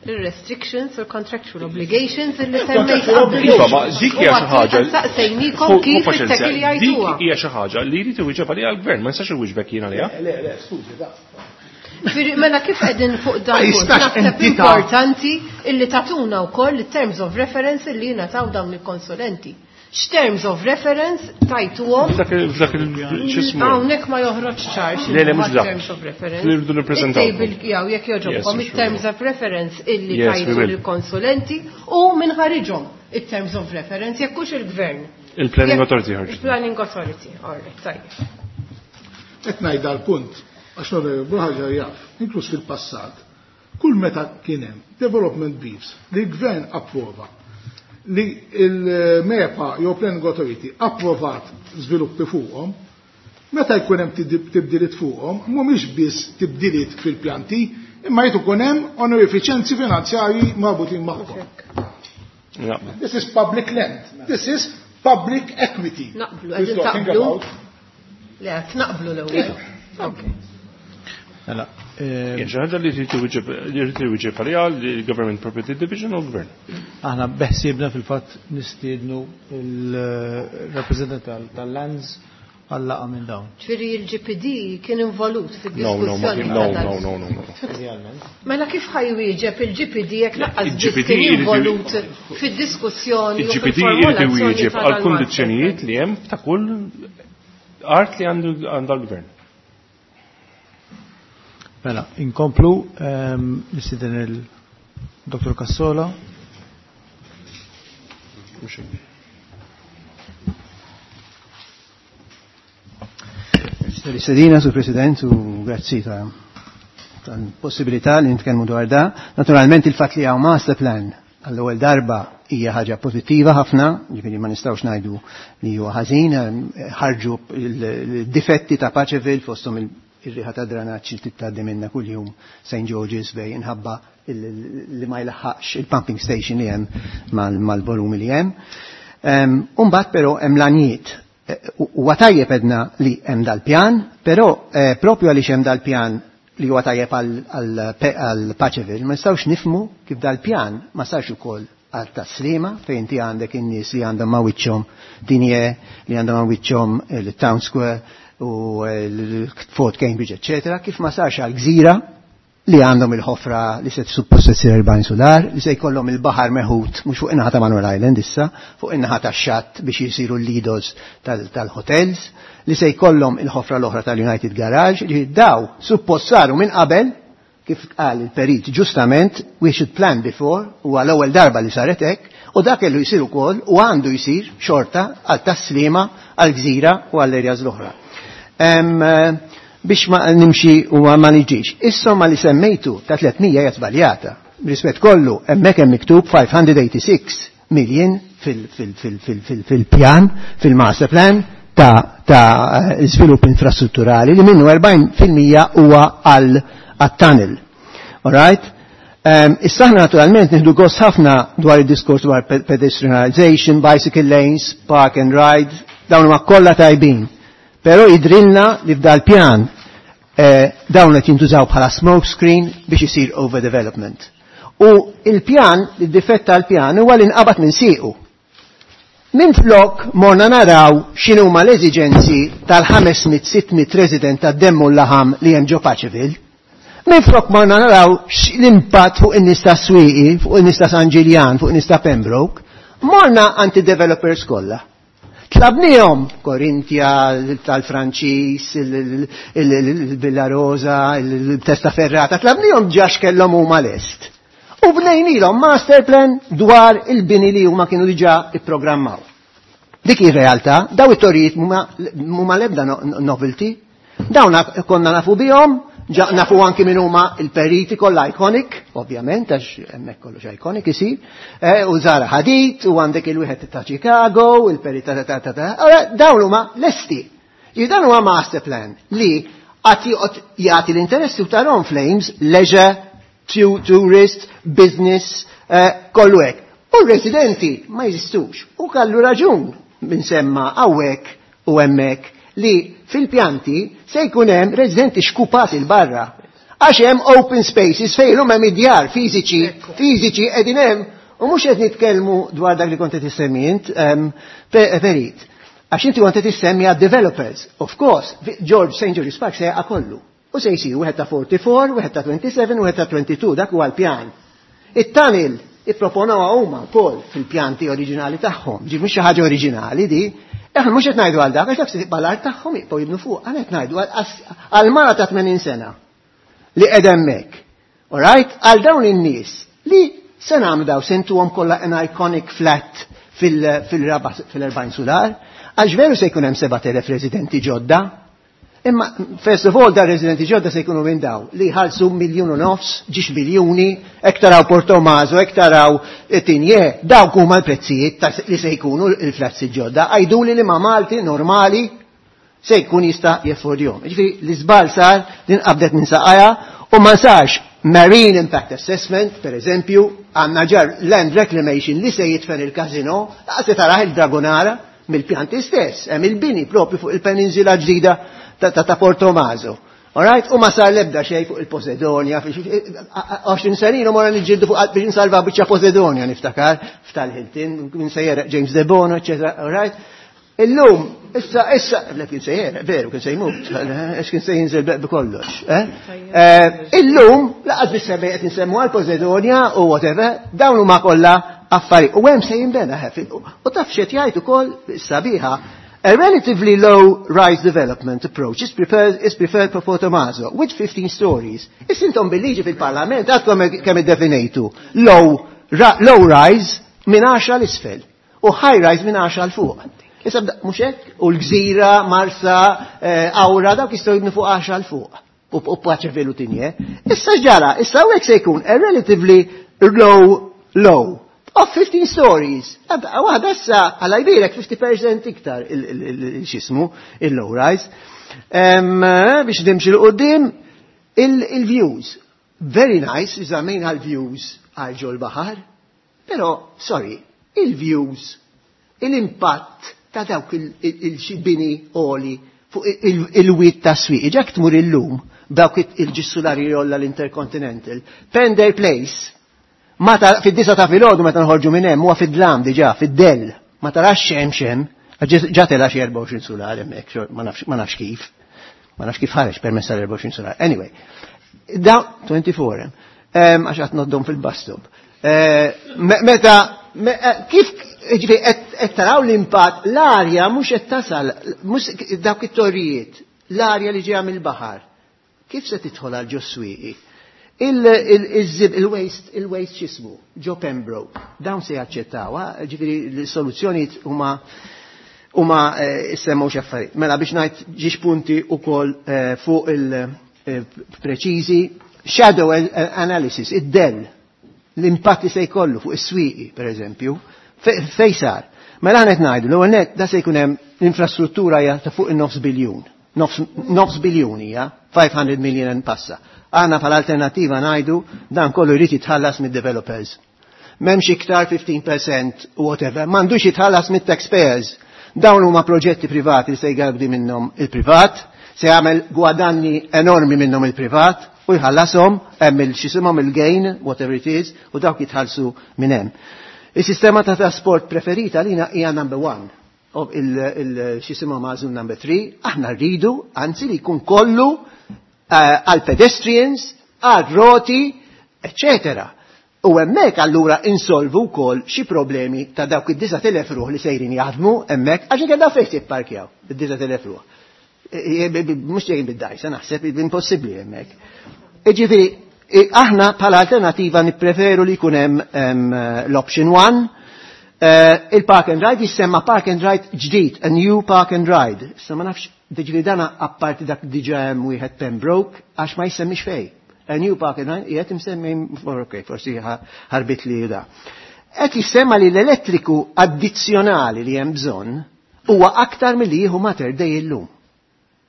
Il-restrictions or contractual obligations illi semmejt Contractual qabel. Iva, ma dik hija xi ħaġa. Saqsejnikom kif it-tekil Dik jgħiduha. hija xi ħaġa li jrid iwieġeb għaliha l-gvern, ma jistax iwieġbek jien għaliha. Le, le, skużi, da. Firri, Mela kif qegħdin fuq dan Ma punt, jistax naħseb entità. importanti illi tatuna wkoll it-terms of reference illi jingħataw dawn il-konsulenti. X'terms of reference tajtuhom F'dak il-xismu. Hawnhekk ma joħroġ ċar Le, le, mhux dak. terms of reference. Li rridu nippreżentaw. Il-table jew jekk jogħġobkom Yes, it-terms of reference illi Yes, we tajtu will. lill-konsulenti u minn ħariġhom it-terms of reference jekk hux il-gvern. Il-Planning Jekk- Authority ħarġet. Il-Planning Authority, all right, tajjeb. Qed ngħid dal-punt għax l-Onorevoli ħaġa jaf, inkluż fil-passat, kull meta kien hemm development briefs li l-gvern approva li il-MEPA jew Planning Authority approvat żviluppi fuqhom, meta jkun hemm tibdiliet fuqhom, mhumiex biss tibdiliet fil-pjanti, imma jrid ikun hemm onorifiċenzi finanzjarji marbutin magħhom. This is public land. This is public equity. Naqblu, We're qegħdin talking taqblu. about. Le, qed naqblu l-ewwel. Okay. Mela, Hija xi ħaġa li jrid iwieġeb għaliha l-Government Property Division u l-Gvern. Aħna beħsiebna fil-fatt nistiednu il-rappreżentant tal-Lands għal-laqa minn dawn. Ġifieri il-GPD kien involut No, no, ma fid-diskussjoni kien- ta' no, dan. no, no, no, no. Idealment. Mela kif ħajwieġeb il-GPD jekk laqqas biss Il-GPD kien jrid- involut fid-diskussjoni u Il-GPD jrid fil-formulazzjoni iwieġeb ta' għal dan kundizzjonijiet li hemm ta' kull art li għandu għandha l-gvern. Mela, inkomplu nistieden il-Dr. Cassola. Mhux hekk. Sedina, Sur President, u grazzi ta' tal-possibilità li nitkellmu dwar da. Naturalment il-fatt li hawn master plan għall-ewwel darba hija ħaġa pożittiva ħafna, ġifieri ma nistgħux ngħidu li huwa ħażin, ħarġu il-difetti ta' Paceville fosthom ir-riħa ta' dranaġġ li tgħaddi minna kuljum St. George's Bay inħabba li ma jlaħħaqx il-pumping station li hemm mal-volumi li hemm. Umbagħad però hemm l-għanijiet. Huwa tajjeb edna li hemm dal-pjan, però propju għaliex hemm dal-pjan li huwa tajjeb għal Paceville, ma nistgħux nifhmu kif dal-pjan ma sarx ukoll għal Tas-Sliema fejn inti għandek in-nies li għandhom ma' wiċċhom Dinje, li għandhom ma' wiċċhom il-Town Square u l-Fort Cambridge, eccetera, kif ma sarx għal Gżira li għandhom il-ħofra li se suppost se tsir 40 sular, li se jkollhom il-baħar meħud mhux fuq in-naħa ta' Manuel Island issa, fuq in-naħa tax-xatt biex jisiru l-lidos tal-hotels, li se jkollhom il-ħofra l-oħra tal-United Garage, li daw suppost saru minn qabel, kif qal il-perit ġustament, we should plan before, u għal ewwel darba li saret hekk, u dak kellu jsir ukoll u għandu jsir xorta għal Tas-Sliema, għal Gżira u għall areas l-oħra. Biex ma nimxi u ma niġix. Is-somma li semmejtu ta' 300 hija żbaljata. Rispett kollu, hemmhekk hemm miktub 586 million fil-pjan, fil-master plan ta' żvilupp infrastrutturali li minnu 40% huwa għal tunnel. All right? Issa aħna naturalment nieħdu gost ħafna dwar id-diskors dwar pedestrianization, bicycle lanes, park and ride, dawn huma kollha tajbin. Però jidrilna li f'dal pjan dawn qed jintużaw bħala smoke screen biex isir overdevelopment. U il-pjan, il-difett tal-pjan huwa li nqabad minn siequ. Minn flok morna naraw x'inhuma l-eżiġenzi tal-500-600 resident tad-demmu l-laħam li hemm ġo Paceville. Minn flok morna naraw l-impatt fuq in-nies ta' Swieqi, fuq in-nies ta' San Ġiljan, fuq in-nies ta' Pembroke, morna anti-developers kollha. Tlabnihom Korintia, tal-Franċis, il-Villa Rosa, il-Testa Ferrata, tlabnihom ġax kellhom huma lest. U bnejnilhom master plan dwar il-bini li huma kienu diġà ipprogrammaw. Dik ir-realtà, daw it-torijiet mhuma l-ebda novelty, dawn konna nafu bihom, ġa nafu anki min huma il-periti kollha iconic, ovvjament, għax hemmhekk kollox iconic isir, u Zara Hadid, u għandek il-wieħed ta' Chicago, il-periti ta' ta' ta' ta' Ora, dawn huma lesti. Dan huwa master plan li għati jagħti l-interessi ta' Ron Flames, leisure, tourist, business, kollu hekk. U r-residenti ma jeżistux. U kallu raġun minn semma hawnhekk u hemmhekk li fil-pjanti se jkun hemm residenti xkupati l-barra. Għax hemm open spaces fejn huma hemm id-djar fiżiċi, fiżiċi qegħdin hemm, u mhux qed nitkellmu dwar dak li kont qed issemmi int, Perit. Għax inti kont qed issemmi għad developers. Of course, George St. George's Park se jaqa' kollu. U se jsir wieħed ta' 44, wieħed ta' 27, wieħed ta' 22, dak huwa l-pjan. It-tunnel ipproponawha huma wkoll fil-pjanti oriġinali tagħhom. Ġi mhux xi ħaġa oriġinali di. Aħna mhux qed ngħidu għal dak, għax dak se tibqa' l-art tagħhom jibqgħu jibnu fuq. Aħna qed ngħidu għal mara ta' 80 sena li qed hemmhekk. All right? Għal dawn in-nies li se nagħmlu daw sentuhom kollha an iconic flat fil-40 sular, għax veru se jkun hemm 7,000 residenti ġodda. Imma, first of all, da residenti ġodda se jkunu minn daw li ħalsu miljun u nofs, ġiex miljuni, hekk taraw Portomaso, hekk taraw Tinje, dawk huma l-prezzijiet li se jkunu l-flats ġodda. Għajduli li ma' Malti normali se jkun jista' jeffordjhom. Ġifieri l-iżbal sar din qabdet minn saqajja u ma sarx Marine Impact Assessment, per eżempju, għandna ġar land reclamation li se jitfen il-casino, laqas se taraħ il-Dragonara mill-pjanti stess, hemm il-bini propju fuq il-peninsula ġdida ta' Portomaso. All right? U ma sar lebda xejn fuq il-Posidonia, 20 sena ilu morna niġġieldu fuq biex nsalva biċċa Posidonia niftakar, f'tal-Hilton, minn sejjer James De Bono, eccetera, all right? Illum, issa, le kien sejjer, veru, kien se jmut, għax kien se jinżel b'kollox. Eh? Illum, laqas biss semmej qed nsemmu għal Posidonia u whatever, dawn huma kollha affarijiet. U hemm se jinbena ħefil. U taf x'qed jgħid ukoll sabiħa, a relatively low-rise development approach is preferred for Portomaso, with 15 stories. Issintom bil-liġi fil-parlament, għadkom kemm iddefinejtu. Low rise minn 10 l-isfel u high rise minn 10 l fuq. Issa mhux hekk? U l-Gżira, Marsa, Awra, dawk jistgħu jibnu fuq 10 l fuq. U Paceville u Tinje. Issa ġara, issa hawnhekk se jkun a relatively low of 15 stories. Waħda issa għala jbirek 50% iktar il-xismu, il-low rise. Biex nimxi l-qoddim, il-views. Very nice, iżamejna l-views għal ġol baħar, pero, sorry, il-views, il-impatt ta' dawk il-bini oli fuq il-wit ta' swieq. Ġak tmur illum, dawk il-ġissulari jolla l-Intercontinental, Pender Place, fid-disa ta' filgħodu meta nħorġu minn hemm huwa fid-dlam diġà, fid-dell, ma tarax xem xem, ġa tela xi 24 sular hemmhekk, ma nafx kif. Ma nafx kif ħareġ permess tal-24 sular. Anyway, da 24 hemm, għax qed noddhom fil-bus stop. Meta kif ġifieri qed taraw l-impatt l-arja mhux qed tasal, mhux dawk it-torrijiet, l-arja li ġejja mill-baħar. Kif se tidħol għal ġo swieqi? Il-waste, il-waste x'ismu, ġo Pembroke, dawn se jaċċettaw, ġifieri l-soluzzjonijiet huma semmew xi affarijiet. Mela biex ngħid ġiex punti wkoll fuq il-preċiżi, shadow analysis, id-dell, l-impatt li se jkollu fuq is-swieqi, per eżempju, fej sar. Mela qed ngħidu, l-ewwel net da se jkun hemm l-infrastruttura hija ta' fuq in-nofs biljun. Nofs biljun hija, 500 million passa. Aħna bħala alternativa ngħidu dan kollu jrid jitħallas mid-developers. M'hemmx iktar 15% whatever, m'għandux jitħallas mit-taxpayers. Dawn huma proġetti privati li se jgawdi minnhom il-privat, se jagħmel gwadanni enormi minnhom il-privat u jħallashom hemm il-xisimhom il-gain, whatever it is, u dawk jitħallsu minn hemm. Is-sistema ta' trasport preferita lina hija number 1. Il-xisimhom għażlu number 3, aħna rridu, anzi li jkun kollu għal pedestrians, għal roti, eccetera. U hemmhekk allura insolvu wkoll xi problemi ta' dawk id-9,000 ruħ li sejrin jaħdmu hemmhekk għax inkella fejn jipparkjaw id-9,000 ruħ. Mhux ġejjin bid-dajsa naħseb impossibbli hemmhekk. Jiġifieri aħna bħala alternativa nippreferu li jkun hemm l-option 1. Il-park and ride jissemma park and ride ġdid, a new park and ride. Issa ma nafx, ġifieri dana apparti dak diġà hemm wieħed Pembroke għax ma jsemmix fej. A new park and ride qiegħed imsemmi, ok, forsi ħarbit li da. Qed jissemma li l-elettriku addizzjonali li hemm bżonn huwa aktar milli jieħu Mater Dei illum.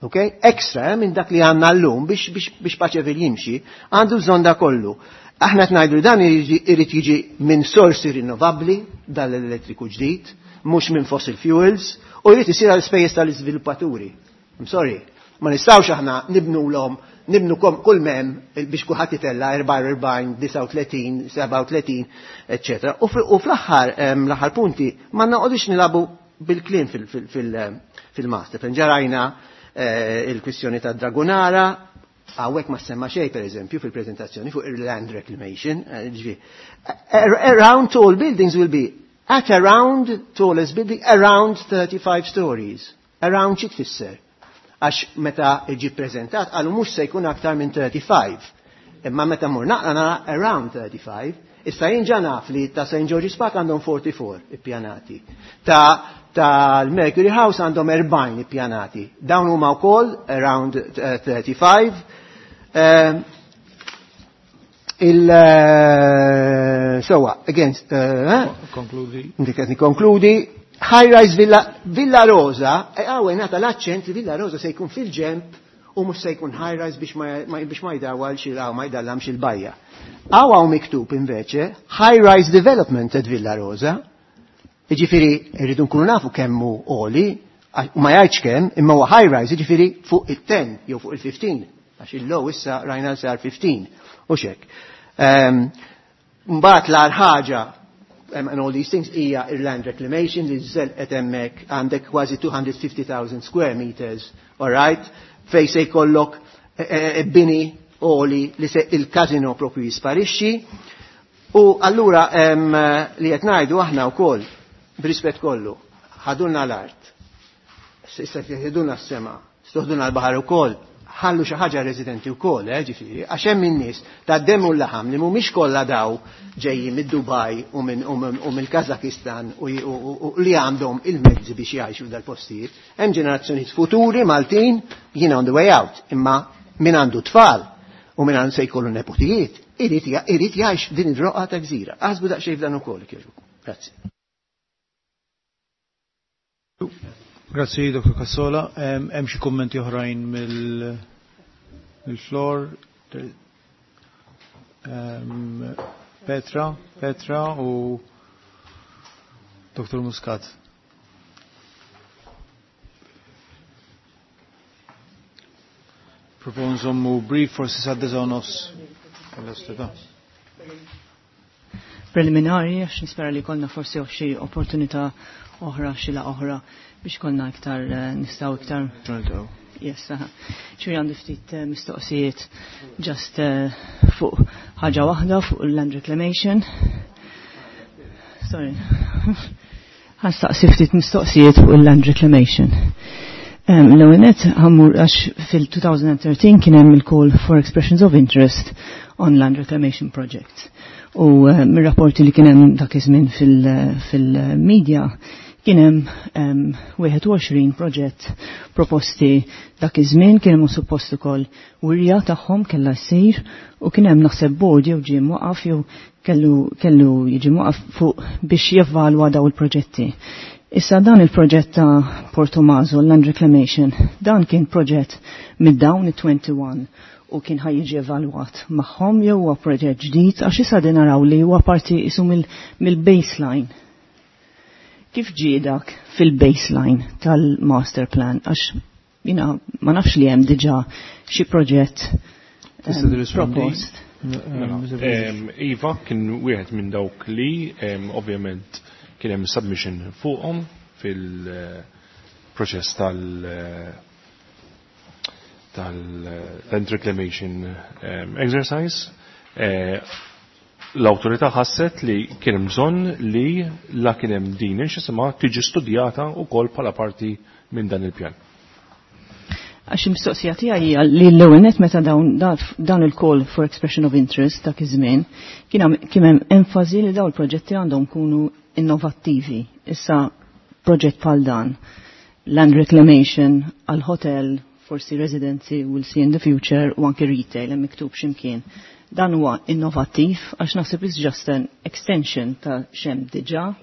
Ok? Extra minn dak li għandna llum biex Paċevil jimxi, għandu bżonn da kollu. Aħna qed ngħidu dan irid jiġi minn sorsi rinnovabbli dal-elettriku ġdid, mhux minn fossil fuels, u jrid isir għal spejjeż tal-iżviluppaturi. I'm sorry, ma nistgħux aħna nibnu nibnu kull mem biex kulħadd itella 44, 39, 37, eccetera. U fl-aħħar l-aħħar punti ma noqogħdux nilagħbu bil-kliem fil-master. Fejn ġarajna il-kwistjoni ta' Dragonara, hawnhekk ma semma xejn per eżempju fil-prezentazzjoni fuq il-land reclamation, ġifieri. Around tall buildings will be at around tallest building around 35 stories. Around xi tfisser? Għax meta ġi prezentat qalu mhux se jkun aktar minn 35. Imma meta mur naqra nara around 35, issa jien ġa naf li ta' St. George's Park għandhom 44 ippjanati. Ta' l-Mercury House għandhom 40 ippjanati. Dawn huma wkoll around 35. Sewa, against, Konkludi. Inti qed nikkonkludi. High Rise Villa, Villa Rosa, għawe nata l-aċċent li Villa Rosa se jkun fil-ġemp u mhux se jkun high rise biex ma jdawwal xi ma jdallamx il-bajja. Għaw hawn miktub inveċe High Rise Development at Villa Rosa. Jiġifieri rridu nkunu nafu kemm hu għoli, u ma jgħidx kemm, imma huwa high rise, jiġifieri fuq il-10 jew fuq il-15, għax il-low issa rajna sar 15 u xek. Mbagħad l-agħar ħaġa and all these things hija il-land reclamation li żelqet hemmhekk għandek kważi 250,000 square meters, all right, fej se jkollok bini oli li se il-kazino propju jisparixxi. U allura li qed ngħidu aħna wkoll b'rispett kollu, ħadulna l-art, issa ħadulna s-sema, stoħdulna l-baħar ukoll, ħallu xi ħaġa residenti wkoll, ġifieri, għax hemm in-nies ta' demm u laħam li mhumiex kollha daw ġejjin mid-Dubaj u mill-Kazakistan u li għandhom il-mezzi biex jgħixu dal-postijiet. Hemm ġenerazzjonijiet futuri Maltin jiena on the way out, imma min għandu tfal u min għandu se jkollu nepotijiet, irid jgħix din id-roqa ta' gżira. Aħsbu daqsxejn f'dan ukoll, kieġu. Grazzi. Grazzi, Dr. Cassola. Hemm xi kummenti oħrajn mill-floor? Petra u Dr. Muscat. Propon nżommu brief forsi sa' nofs. Preliminari, għax nispera li konna forsi xi opportunità oħra, xi la oħra biex konna iktar nistgħu iktar. Yes, ċuri għandu ftit mistoqsijiet just fuq ħaġa waħda fuq land reclamation. Sorry. Ħastaqsi ftit mistoqsijiet fuq il-land reclamation. L-ewwel nett ħammur għax fil-2013 kien hemm il-call for expressions of interest on land reclamation projects. U mir-rapporti li kien hemm dak iż-żmien fil-media kien hemm 21 proġett proposti dak iż-żmien, kien hemm suppost ukoll wirja tagħhom kellha ssir u kien hemm naħseb board jew ġie mwaqaf jew kellu jiġi mwaqaf fuq biex jevalwa daw il-proġetti. Issa dan il-proġett ta' Portomaso, Land Reclamation, dan kien proġett mid-dawn it-21 u kien ħaj jiġi evalwat magħhom jew huwa proġett ġdid għax issa din naraw li huwa parti isu mill-baseline. Kif ġie dak fil-baseline tal-master plan? Għax jina ma nafx li hemm diġà xi proġett propost. Iva, kien wieħed minn dawk li ovvjament kien hemm submission fuqhom fil-proċess tal-land reclamation exercise. L-awtorità ħasset li kien hemm bżonn li la kien hemm din x'isimha tiġi studjata wkoll bħala parti minn dan il-pjan. Għax il-mistoqsija tiegħi hija li l-ewwel nett meta dawn il-call for expression of interest dak iż-żmien kien hemm enfasi li dawn il-proġetti għandhom kunu innovattivi. Issa proġett bħal dan, land reclamation għal hotel, forsi residency, we'll see in the future, u anke retail, hemm miktub x'imkien. Dan huwa innovattiv għax naħseb is just an extension ta' xem diġà,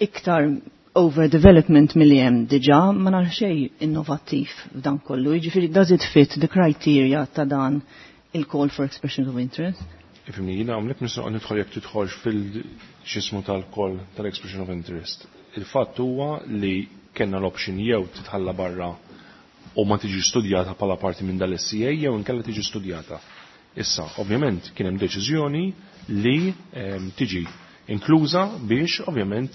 iktar overdevelopment milli hemm diġà, ma nara xejn innovattiv f'dan kollu. Jiġifieri does it fit the criteria ta' dan il-call for expression of interest? Ifimni, jiena hawnhekk nistgħu nidħol jekk tidħolx fil-xismu tal-call tal-expression of interest. Il-fatt huwa li kellna l-option jew titħalla barra u ma tiġi studjata bħala parti minn dal-SCA jew inkella tiġi studjata. Issa, ovvjament, kien hemm deċiżjoni li tiġi inkluża biex, ovvjament,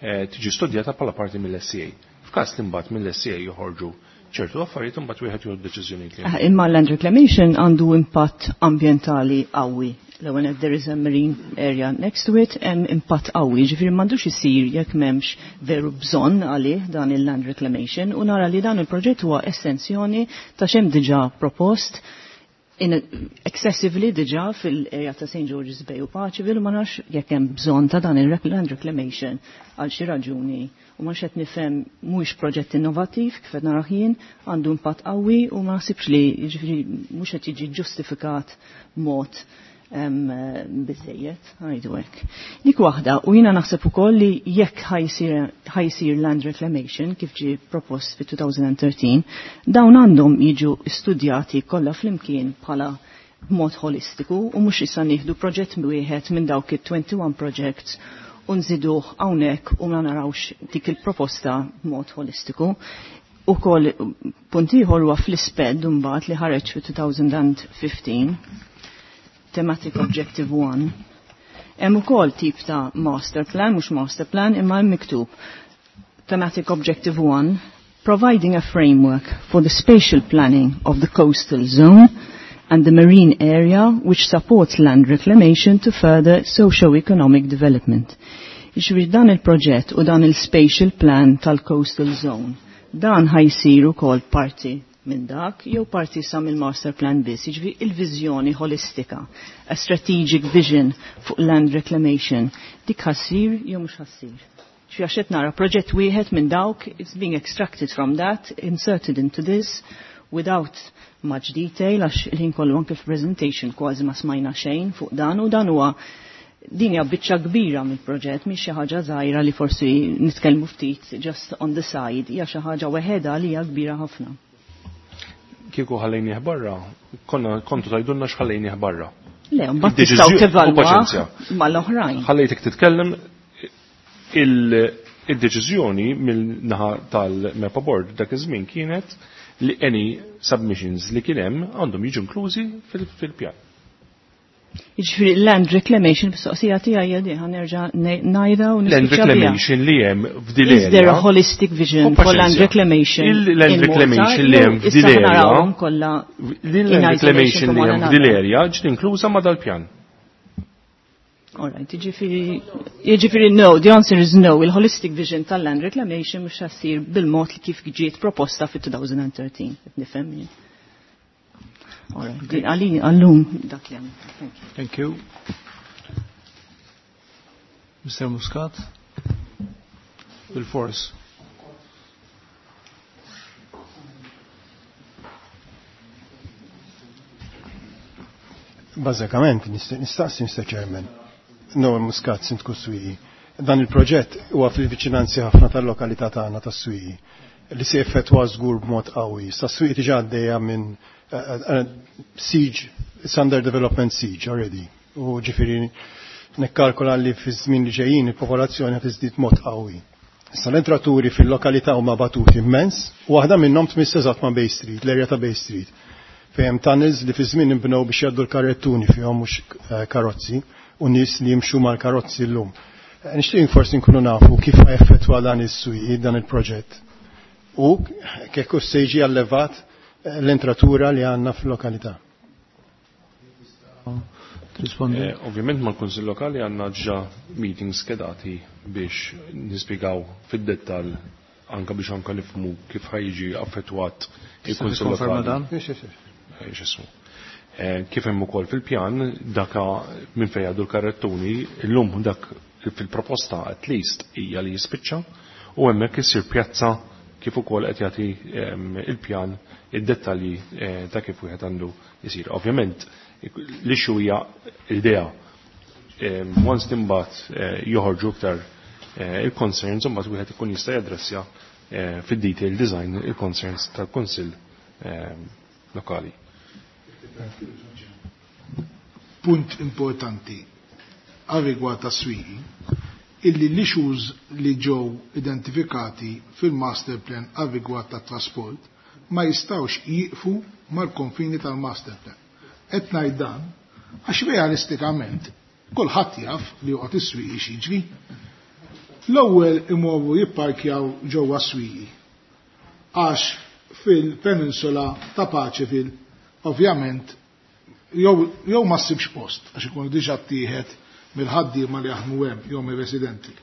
tiġi studjata bħala parti mill-SCA. F'każ li mbagħad mill-SCA joħorġu ċertu affarijiet, imbagħad wieħed jieħu deċiżjonijiet li Imma land reclamation għandu impatt ambjentali qawwi. L-ewwel there is a marine area next to it, hemm impatt qawwi, ġifieri m'għandux isir jekk m'hemmx veru bżonn għalih dan il-land reclamation, u nara li dan il-proġett huwa estensjoni ta' x'hemm diġà propost in excessively diġà fil-area ta' St. George's Bay u Paceville, ma nafx jekk hemm bżonn ta' dan il-land reclamation għal xi raġuni. U ma qed nifhem mhuwiex proġett innovattiv kif qed narah jien, għandu impatt qawwi u ma naħsibx li jiġifieri mhux qed jiġi ġustifikat mod biżejjed, ngħidu hekk. Dik waħda, u jiena naħseb ukoll li jekk ħajsir land reclamation kif ġie propost fi 2013, dawn għandhom jiġu studjati kollha flimkien bħala b'mod holistiku u mhux issa nieħdu proġett wieħed minn dawk it-21 projects u nżiduh hawnhekk u ma narawx dik il-proposta b'mod holistiku. Ukoll punt ieħor huwa fl-isped mbagħad li ħareġ fi 2015, Thematic Objective 1. Hemm ukoll tip ta' master plan, mhux master plan, imma hemm miktub Thematic Objective 1, providing a framework for the spatial planning of the coastal zone and the marine area which supports land reclamation to further socio-economic development. Jiġifieri dan il-proġett u dan il-spatial plan tal-coastal zone, dan ħajsir ukoll parti minn dak jew parti sa mill-master plan biss, jiġifieri il-viżjoni holistika, a strategic vision fuq land reclamation, dik ħassir jew mhux ħassir. Xi għax qed nara proġett wieħed minn dawk, it's being extracted from that, inserted into this, without much detail, għax il-ħin kollu anke f'presentation kważi ma smajna xejn fuq dan, u dan huwa Din hija biċċa kbira mill-proġett, mhix xi ħaġa żgħira li forsi nitkellmu ftit just on the side, hija xi ħaġa weħedha li hija kbira ħafna. Kieku ħallejnieh barra, konna kontu tgħidulna x'ħallejnieh barra. Le, mbagħad tistgħu tevalwa mal-oħrajn. Ħallejtek titkellem il-deċiżjoni mill-naħa tal-MEPA Board dak iż-żmien kienet li any submissions li kien hemm għandhom jiġu inklużi fil-pjan. Jiġifieri land reclamation mistoqsija tiegħi hija di nerġa' ngħidha u Land reclamation li hemm f'dil Is there a holistic vision for land reclamation? Il-land reclamation li hemm f'dil area. Il-land reclamation li hemm f'dil area ġiet inkluża ma' dal-pjan. All right, jiġifieri no, the answer is no. Il-holistic vision tal-land reclamation mhux ssir bil-mod li kif ġiet proposta fit-2013. Nifhem jien. All right, għalli għallum dak li Thank you. Thank you. Mr. Muscat? Bil-fors. Bażikament, nistaqsi Mr. Chairman. Noel Muscat, Sindku Swieqi. Dan il-proġett huwa fil-viċinanzi ħafna tal-lokalità tagħna tas-Swieqi li se effettwa żgur b'mod qawwi. Sa Swieqi diġà għaddejja minn siege, it's under development siege already. U ġifieri nikkalkola li fi żmien li ġejjin il-popolazzjoni qed tiżdied mod qawwi. Issa l-entraturi fil-lokalità huma batuti immens, u waħda minnhom tmiss eżatt ma' Bay Street, l-erja ta' Bay Street. Fejn hemm tunnels li fi żmien inbnew biex jgħaddu l-karrettuni fihom mhux karozzi u nies li jimxu mal-karozzi llum. Nixtieq forsi nkunu nafu kif effettwa dan is-Swieqi dan il-proġett. U kif se jiġi allevat l-entratura li għandna fil-lokalità. Rispondi. Ovvjament mal-Kunsill Lokali għandna ġa meetings skedati biex nispjegaw fid-dettall anka biex anka nifhmu kif ħa jiġi affettwat il-Kunsill Tikkonferma Lokali. dan? X'ismu. Kif hemm ukoll fil-pjan daka minn fejn jgħaddu l-karrettuni illum dak fil-proposta at least hija li jispiċċa u hemmhekk isir pjazza kif ukoll qed jagħti il-pjan id-dettalji ta' kif wieħed għandu jsir. Ovvjament l-issue hija l-idea. Once imbagħad joħorġu iktar il-concerns, imbagħad wieħed ikun jista' jadressja fid-detail design il-concerns tal-Kunsill lokali. Punt importanti għal rigward tas-Swieqi illi l-issues li ġew identifikati fil-master plan għal rigward tat-trasport ma jistawx jiqfu mal-konfini tal-master plan. Qed ngħid dan għax realistikament kulħadd jaf li joqgħod is-Swieqi x'jiġri. L-ewwel imorru jipparkjaw ġewwa Swieqi għax fil-peninsula ta' Paceville ovvjament jew ma ssibx post għax ikunu diġà ttieħed mill-ħaddiema li jaħdmu hemm jew mir-residenti.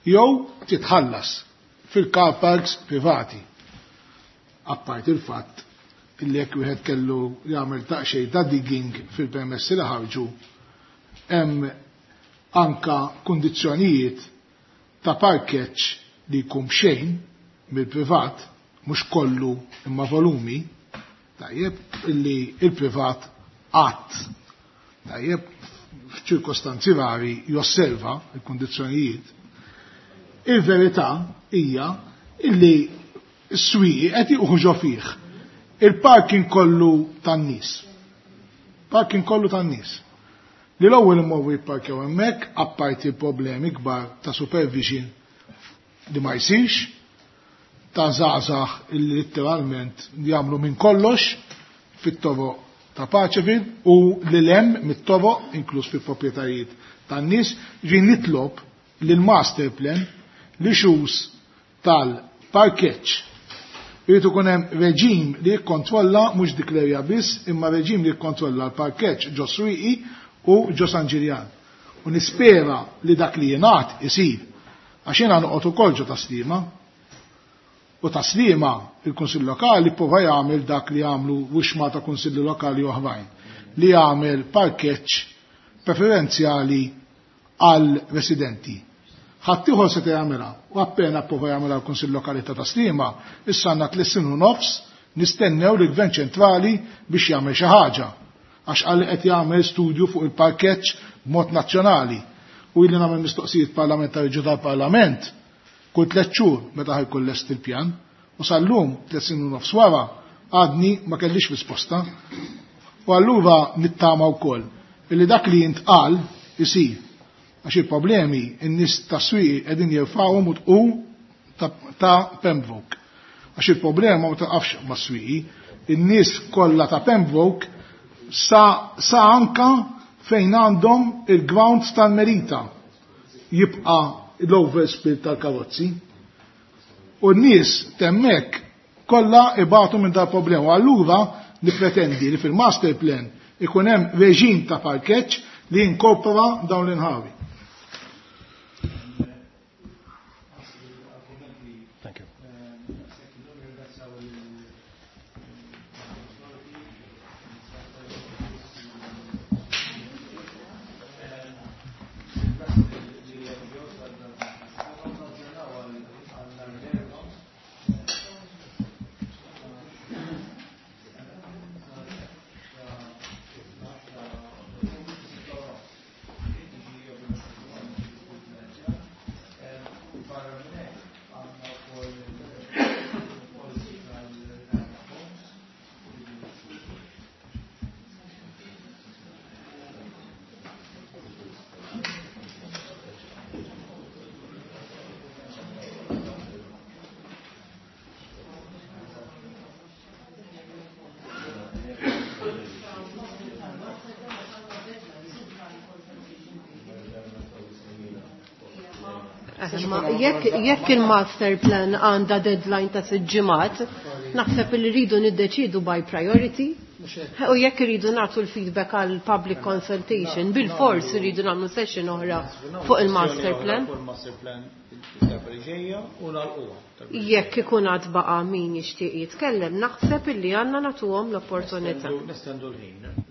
Jew titħallas fil-car parks privati. Apart il-fatt illi jekk wieħed kellu jagħmel taqxej ta' digging fil-permessi li ħarġu, hemm anka kundizzjonijiet ta' parkeġġ li jkun xejn mill-privat, mhux kollu imma volumi, tajjeb, illi il-privat qatt, tajjeb, f'ċirkostanzi vari josserva il-kundizzjonijiet. Il-verità hija illi s-Swieqi qed jieħu fih il-parking kollu tan-nies. Parking kollu tan-nies. Li l-ewwel imorru jipparkjaw hemmhekk apparti problemi kbar ta' supervision li ma jsirx, ta' żgħażagħ illi letteralment jagħmlu minn kollox fit-toroq ta' Paceville u li lem mit-toroq inkluż fi proprjetajiet tan-nies. Ġi nitlob li l-master plan li xus tal-parkeġġ irid ikun hemm reġim li jikkontrolla mhux dik l-erja biss, imma reġim li jikkontrolla l-parkeġġ ġo Swieqi u ġo San Ġiljan. U nispera li dak li jingħad isir, għax jiena noqgħod ukoll ġo Tas-Sliema. U Tas-Sliema il-Kunsill Lokali prova jagħmel dak li jagħmlu wixma ta' kunsilli lokali oħrajn, li jagħmel parkeġġ preferenzjali għal residenti. Ħaddieħor se jagħmilha u appena prova jagħmilha l-Kunsill Lokali ta' Tas-Sliema, issa għandna 3 snin u nofs nistennew li gvern ċentrali biex jagħmel xi ħaġa. Għax qal li qed jagħmel studju fuq il-parkeġġ b'mod nazzjonali. U ili nagħmel mistoqsijiet parlamentari ġo tal-Parlament kull tliet xhur meta ħa jkun lest il-pjan. U sal-lum, tliet snin u nofs wara, għadni ma kellix risposta. U allura nittama wkoll illi dak li jintqal isir. Għax il-problemi n-nies tas-Swieqi qegħdin jirfgħuhom u tqu ta' Pembroke. Għax il-problema ma taqafx mas-Swieqi, in-nies kollha ta' Pembroke sa, sa anka fejn għandhom il-grounds tal-Merita jibqa' l-overspill tal-karozzi. U n-nies temmek kollha ibatu minn dal-problema. Allura nippretendi li fil-master plan ikun hemm reġim ta' parkeġġ li jinkorpora dawn l-inħawi. Thank you. Jekk il-master plan għandha deadline ta' sitt ġimgħat, naħseb li rridu niddeċidu by priority. U jekk irridu nagħtu l-feedback għal public consultation, bil-fors irridu nagħmlu session oħra fuq il-master plan. Jekk ikun għad baqa' min jixtieq jitkellem, naħseb illi għandna nagħtuhom l-opportunità. Nestendu l-ħin.